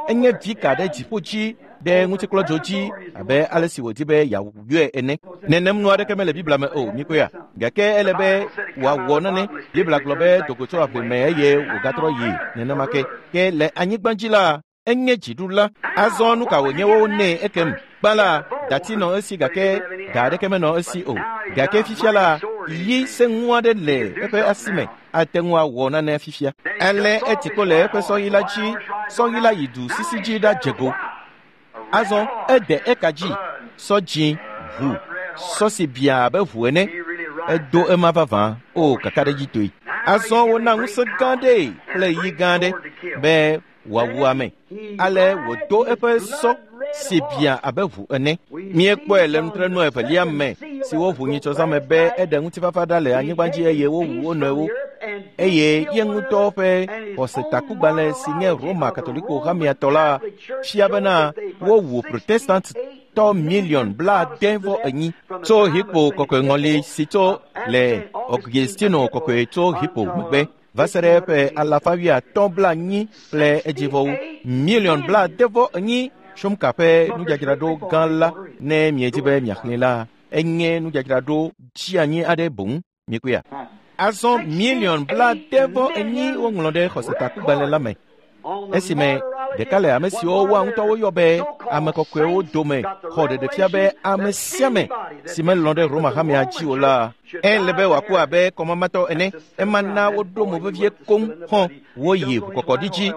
enye vika ɖe dziƒo dzi ɖe ŋutiklɔdzo dzi abe ale si wòdi be yeawɔe ene. Nenem nu aɖeke mele Biblia me o. Mikpɔea, gake ele be wòawɔ nane. Biblia gblɔ be dogo tso aʋli me eye wògatrɔ yi nenema ke. Ke le anyigba dzi la, enye dziɖula. Azɔ nu ka wònye wo nɛ ekem? Gbã la, dati nɔ esi gake ga aɖeke menɔ esi o. Gake fifia la, yi sẽŋu aɖe le eƒe asi me, ate ŋu awɔ nane fifia. Ale eti kpo le eƒe sɔɣi la dzi, sɔɣi la yi du sisi dzi ɖadze go. Azɔ ede eka dzi, sɔ dzĩ, ʋu, sɔ si biã abe ʋu ene. Edo ema vavã, o kakaɖedzitɔe. Azɔ wona ŋusẽ gã ɖee kple yi gã aɖe be wòawu ame. Ale wòdo eƒe sɔ si biã abe ʋu ene. Míekpɔe le nutrenu evelia me si woʋu nyitsɔzãme be eɖe ŋutifafa ɖa le anyigba dzi eye wowu wo nɔewo. Eye ye ŋutɔ ƒe xɔsetakugbalẽ si nye Roma Katoliko hamea tɔ la fia bena wowu Protestantɔ miliɔn 74 tso Hippo kɔkɔe ŋɔli si tso le Augustino kɔkɔe tso Hippo megbe. va se ɖe ƒe alafa wuiatɔ̃ blaenyi kple edzivɔwo. Miliɔn 74 Shumka ƒe nudzadzraɖo gã la ne miedi be miaxlẽe la, enye nudzadzraɖo dzianyi aɖe boŋ. Mikpɔea? Azɔ miliɔn 74 woŋlɔ ɖe xɔsetakugbalẽ la me. Esime ɖeka le ame siwo woa ŋutɔ woyɔ be ame kɔkɔewo dome xɔ ɖeɖefia be ame sia ame si melɔ̃ ɖe Roma hamea dzi o la, ele be wòaku abe kɔmamatɔ ene. Ema na woɖo mo vevie koŋ xɔ woyi ʋukɔkɔɖi dzi.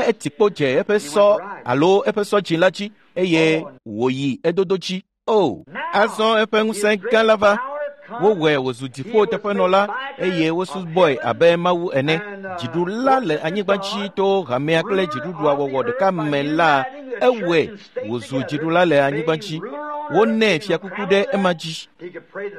Eti kpo dze eƒe sɔ alo eƒe sɔ dzi la dzi eye wòyi edodo dzi. O, azɔ eƒe ŋusẽ gã la va. Wowɔe wòzu dziƒo teƒenɔla eye wosubɔe abe Mawu ene. Dziɖula le anyigba dzi to hamea kple dziɖuɖua wɔwɔ ɖeka me la, ewɔe wòzu dziɖula le anyigba dzi. Wonɛ fiakuku ɖe ema dzi.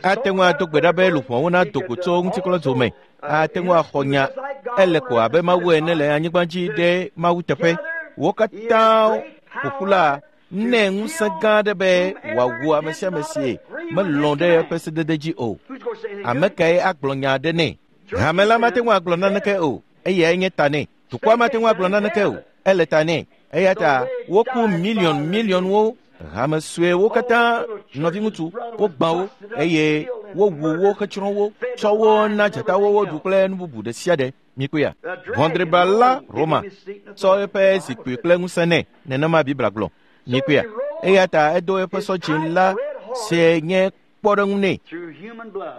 Ate ŋu ado gbe ɖa be luʋɔwo nado go tso ŋutiklɔdzo me. Ate ŋu axɔ nya ele ko abe Mawu ene le anyigba dzi ɖe Mawu teƒe. Wo katã ƒoƒu la nɛ ŋusẽ gã aɖe be wòawu ame sia ame si melɔ̃ ɖe eƒe sedede dzi o. Ame kae agblɔ nya aɖe nɛ? Hame la mate ŋu agblɔ naneke o, eyae nye ta nɛ. Dukɔa mate ŋu agblɔ naneke o, ele ta nɛ. Eya ta woku miliɔn miliɔnwo, hame suewo katã, nɔviŋutsu, wogbã wo eye wowu wo hetsrɔ̃ wo, tsɔ wo na dzatawo woɖu kple nu bubu ɖe sia ɖe. Mikpɔea? Ʋɔdriba la Roma tsɔ eƒe zikpui kple ŋusẽ nɛ, nenema Biblia gblɔ. Mikpɔea? Eya ta edo eƒe sɔ dzĩ la si nye kpɔɖeŋu nɛ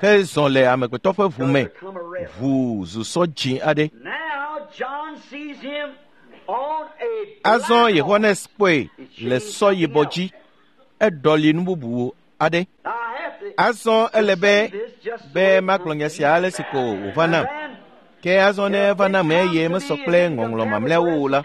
hezɔ le amegbetɔ ƒe ʋu me, ʋu zu sɔ dzĩ aɖe. Azɔ Yohanes kpɔe le sɔ yibɔ dzi, eɖɔli nu bubu aɖe. Azɔ ele be be magblɔ nya sia ale si ko wòva nam. Ke azɔ ne eva nam eye mesɔ kple ŋɔŋlɔ mamlɛawo o la,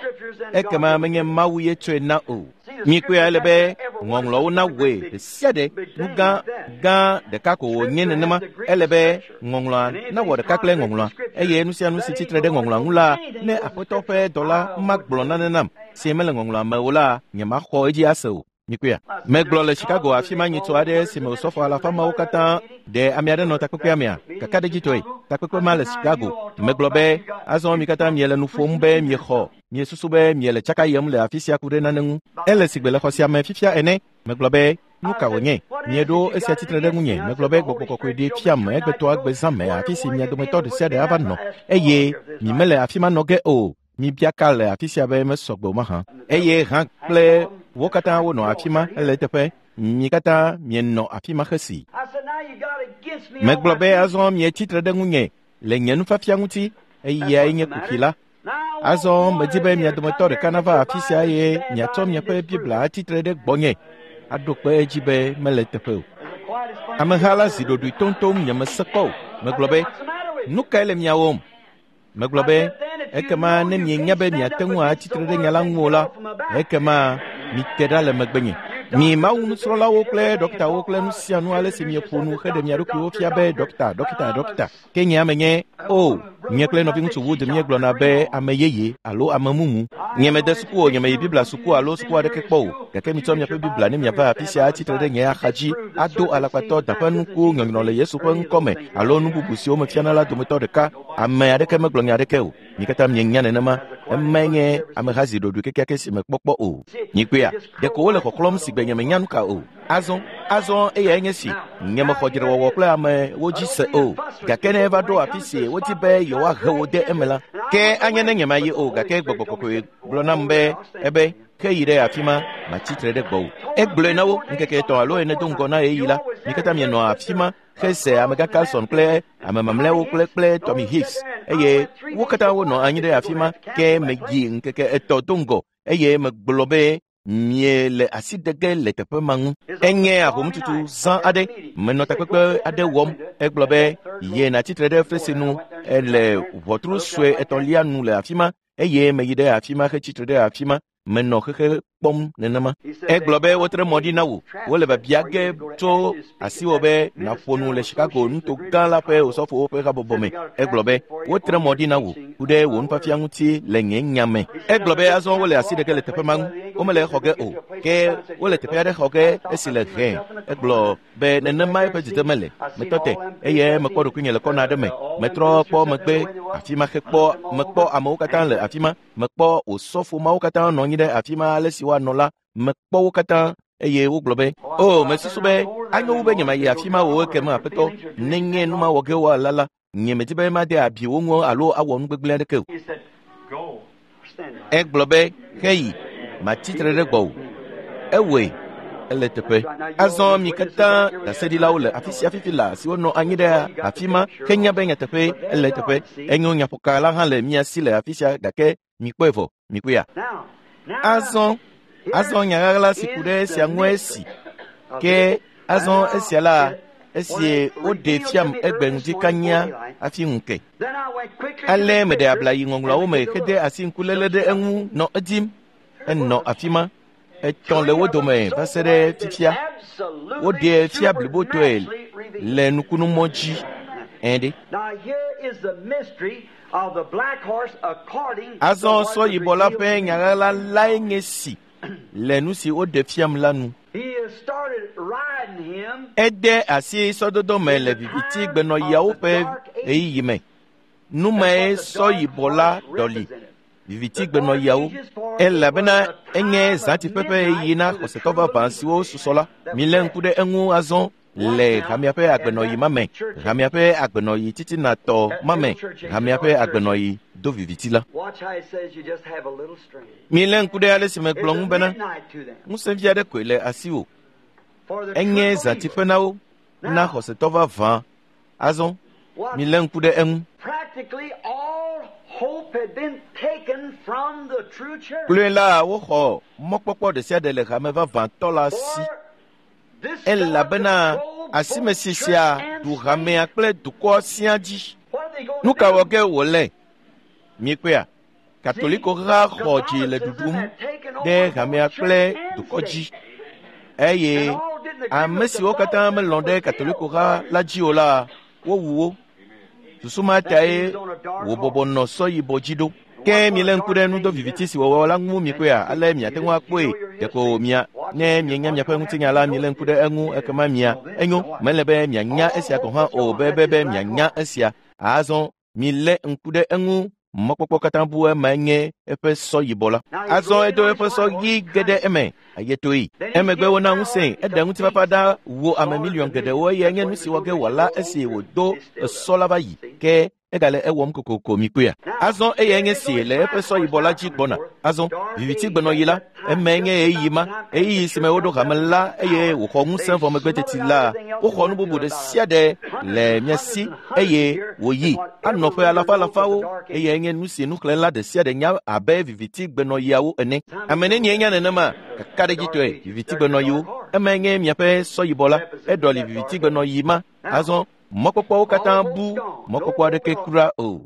ekema menye Mawu ye tsɔe na o. Mikpɔe ele be ŋɔŋlɔwo nawɔe ɖe sia ɖe nu gã gã ɖeka ko wònye nenema. Ele be ŋɔŋlɔa nawɔ ɖeka kple ŋɔŋlɔa eye nu sia nu si tsitre ɖe ŋɔŋlɔa ŋu la, ne Aƒetɔ ƒe dɔla magblɔ nane nam si mele ŋɔŋlɔa me o la, nyemaxɔ edzi ase o. Mikpɔea? Megblɔ le Chicago afi ma nyitɔ aɖe si me osɔfo alafa mawo katã ɖe ame aɖe nɔ takpekpea mea? Kakaɖedzitɔe, takpekpe ma le Chicago. Megblɔ be azɔ mi katã miele nu ƒom be miexɔ, miesusu be miele tsaka yem le afi sia ku ɖe nane ŋu. Ele sigbe le xɔ sia me fifia ene. Megblɔ be nu ka wònye? Mieɖo esia tsitre ɖe ŋunye. Megblɔ be gbɔgbɔ kɔkɔe ɖee fiam egbetɔa gbe zã me afi si mia dometɔ ɖe sia ɖe ava nɔ eye mi mele afi ma nɔ ge o. Mibia ka le afi sia be mesɔ gbe o mahã. Eye hã kple wo katã wonɔ afi ma hele eteƒe. Mi katã mienɔ afi ma xesi. Megblɔ be azɔ mietsi tre ɖe ŋunye le nye nufiafia ŋuti, eyae nye kuxi la. Azɔ medi be mia dometɔ ɖeka nava afi sia eye miatsɔ miaƒe Biblia atsi tre ɖe gbɔnye aɖo kpe edzi be mele eteƒe o. Ameha la zi ɖoɖoe toŋtoŋ nyemese kpɔ o. Megblɔ be, nu kae le mia wɔm? Megblɔ be, ekema ne mienya be miate ŋu atsi tre ɖe nya la ŋu o la, ekema mite ɖa le megbenye. Mi Mawu nusrɔ̃lawo kple ɖɔkitawo kple nu sia nu ale si mieƒo nu heɖe mia ɖokuiwo fia be ɖɔkita, ɖɔkita, ɖɔkita. Ke nye ame nye, o, nye kple nɔviŋutsu Wood míegblɔna be ame yeye alo ame mumu. Nye mede suku o, nye meyi Biblia suku alo suku aɖeke kpɔ o. Gake mitsɔ miaƒe Biblia ne miava afi sia atsi tre ɖe nye axa dzi ado alakpatɔ da ƒe nuku nyɔnyrɔ le Yesu ƒe ŋkɔ me alo nu bubu siwo mefiana la dometɔ ɖeka. Ame aɖeke megblɔ nya aɖeke o. Mi katã mienya nenema. Emae nye ameha zi ɖoɖoe kekeake si mekpɔ kpɔ o. Mikpɔea? Ɖeko wole xɔxlɔ̃m si gbe nyemenya nu ka o. Azɔ, azɔ eyae nye si. Nyemexɔ dzrewɔwɔ kple amewo dzi se o. Gake ne eva ɖo afi si wodi be yewoahe wo de eme la, ke anye ne nyemayi o. Gake gbɔgbɔ kɔkɔe gblɔ nam be ebe ke yi ɖe afi ma, matsi tre ɖe gbɔwò. Egblɔe na wo ŋkeke 3 alo 4 do ŋgɔ na ɣeyiɣi la. Mi katã mienɔ afi ma hese amegã Carlson kple ame mamlɛawo kple Tommy Hicks eye wo katã wonɔ anyi ɖe afi ma. Ke meyi ŋkeke 3 do ŋgɔ eye megblɔ be miele asi de ge le teƒe ma ŋu. Enye ahomtutu zã aɖe. Menɔ takpekpe aɖe wɔm. Egblɔ be ye natsi tre ɖe fesre nu le ʋɔtru sue etɔ̃lia nu le afi ma eye meyi ɖe afi ma hetsi tre ɖe afi ma. Menɔ xexe kpɔm nenema. Egblɔ be wotre mɔ ɖi na wò. Wole biabia ge tso asiwò be nàƒo nu le Chicago nuto gã la ƒe osɔfowo ƒe habɔbɔ me. Egblɔ be wotre mɔ ɖi na wò ku ɖe wò nufiafia ŋuti le nye nya me. Egblɔ be azɔ wole asi ɖe ge le teƒe ma ŋu. Womele exɔ ge o, ke wole teƒe aɖe xɔ ge esi le hẽ. Egblɔ be nenema eƒe dzidze mele. Metɔ te eye mekpɔ ɖokuinye le kɔna aɖe me. Metrɔ kpɔ megbe afi ma hekpɔ mekpɔ amewo katã le afi ma. Mekpɔ osɔfo mawo katã nɔ anyi ɖe afi ma ale si woanɔ la. Mekpɔ wo katã eye wogblɔ be, o, mesusu be anyo wu be nyemayi afi ma o ekema aƒetɔ, nenye nu ma wɔ ge woala la, nyemedi be made abi wo ŋu alo awɔ nu gbegblẽ aɖeke o. Egblɔ be, heyi, matsi tre ɖe gbɔwò. Ewɔe, ele teƒe. Azɔ mi katã ɖaseɖilawo le afi sia fifi la siwo nɔ anyi ɖe afi ma henya be nyateƒe ele teƒe. Enyo nyaƒoka la hã le mia si le afi sia gake mikpɔe vɔ, mikpɔea. Azɔ, azɔ nya ɣaɣla si ku ɖe esia ŋue si. Ke azɔ esia la, esie woɖe fiam egbe ŋdi kanya hafi ŋu ke. Ale meɖe abla yi ŋɔŋlɔawo me hede asi ŋkuléle ɖe eŋu nɔ edim. Enɔ afi ma. Etɔ̃ le wo dome va se ɖe fifia. Woɖee fia blibotɔe le nukunumɔ dzi. Ẽ ɖe. Azɔ sɔ yibɔ la ƒe nya ɣaɣla lae nye si le nu si woɖe fiam la nu. Ede asi sɔdodo me le viviti gbenɔɣiawo ƒe ɣeyiɣi me. Nu mae sɔ yibɔ la ɖɔli viviti gbenɔɣiawo, elabena enye zãtiƒe ƒe ɣeyiɣi na xɔsetɔ vavã siwo susɔ la. Milé ŋku ɖe eŋu azɔ le hamea ƒe agbenɔɣi ma me, hamea ƒe agbenɔɣi titinatɔ ma me, hamea ƒe agbenɔɣi do viviti la. Milé ŋku ɖe ale si megblɔ ŋu bena, ŋusẽvi aɖe koe le asiwò. Enye zãtiƒe na wo, na xɔsetɔ vavã. Azɔ, milé ŋku ɖe eŋu. Kloe la, woxɔ mɔkpɔkpɔ ɖe sia ɖe le hame vavãtɔ la si. Elabena asimesi sia ɖu hamea kple dukɔa siaa dzi. Nu ka wɔ ge wòle? Miekpɔea? Katoliko ha xɔ dzi le ɖuɖum ɖe hamea kple dukɔ dzi. Eye ame siwo katã melɔ̃ ɖe Katoliko ha la dzi o la, wowu wo. Susu ma tae wòbɔbɔ nɔ sɔ yibɔ dzi ɖo. Ke milé ŋku ɖe nudo viviti si wɔwɔ la ŋu mikpɔea, ale miate ŋu akpɔe. Ɖeko mia, ne mienya miaƒe ŋutinya la, milé ŋku ɖe eŋu ekema mia. Enyo, mele be mianya esia gɔ̃ hã o, be mianya esia. Azɔ, milé ŋku ɖe eŋu. Mɔkpɔkpɔ katã bu emae nye eƒe sɔ yibɔ la. Azɔ edo eƒe sɔ ɣi ge ɖe eme, ayetoe. Emegbe wona ŋusẽe, eɖe ŋutifafa ɖa wu ame miliɔn geɖewo eye nye nu si wɔ ge wòala esi wòdo esɔ la va yi. Ke egale ewɔm kokoko mikpɔea. Azɔ eyae nye si le eƒe sɔ yibɔ la dzi gbɔna. Azɔ, viviti gbenɔɣi la, emae nye ɣeyiɣi ma, ɣeyiɣi si me woɖo hame la eye wòxɔ ŋusẽ vɔ megbe teti la, woxɔ nu bubu ɖe sia ɖe le mia si eye wòyi anɔ ƒe alafa alafawo eye nye nu si nuxlẽla ɖe sia ɖe nya abe viviti gbenɔɣiawo ene. Ame nenie nya nenema? Kakaɖedzitɔe, viviti gbenɔɣiwo. Emae nye miaƒe sɔ yibɔ la. Eɖɔli viviti gbenɔɣi ma. Azɔ, mɔkpɔkpɔwo katã bu, mɔkpɔkpɔ aɖeke kura o.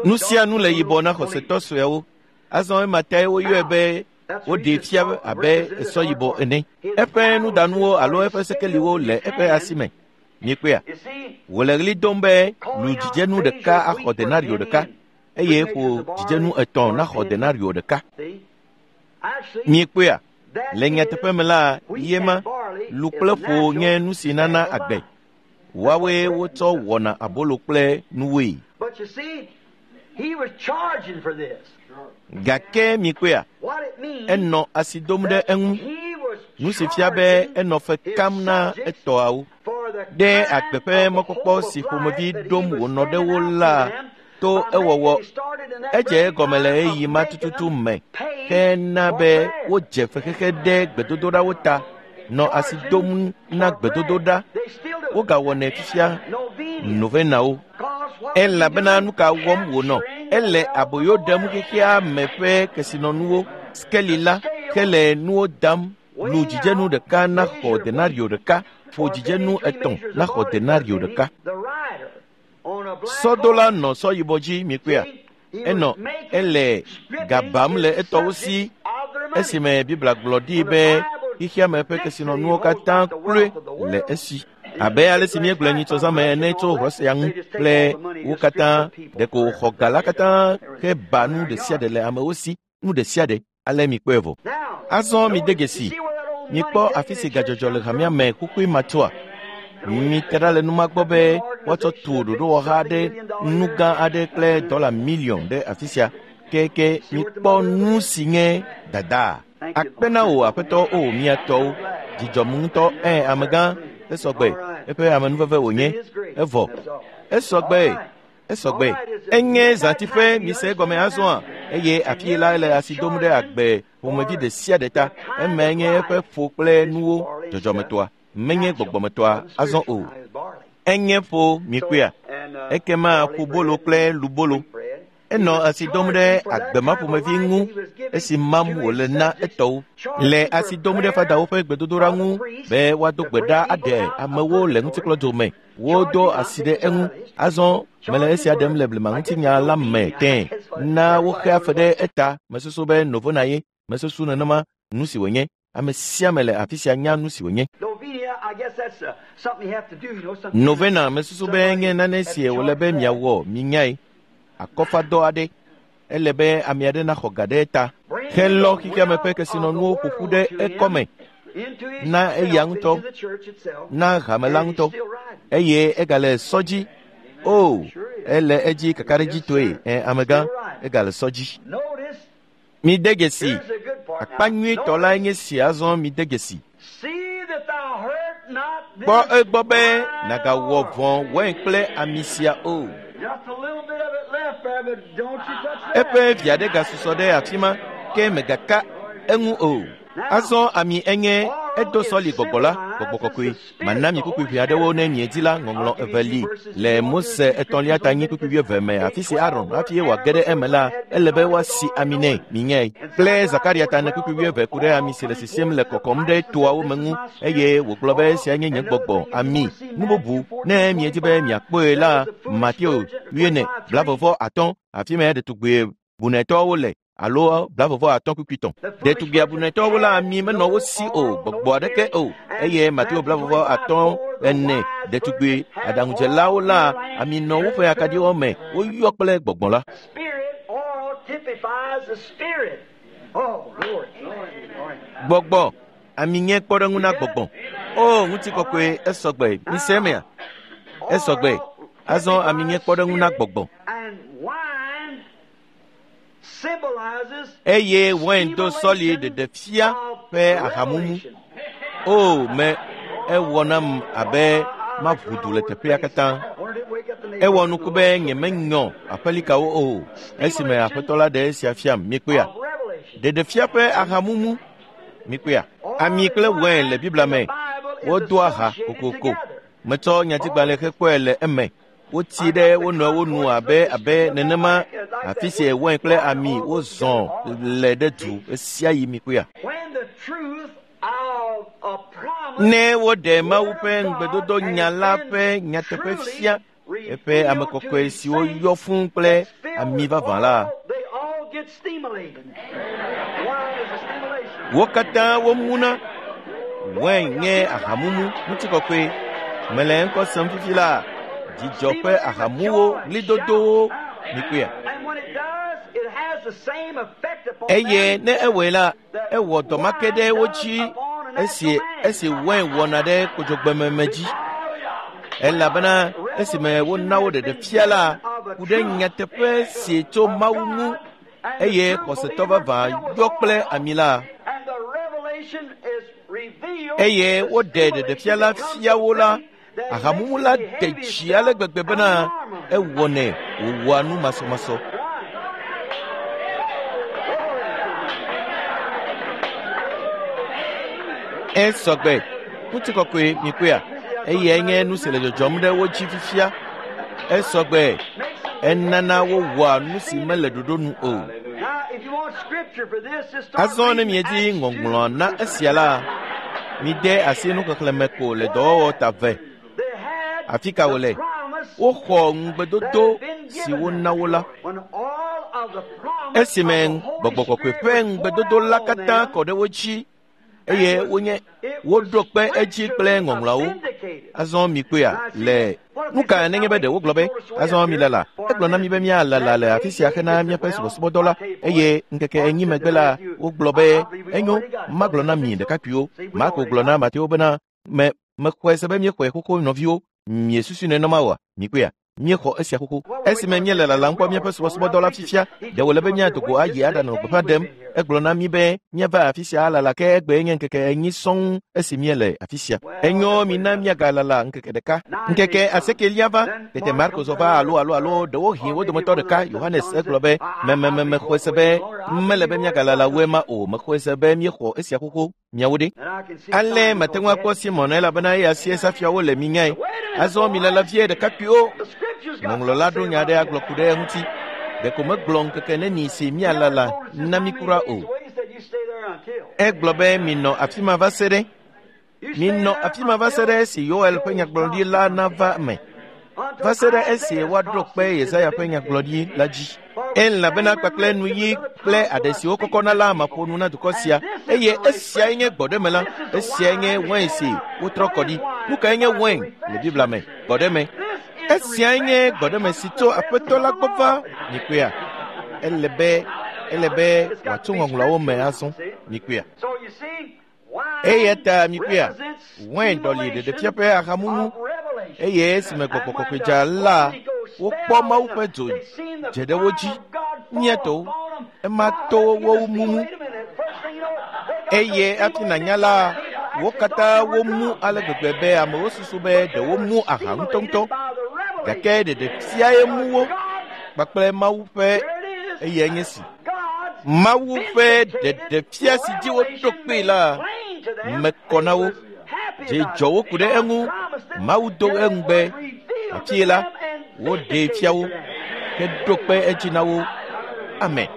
Nu sia nu le yibɔ na xɔsetɔ sueawo. Azɔ ema tae woyɔe be woɖee fia abe esɔ yibɔ ene. Eƒe nudanuwo alo eƒe sekeliwo le eƒe asi me. Miekpɔea? Wòle ɣli dom be lu dzidzenu ɖeka axɔ denario ɖeka eye ƒo dzidzenu etɔ̃ naxɔ denario ɖeka. Miekpɔea? Le nyateƒe me la, ye ma, lu kple ƒo nye nu si nana agbe. Woawoe wotsɔ wɔna abolo kple nuwoe. Gake mikpɔea, enɔ asi dom ɖe eŋu. Nu si fia be enɔ fe kam na etɔawo. Ɖe agbe ƒe mɔkpɔkpɔ si ƒomevi ɖom wònɔ ɖe wo la to ewɔwɔ. Edze egɔme le ɣeyiɣi ma tututu me ke na be wodze fexexe ɖe gbedodoɖawo ta, nɔ asi dom na gbedodoɖa. Wogawɔnɛ fifia novenawo. Elabena nu ka wɔm wònɔ? Ele aboyo ɖem xexea me ƒe kesinɔnuwo, skeli la, hele nuwo dam. Lu dzidzenu ɖeka naxɔ denario ɖeka, ƒo dzidzenu etɔ̃ naxɔ denario ɖeka. Sɔdola nɔ sɔ yibɔ dzi mikpɔea. Enɔ ele gabam le etɔwo si Esime Biblia gblɔ ɖi be xexeame ƒe kesinɔnuwo katã kloe le esi. Abe ale si míegblɔe nyitsɔzãme ene tso Russia ŋu kple wo katã, ɖeko wòxɔ ga la katã heba nu ɖe sia ɖe le amewo si, nu ɖe sia ɖe. Ale mikpɔe vɔ. Azɔ mide dzesi, mikpɔ afi si gadzɔdzɔ le hamea me xoxoe ma tsoa. Mite ɖa le numa gbɔ be woatsɔ tu ɖoɖowɔha aɖe, nu gã aɖe kple dɔla miliɔn ɖe afi sia. Keke mikpɔ nu si nye dada. Akpe na wò aƒetɔ o mía tɔwo. Dzidzɔm ŋutɔ ɛ amegã esɔgbe eƒe amenuveve wònye evɔ. Esɔgbe esɔgbe. Enye zãtiƒe mise egɔme azɔa eye afi la ele asi dom ɖe agbe ƒomevi ɖe sia ɖe ta. Emae nye eƒe ƒo kple nuwo dzɔdzɔmetɔa. Menye gbɔgbɔmetɔa azɔ o. Enye ƒo mikpɔea. Ekema ƒobolo kple lubolo. Enɔ asi dom ɖe agbe ma ƒomevi ŋu esi mam wòle na etɔwo. Le asi dom ɖe fadawo ƒe gbedodoɖa ŋu be woado gbe ɖa aɖe amewo le ŋutikplɔdzo me. Wodo asi ɖe eŋu. Azɔ mele esia ɖem le blema ŋutinya la me tẽ. Na woxea fe ɖe eta. Mesusu be novena ye. Mesusu nenema nu si wònye. Ame sia ame le afi sia nya nu si wònye. Novena mesusu be nye nane si wòle be miawɔ minyae. Akɔfadɔ aɖe. Ele be ame aɖe naxɔ ga ɖe eta. Helɔ xexeame ƒe kesinɔnuwo ƒoƒu ɖe ekɔme na eya ŋutɔ, na hame la ŋutɔ eye egale sɔ dzi. O, ele edzi kakaɖedzitɔe. Ɛ amegã, egale sɔ dzi. Mide dzesi. Akpa nyuitɔ lae nye si azɔ mide dzesi. Kpɔ egbɔ be nàgawɔ vɔ̃ wain kple ami sia o. Eƒe vi aɖe gasusɔ ɖe afi ma ke megaka eŋu o. Azɔ ami enye edo sɔli gbɔgbɔ la, gbɔgbɔ kɔkɔe. Mana mi kpukpui ʋɛ aɖewo ne miedi la ŋɔŋlɔ eve li le Mose etɔ̃lia ta nyi kpukpui wuieve me afi si Aron hafi wòage ɖe eme la ele be woasi ami nɛ minyae. Kple Zakaria ta ene kpukpui wuieve ku ɖe ami si le sisim le kɔkɔm ɖe toawo me ŋu eye wògblɔ be esia nye nye gbɔgbɔ ami. Nu bubu ne miedi be miakpɔe la Mateo wuiene blavevɔ atɔ̃ afi ma ɖetugbui bunetɔwo le alo blavevɔ atɔ̃ kpukpui tɔ̃. Ɖetugbui abunetɔwo la ami menɔ wo si o, gbɔgbɔ aɖeke o eye Mateo blavevɔ atɔ̃ ene ɖetugbui aɖaŋudzelawo la ami nɔ woƒe akaɖiwo me woyɔ kple gbɔgbɔ la. Gbɔgbɔ ami nye kpɔɖeŋu na gbɔgbɔ. O ŋutikɔkɔe esɔgbe mise emea esɔgbe. Azɔ ami nye kpɔɖeŋu na gbɔgbɔ. Eye wain do sɔli ɖeɖe fia ƒe ahamumu. O me ewɔ nam abe maʋu du le teƒea katã. Ewɔ nuku be nyemenyɔ aƒelikawo o esime aƒetɔ la ɖe esia fiam mikpɔea. Ɖeɖefia ƒe ahamumu mikpɔea. Ami kple wain le Biblia me wodoa ha kokoko. Metsɔ nyatigbalẽ hekpɔe le eme. Wotsi ɖe wo nɔewo nu abe abe nenema afi si wain kple ami wozɔ le ɖe du ɣe sia ɣi mikpɔea. Ne woɖe Mawu ƒe ŋugbedodo nya la ƒe nyateƒe fia eƒe ame kɔkɔe siwo yɔ fũu kple ami vavã la, wo katã womuna. Wain nye ahamumu ŋutikɔkɔe. Mele ŋkɔ sem fifi la dzidzɔ ƒe ahamuwo ɣlidodowo mikpɔea. Eye ne ewɔe la, ewɔ dɔ ma ke ɖe wo dzi esi esi wain wɔna ɖe kodzogbememe dzi. Elabena esime wona wo ɖeɖe fia la ku ɖe nyateƒe si tso Mawu ŋu eye xɔsetɔ vavã yɔ kple ami la. Eye woɖe ɖeɖefia la fia wo la, ahamumu la de dzi ale gbegbe bena ewɔnɛ wòwɔa nu masɔmasɔ. Esɔgbe ŋutikɔkɔe mikpɔea eyae nye nu si le dzɔdzɔm ɖe wo dzi fifia. Esɔgbe enana wowɔa nu si mele ɖoɖo nu o. Azɔ ne miedi ŋɔŋlɔ na esia la, mide asi nuxexlẽme ko le dɔwɔwɔ ta ve. Afi ka wòle? Woxɔ ŋugbedodo si wona wo la. Esime Gbɔgbɔ Kɔkɔe ƒe ŋugbedodo la katã kɔ ɖe wo dzi eye wonye woɖo kpe edzi kple ŋɔŋlɔawo. Azɔ mikpɔea le nu ka nenye be ɖe wogblɔ be azɔ milala. Egblɔ na mi be míalala le afi sia hena míaƒe subɔsubɔdɔ la eye ŋkeke 4 megbe la wogblɔ be enyo magblɔ na mi ɖekakpuiwo. Marko gblɔ na Mateo bena mexɔe se be míexɔe xoxo nɔviwo. Miesusu nenema oa? Mikpɔea? Míexɔ esia xoxo. Esime míele lalam kpɔ míaƒe subɔsubɔdɔ la fifia, ɖe wòle be míado go ayi aɖanɔ gbeƒã ɖem. Egblɔ na mí be míava afi sia alala ke egbee nye ŋkeke 4 sɔŋ esi míele afi sia. Enyo mina míagalala ŋkeke ɖeka. Ŋkeke 8 va, tete Marko zɔ va alo ɖewohĩ wo dometɔ ɖeka, Yohanes egblɔ be mexɔe se be mele be míagalala wu ema o, mexɔe se be míexɔ esia xoxo. Miawo ɖe. Ale mate ŋu akpɔ Simon elabena eya sie safiawo le minyae. Azɔ milala vie ɖekakpuiwo. Ŋɔŋlɔ la ɖo nya aɖe agblɔ ku ɖe eŋuti. Ɖeko megblɔ ŋkeke neni si míalala na mi kura o. Egblɔ be minɔ afi ma va se ɖe. Minɔ afi ma va se ɖe esi Yoel ƒe nyagblɔɖi la nava eme. Va se ɖe esi woaɖo kpe Yesaya ƒe nyagblɔɖi la dzi. Elabena kpakple nuyi kple aɖe siwo kɔkɔna la maƒo nu na dukɔ sia. Eye esiae nye gbɔɖeme la. Esiae nye wain si wotrɔ kɔ ɖi. Nu kae nye wain le Biblia me? Gbɔɖeme. Esiae nye gbɔɖeme si tso Aƒetɔ la gbɔ va. Mikpɔea? Ele be wòatso ŋɔŋlɔawo me azɔ. Mikpɔea? Eya ta mikpɔea? Wain ɖɔli ɖeɖefia ƒe ahamumu. Eye esime Gbɔgbɔ Kɔkɔe dza la, wokpɔ Mawu ƒe dzo dze ɖe wo dzi. Míatɔwo, ema to wo mumu. Eye hafi nànya la, wo katã womu ale gbegbe be amewo susu be ɖe womu aha ŋutɔŋutɔ. Gake ɖeɖefiae mu wo kpakple Mawu ƒe eyae nye si. Mawu ƒe ɖeɖefia si dzi woɖo kpee la mekɔ na wo. Dzi dzɔ wo ku ɖe eŋu. Mawu do eŋugbe. Afie la, woɖee fia wo heɖo kpe edzi na wo. Amen.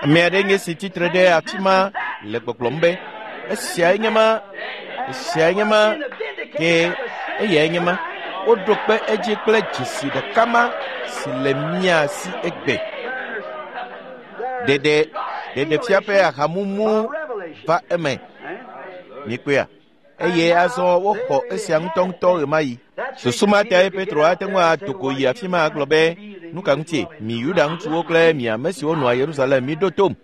Ame aɖe nye si tsitre ɖe afi ma le gbɔgblɔm be esiae nye ma, esiae nye ma, ke eyae nye ma. Woɖo kpe edzi kple dzesi ɖeka ma si le mía si egbe. Ɖeɖefia ƒe ahamumu va eme. Mikpɔea? Eye azɔ woxɔ esia ŋutɔŋutɔ ɣemaɣi. Susu ma tae Petro ate ŋu ado go yi afi ma agblɔ be, nu ka ŋutie mi Yuda ŋutsuwo kple mi ame siwo nɔa Yerusalem miɖo tom?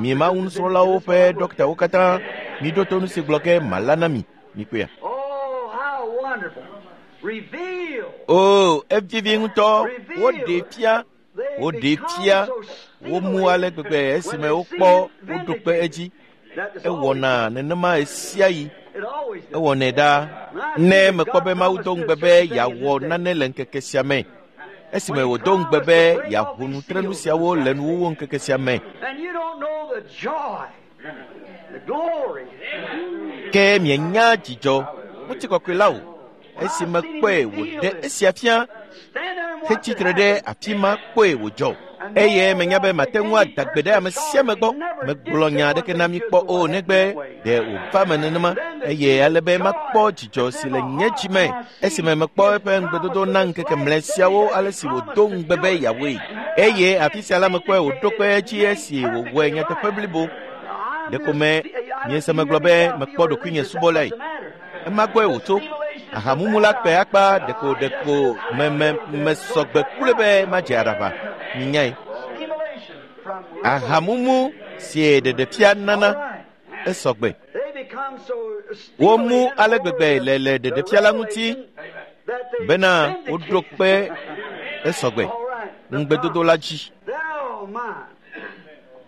Mi Mawu nusrɔ̃lawo ƒe ɖɔktawo katã miɖo to nu si gblɔ ke mala na mi. Mikpɔea? O, evivi ŋutɔ. Woɖee fia. Womu ale gbegbe esime wokpɔ woɖo kpe edzi. Ewɔna nenema ɣesiaɣi. Ewɔnɛ ɖaa. Ne mekpɔ be Mawu do ŋugbe be yeawɔ nane le ŋkeke sia me, esime wòdo ŋugbe be yeaʋu nutrenu siawo le nuwuwu ŋkeke sia me, ke mienya dzidzɔ ŋutikɔkɔe la o. Esi mekpɔe wòɖe esia fia hetsitre ɖe afi ma kpɔe wòdzɔ. Eye menya be mate ŋu ada gbe ɖe ame sia ame gbɔ. Megblɔ nya aɖeke na mi kpɔ o negbe ɖe wòva me nenema. Eye ale be makpɔ dzidzɔ si le nye dzi me esime mekpɔ eƒe ŋugbedodo na ŋkeke mlɛ siawo ale si wòdo ŋugbe be yeawɔe. Eye afi sia la mekpɔe wòɖo kpe edzi esi wòwɔe nyateƒe blibo. Ɖeko me miese megblɔ be mekpɔ ɖokuinye subɔlae. Ema gbɔe wòtso. Ahamumu la kpe akpa ɖeko mesɔgbe kple be madze aɖaʋa. Minyae. Ahamumu si ɖeɖefia nana esɔgbe. Womu ale gbegbe le ɖeɖefia la ŋuti bena woɖo kpe esɔgbe ŋugbedodo la dzi.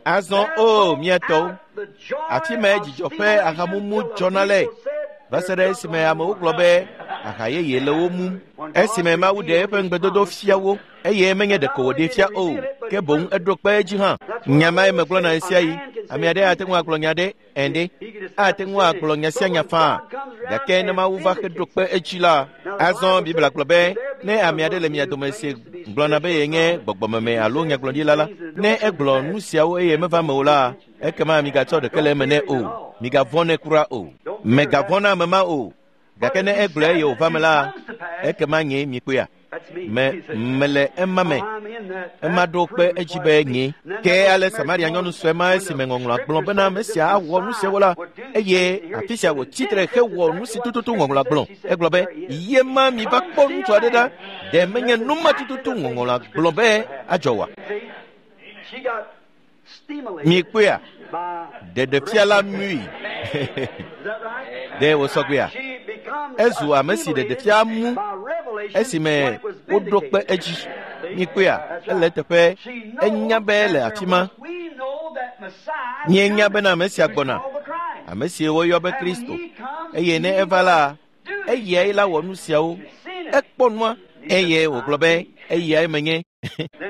Azɔ o mía tɔwo, afi mae dzidzɔ ƒe ahamumu dzɔna le va se ɖe esime amewo gblɔ be aha yeye le wo mum. Esime Mawu ɖe eƒe ŋugbedodo fia wo, eye menye ɖeko wòɖee fia o, ke boŋ eɖo kpe edzi hã. Nya mae megblɔna ɣesiaɣi. Ame aɖe ate ŋu agblɔ nya ɖe ende, ate ŋu agblɔ nya sia nya faa, gake ne Mawu va heɖo kpe edzi la, azɔ Biblia gblɔ be ne ame aɖe le mia dome si gblɔna be yenye gbɔgbɔmeme alo nyagblɔɖila la, ne egblɔ nu siawo eye meva eme o la, ekema migatsɔ ɖeke le eme nɛ o. Migavɔ̃ nɛ kura o. Megavɔ̃ na ame ma o. Gake ne egblɔe eye wòva me la, ekema nye mikpɔea. Me mele ema me. Ema ɖo kpe edzi be nye. Ke ale Samaria nyɔnu sue ma esime ŋɔŋlɔa gblɔ bena ame sia awɔ nu siawo la, eye afi sia wòtsi tre hewɔ nu si tututu ŋɔŋlɔa gblɔ. Egblɔ be, ye ma mi va kpɔ ŋutsu aɖe ɖa, ɖe menye nu ma tututu ŋɔŋlɔa gblɔ be adzɔ oa? Mikpɔea? Ɖeɖefia la mui. Ɖe wòsɔ gbea? Ezu ame si ɖeɖefia mu esime woɖo kpe edzi. Mikpɔea? Ele eteƒe. Enya be le afi ma. Míenya bena ame sia gbɔna, ame si woyɔ be Kristo. Eye ne eva la, eyae la wɔ nu siawo. Ekpɔ nua eye wògblɔ be eyae menye.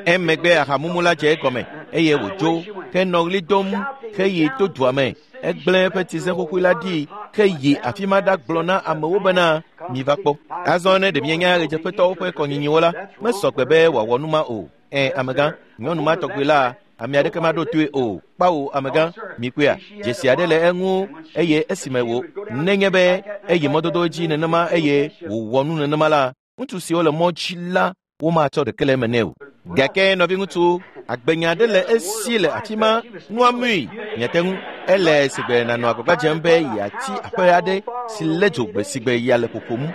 Emegbe ahamumu la dze egɔme eye wòdzo henɔ ɣli dom heyi to dua me. Egblẽ eƒe tsize xoxoe la ɖi heyi afi ma ɖagblɔ na amewo bena miva kpɔ. Azɔ ne ɖe mienya ɣedzeƒetɔwo ƒe kɔnyinyiwo la, mesɔ gbe be wòawɔ nu ma o. Ẽ, amegã, nyɔnu ma tɔgbi la, ame aɖeke maɖo toe o. Kpawo, amegã, mikpɔea, dzesi aɖe le eŋu eye esime wò nenye be eyi mɔdodo dzi nenema eye wòwɔ nu nenema la, ŋutsu siwo le mɔ dzi la womatsɔ ɖeke le eme nɛ o. Gake nɔviŋutsu, agbenya aɖe le esi le afi ma, nua mui, miate ŋu. Ele sigbe nànɔ agbagba dzem be yeatsi aƒe aɖe si lé dzo gbe sigbe ya le ƒoƒom.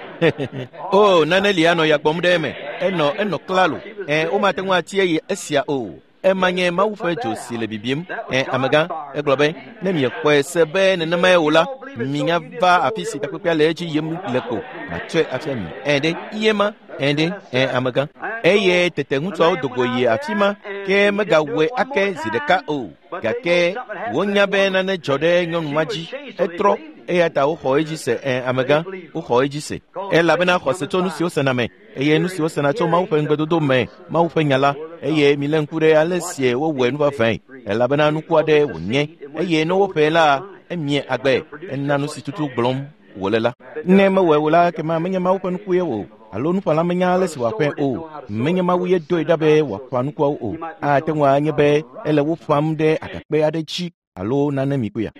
O, nane li anɔ ya gbɔm ɖe eme. Enɔ enɔ klalo. Ẽ, womate ŋu atsi eye esia o. Ema nye Mawu ƒe dzo si le bibim. Ẽ, amegã, egblɔ be, ne miekpɔe se be nenemae o la, minya va afi si takpekpea le edzi yim le ko, matsɔe afia mi. Ẽ ɖe, ye ma, ẽ ɖe, ẽ amegã. Eye tete ŋutsuawo do go yi afi ma, ke megawɔe ake zi ɖeka o. Gake wonya be nane dzɔ ɖe nyɔnu ma dzi. Etrɔ, eya ta woxɔ edzi se. Ẽ, amegã, woxɔ edzi se. Elabena xɔse tso nu si wosena me, eye nu si wosena tso Mawu ƒe ŋugbedodo me, Mawu ƒe nya la, eye milé ŋku ɖe ale sie wowɔe nuvavãe, elabena nuku aɖe wònye, eye ne woƒee la, emie agbe, ena nu si tutu gblɔm wòle la. Ne mewɔe o la, ekema menye Mawu ƒe nuku ye o, alo nuƒãla menya ale si wòaƒãe o. Menye Mawu ye doe ɖa be wòaƒã nukuawo o. Ate ŋu anye be ele wo ƒãm ɖe agakpe aɖe dzi alo nane mi kpɔea.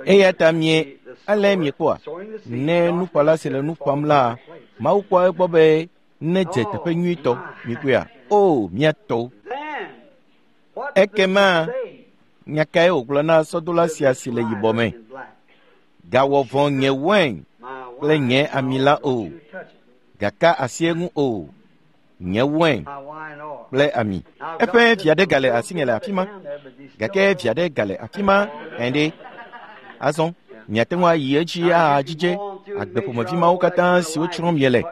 Eya ta mie, ale miekpɔa, ne nuƒãla si le nu ƒãm la, Mawu kpɔa egbɔ be nedze teƒe nyuitɔ, mikpɔea. O, mía tɔwo. Ekema nya kae wògblɔ na sɔdola sia si le yibɔ me? Gawɔ vɔ̃ nye wain kple nye ami la o. Gaka asi eŋu o. Nye wain kple ami. Eƒe vi aɖe gale asinye le afi ma. Gake vi aɖe gale afi ma ẽ ɖe. Azɔ, miate ŋu ayi edzi ahadzidze agbe ƒomevi mawo katã siwo tsrɔ̃m miele.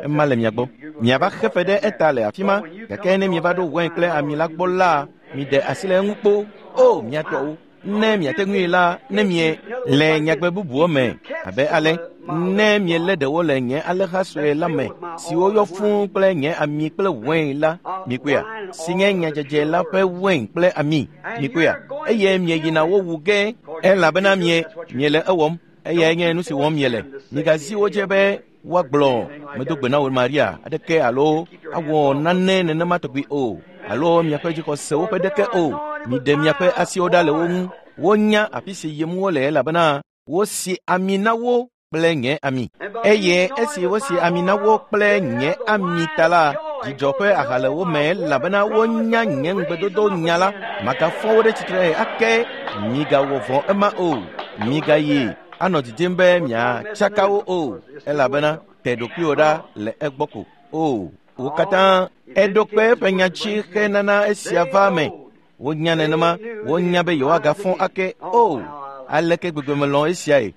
Ema le mia gbɔ. Miava xe fe ɖe eta le afi ma, gake ne mieva ɖo wain kple ami la gbɔ la, miɖe asi le eŋu kpo. O, mia tɔwo! Ne miate ŋui la, ne mie le nyagbe bubuwo me, abe ale, ne mielé ɖewo le nye alẽha sue la me, siwo yɔ fũu kple nye ami kple wain la, mikpɔea, si nye nyadzedze la ƒe wain kple ami, mikpɔea, eye mieyina wo wu ge, elabena mie miele ewɔm, eyae nye nu si wɔm miele. Migazi wo dzi be woagblɔ medo gbe na wò Maria aɖeke alo awɔ nane nenema tɔgbi o, alo miaƒe dzixɔsewo ƒe ɖeke o. Miɖe miaƒe asiwo ɖa le wo ŋu. Wonya afi si yim wole elabena wosi ami na wo kple nye ami. Eye esi wosi ami na wo kple nye ami ta la, dzidzɔ ƒe aha le wo me elabena wonya nye ŋugbedodo nya la. Magafɔ wo ɖe tsitre ake. Migawɔ vɔ̃ ema o. Migayi anɔ didim be miatsaka wo o, elabena te ɖokuiwò ɖa le egbɔ ko. O, wo katã eɖo kpe eƒe nya dzi henana esia va eme. Wonya nenema, wonya be yewoagafɔ ake. O, aleke gbegbe melɔ̃ esiae.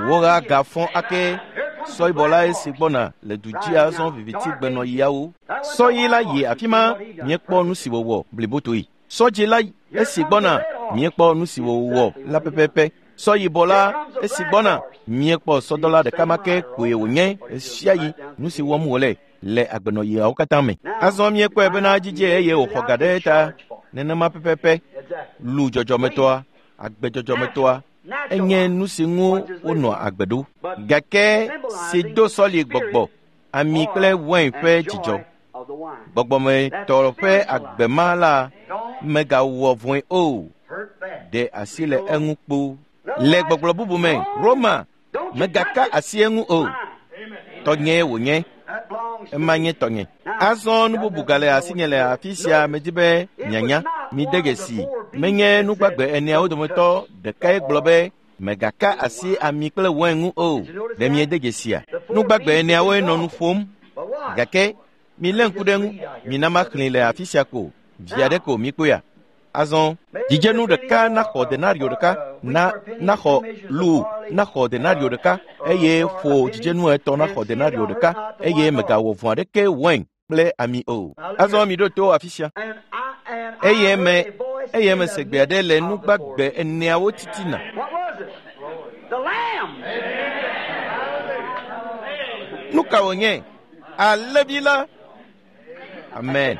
Woagafɔ ake. Sɔyibɔ la esi gbɔna le du dzi azɔ viviti gbenɔɣiawo. Sɔyi la yi afi ma, míekpɔ nu si wòwɔ blibotoe. Sɔdzi la esi gbɔna, míekpɔ nu si wòwɔ la pɛpɛpɛ. Sɔyibɔ la esi gbɔna, míekpɔ sɔdɔla ɖeka ma ke koe wònye ɣesiaɣi nu si wɔm wòle le agbenɔɣiawo katã me. Azɔ míekpɔe bena dzidze eye wòxɔ ga ɖe eta nenema pɛpɛpɛ. Lu dzɔdzɔmetɔa, agbe dzɔdzɔmetɔa, enye nu si ŋu wonɔa agbe ɖo. Gake si do sɔli gbɔgbɔ, ami kple wain ƒe dzidzɔ. Gbɔgbɔmetɔ ƒe agbe ma la megawɔ vɔ̃e o. Ɖe asi le eŋu kpo. Le gbɔgblɔ bubu me, Roma, megaka asi eŋu o. Tɔnyee wònye. Ema nye tɔnye. Azɔ nu bubu gale asinye le afi sia medi be mianya. Mide dzesi, menye nugbagbe eneawo dometɔ ɖekae gblɔ be mègaka asi ami kple wain ŋu o. Ɖe miede dzesia? Nugbagbe eneawoe nɔ nu ƒom. Gake milé ŋku ɖe eŋu, mina maxlẽe le afi sia ko, vi aɖe ko mikpɔea. Azɔ dzidzenu ɖeka naxɔ denario ɖeka, na naxɔ lu naxɔ denario ɖeka eye ƒo dzidzenu etɔ̃ naxɔ denario ɖeka eye mègawɔ vɔ̃ aɖeke wain kple ami o. Azɔ miɖo to afi sia. Eye me eye mese gbe aɖe le nugbagbe eneawo titina. What was it? The Lamb. Nu ka wònye? Alẽvi la. Amen.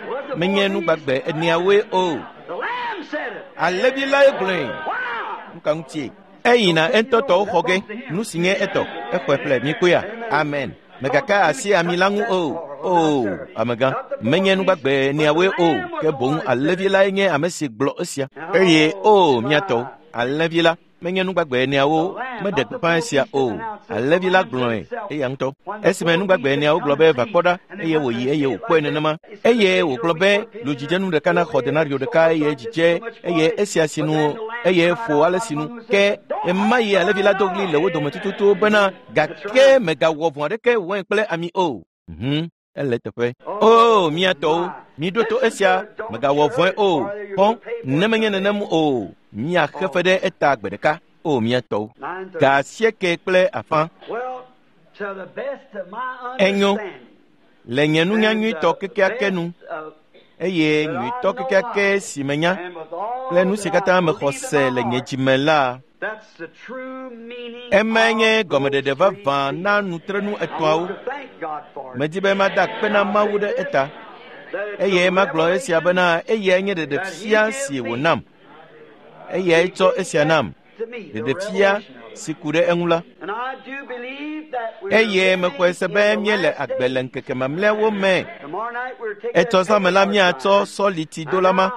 Was the Menye four nugbagbe eneawoe o. beasts? The Lamb said it. Alẽvi lae gblɔe. Wow. Nu ka ŋutie? Eyina eŋutɔ tɔwo xɔ ge. Nu si nye etɔ, exɔe ƒle mikpɔea. Amen. Mègaka asi ami la ŋu o. O, amegã, menye nugbagbe eneawoe o, ke boŋ alẽvi lae nye ame si gblɔ esia. Eye o, mía tɔwo, alẽvi la menye nugbagbe eneawo meɖe gbeƒã esia o. Alẽvi la gblɔe eya ŋutɔ. Esime nugbagbe eneawo gblɔ be va kpɔ ɖa, eye wòyi eye wòkpɔe nenema. Eye wògblɔ be lu dzidzenu ɖeka naxɔ denario ɖeka eye dzidze eye esia sinu eye ƒo ale sinu. Ke ema yi alẽvi la do ɣli le wo dome tututu bena gake mègawɔ vɔ̃ aɖeke wain kple ami o. Hum, ele teƒe. O, mía tɔwo, miɖo to esia, mègawɔ vɔ̃e o. Xɔ, ne menye nenem o, miaxe fe ɖe eta gbe ɖeka. O, mía tɔwo. 9:30. Ga asieke kple afã. Well, to the best of my Enyo. understanding. Le nye nunya and nyuitɔ the kekeake nu best of- eye nyuitɔ kekeake si menya and with all kple nu si that katã I mexɔ believe in se my le nye heart, dzime la, that's the true meaning emae nye of gɔmeɖeɖe those vavã three na things. nutrenu I etɔ̃awo. want to thank God for it. Medi be mada akpe na Mawu ɖe eta That it's eye a magblɔ esia revelation bena eyae nye ɖeɖefia si wònam. Eyae tsɔ esia nam, to me, the ɖeɖefia revelation of it. si ku ɖe eŋu la. And I do believe that we're Eye living mexɔe se in be the míele last agbe days. le ŋkeke mamlɛawo me. Tomorrow night we're taking Etsɔ a zã me la paper míatsɔ line. sɔlitidola ma.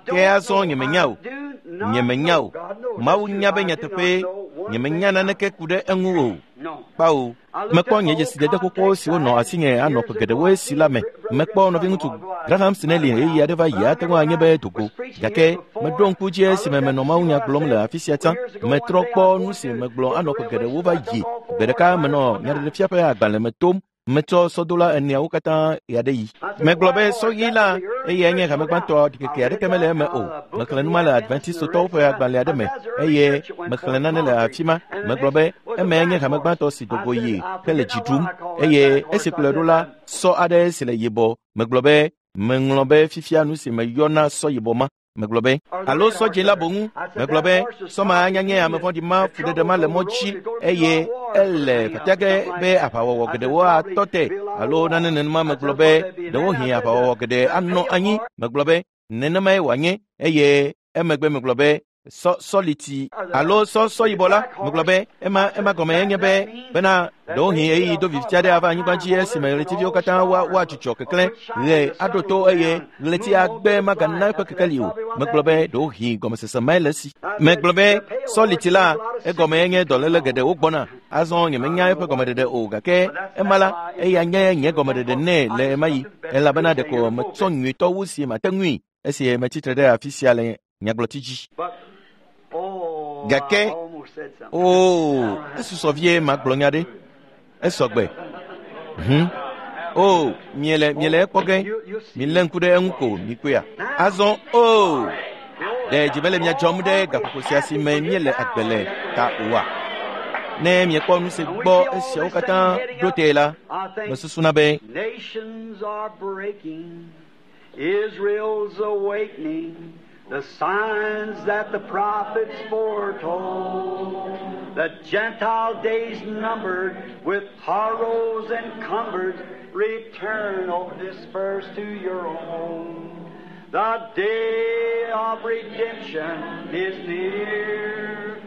Ke azɔ nyemenya o. Nyemenya o. Mawu nya be nyateƒee, nyemenya naneke ku ɖe eŋu o. Kpao, mekpɔ nye dzesidede xoxo siwo nɔ asinye anɔ ƒe geɖewoe si la me. Mekpɔ nɔviŋutsu Graham Snelly ɣeyiɣi aɖe va yi ate ŋu anye be dogo. Gake meɖo ŋku dzi esime menɔ mawunya gblɔm le afi sia tsã. Metrɔ kpɔ nu si megblɔ anɔ ƒe geɖewo va yi. Gbe ɖeka menɔ nyaɖeɖefia ƒe agbalẽ me tom. Metsɔ sɔdola eneawo katã ɣeaɖeɣi. Megblɔ be sɔɣi la eyae nye hame gbãtɔ ɖikeke aɖeke mele eme o. Mexlẽ nu ma le Adventistotɔwo ƒe agbalẽ aɖe me eye mexlẽ nane le afi ma. Megblɔ be emae nye hame gbãtɔ si dogo yi hele dzi ɖum eye esi kplɔe ɖo la sɔ aɖe si le yibɔ. Megblɔ be meŋlɔ be fifia nu si meyɔna sɔ yibɔ ma. Megblɔ be alo sɔ dzĩ la boŋu. Megblɔ be sɔ ma anya nye ame vɔ̃ɖi ma fuɖeɖe ma le mɔ dzi eye ele fafia ge be aʋawɔwɔ geɖewo atɔ te alo nane nenema. Megblɔ be ɖewohĩ aʋawɔwɔ geɖe anɔ anyi. Megblɔ be nenemae wòanye eye emegbe megblɔ be sɔ sɔliti alo sɔ sɔ yibɔ la. Megblɔ be ema ema gɔme enye be bena ɖewohĩ ɣeyiɣi do viviti aɖe ava anyigba dzi esime ɣletiviwo katã woa woadzudzɔ keklẽ ɣe aɖo to eye ɣleti agbe magana eƒe kekeli o. Megblɔ be ɖewohĩ gɔmesese mae le esi. Megblɔ be sɔliti la egɔme enye dɔléle geɖewo gbɔna. Azɔ nyemenya eƒe gɔmeɖeɖe o gake ema la eya nye nye gɔmeɖeɖe nɛ le ema yi elabena ɖeko metsɔ nyuitɔ wu si mate ŋui esi metsitre ɖe afi sia le nyagblɔti dzi. But, oh, Gake- I almost said something. Oo, esusɔ vie magblɔ nya ɖe. Esɔgbe. Hum. O, miele miele ekpɔ ge. Milé ŋku ɖe eŋu ko mikpɔea. Azɔ o, ɖe dzi mele mia dzɔm ɖe gaƒoƒo sia si me míele agbe le ta oa? Ne miekpɔ nu si gbɔ esiawo katã ɖo tee la, I think mesusuna be nations are breaking, Israel's awakening, the signs that the prophets foretold. The Gentile days numbered with horrors encumbered, return, O dispersed to your own. The day of redemption is near.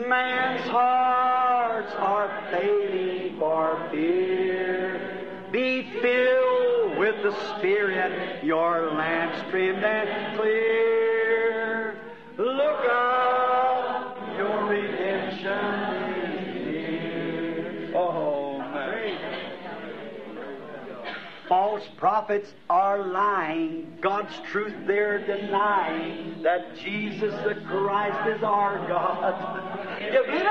Man's hearts are failing for fear. Be filled with the Spirit, your lamps trimmed and clear. Look up, your redemption is near. Oh, man. prophets are lying, God's truth they're denying, that Jesus the Christ is our God. You believe it?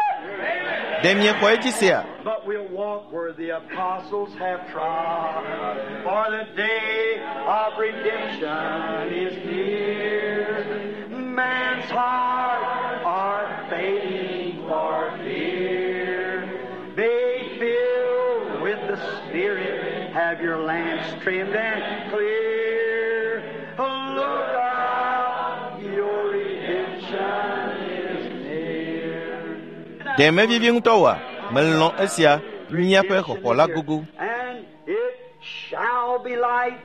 Ɖe miexɔ edzi sea? But we'll walk where the apostles have trod, for the day of redemption is near. Man's heart are fading for fear. Be filled with the Spirit, have your lamps trimmed and clear. Look up, your redemption is near. Ɖe mevivi ŋutɔ oa? Melɔ̃ esia, míaƒe xɔxɔ la gogo. And it shall be light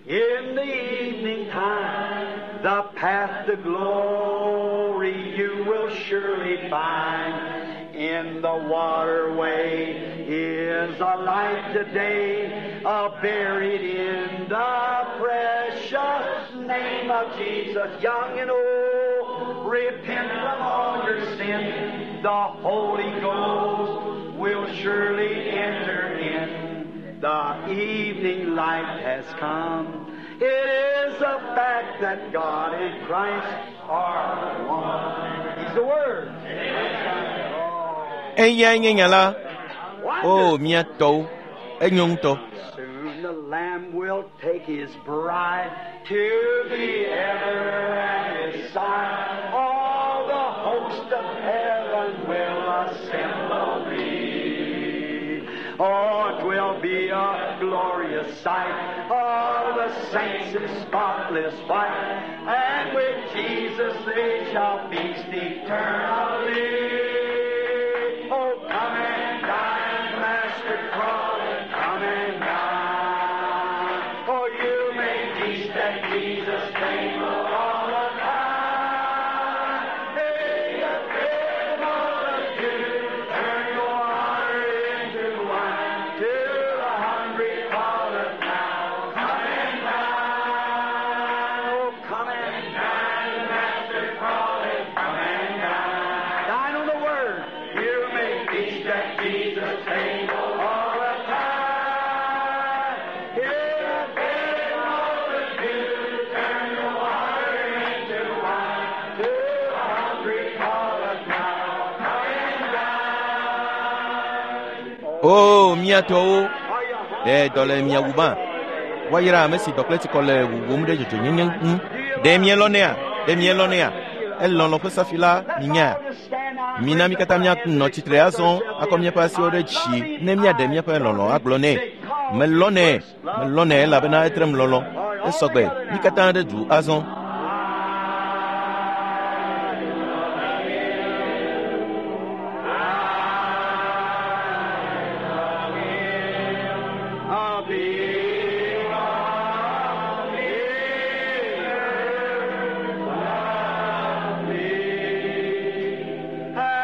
in the evening time. The path to glory you will surely find. In the waterway is a light today, buried in the precious name of Jesus. Young and old, repent from all your sin. The Holy Ghost will surely enter in. The evening light has come. It is a fact that God and Christ are one. He's the Word. Eyae nye nya la. O, mía tɔwo, enyo ŋutɔ. Soon the Lamb will take his bride to be ever at his side. All the host of heaven will assemble be. Oh, 'twill be a glorious sight. All the saints in spotless white, and with Jesus they shall feast eternally. Oh, come and dine, Master Crawley, come and dine. For you may feast at Jesus' table all the time. Hey, the great multitude, turn your water into wine. To the hungry calleth now, come and dine. Oh, come and dine, Master Crawley, come and dine. Dine on the Word. You may feast at Jesus' table all the time. Here the great multitude, turn your water into wine. To the hungry calleth now, come and dine. O, mía tɔwo, ɖe dɔ le mia wuma? Woayra ame si dɔ kple tsikɔ le wuwum ɖe dzɔdzɔenyenye ŋu. Ɖe mielɔnɛa? Ɖe mielɔnɛa? Elɔlɔ̃ ƒe safi la minyae. Mina mí katã míanɔ tsitre azɔ akɔ míaƒe asiwo ɖe dzi ne míaɖe míaƒe lɔlɔ̃ agblɔ nɛ. Melɔnɛ, melɔnɛ elabena etrem lɔlɔ̃. Esɔgbe, mí katã ɖe du azɔ. I'll be Yeah.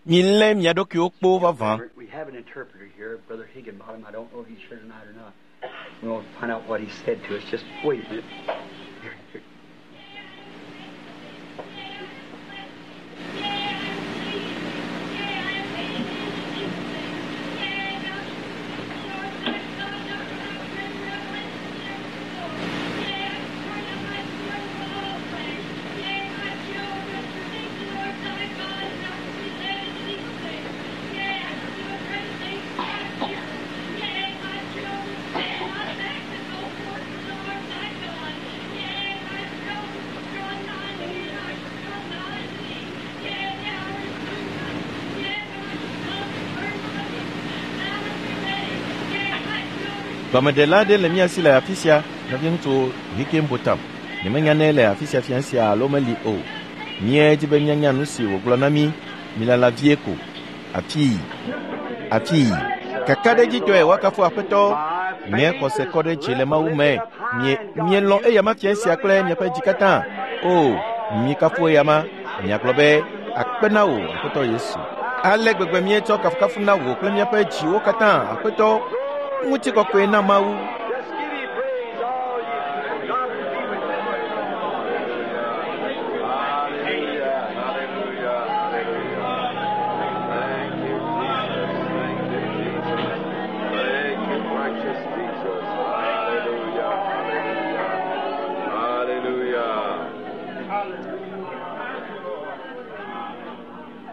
Milé mia ɖokuiwo kpo vavã. We have an interpreter here, Brother Higginbottom. I don't know if he's here tonight or not. We'll find out what he said to us. Just wait a minute. Here, here. Gɔmeɖela aɖe le mía si le afi sia, nɔviŋutsu Hickenbotham. Nyemenya ne ele afi sia fia sia alo meli o. Míedi be míanya nu si wògblɔ na mí. Milala vie ko. Afii. Afii. Kakaɖedzitɔe woakafu Aƒetɔ. Nye xɔse kɔ ɖe dzi le Mawu me. Mie, mielɔ̃ eyama fia sia kple miaƒe dzi katã. O, mikafu eyama. Miagblɔ be, akpe na wò, Aƒetɔ Yesu. Ale gbegbe míetsɔ kafukafu na wò kple míaƒe dziwo katã, Aƒetɔ. Ŋutikɔkɔe na Mawu. Just give him praise, all ye people. God be with you. Hallelujah, hallelujah, hallelujah. Thank you, Jesus. Thank you, Jesus. Thank you, precious Jesus. Hallelujah, hallelujah, hallelujah.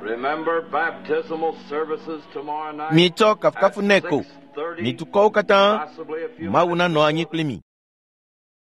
Remember baptismal services tomorrow night. Mitsɔ kafukafu nɛ ko. At 6:30, Mi dukɔwo katã, possibly a few Mawu minutes nanɔ anyi kpli mi.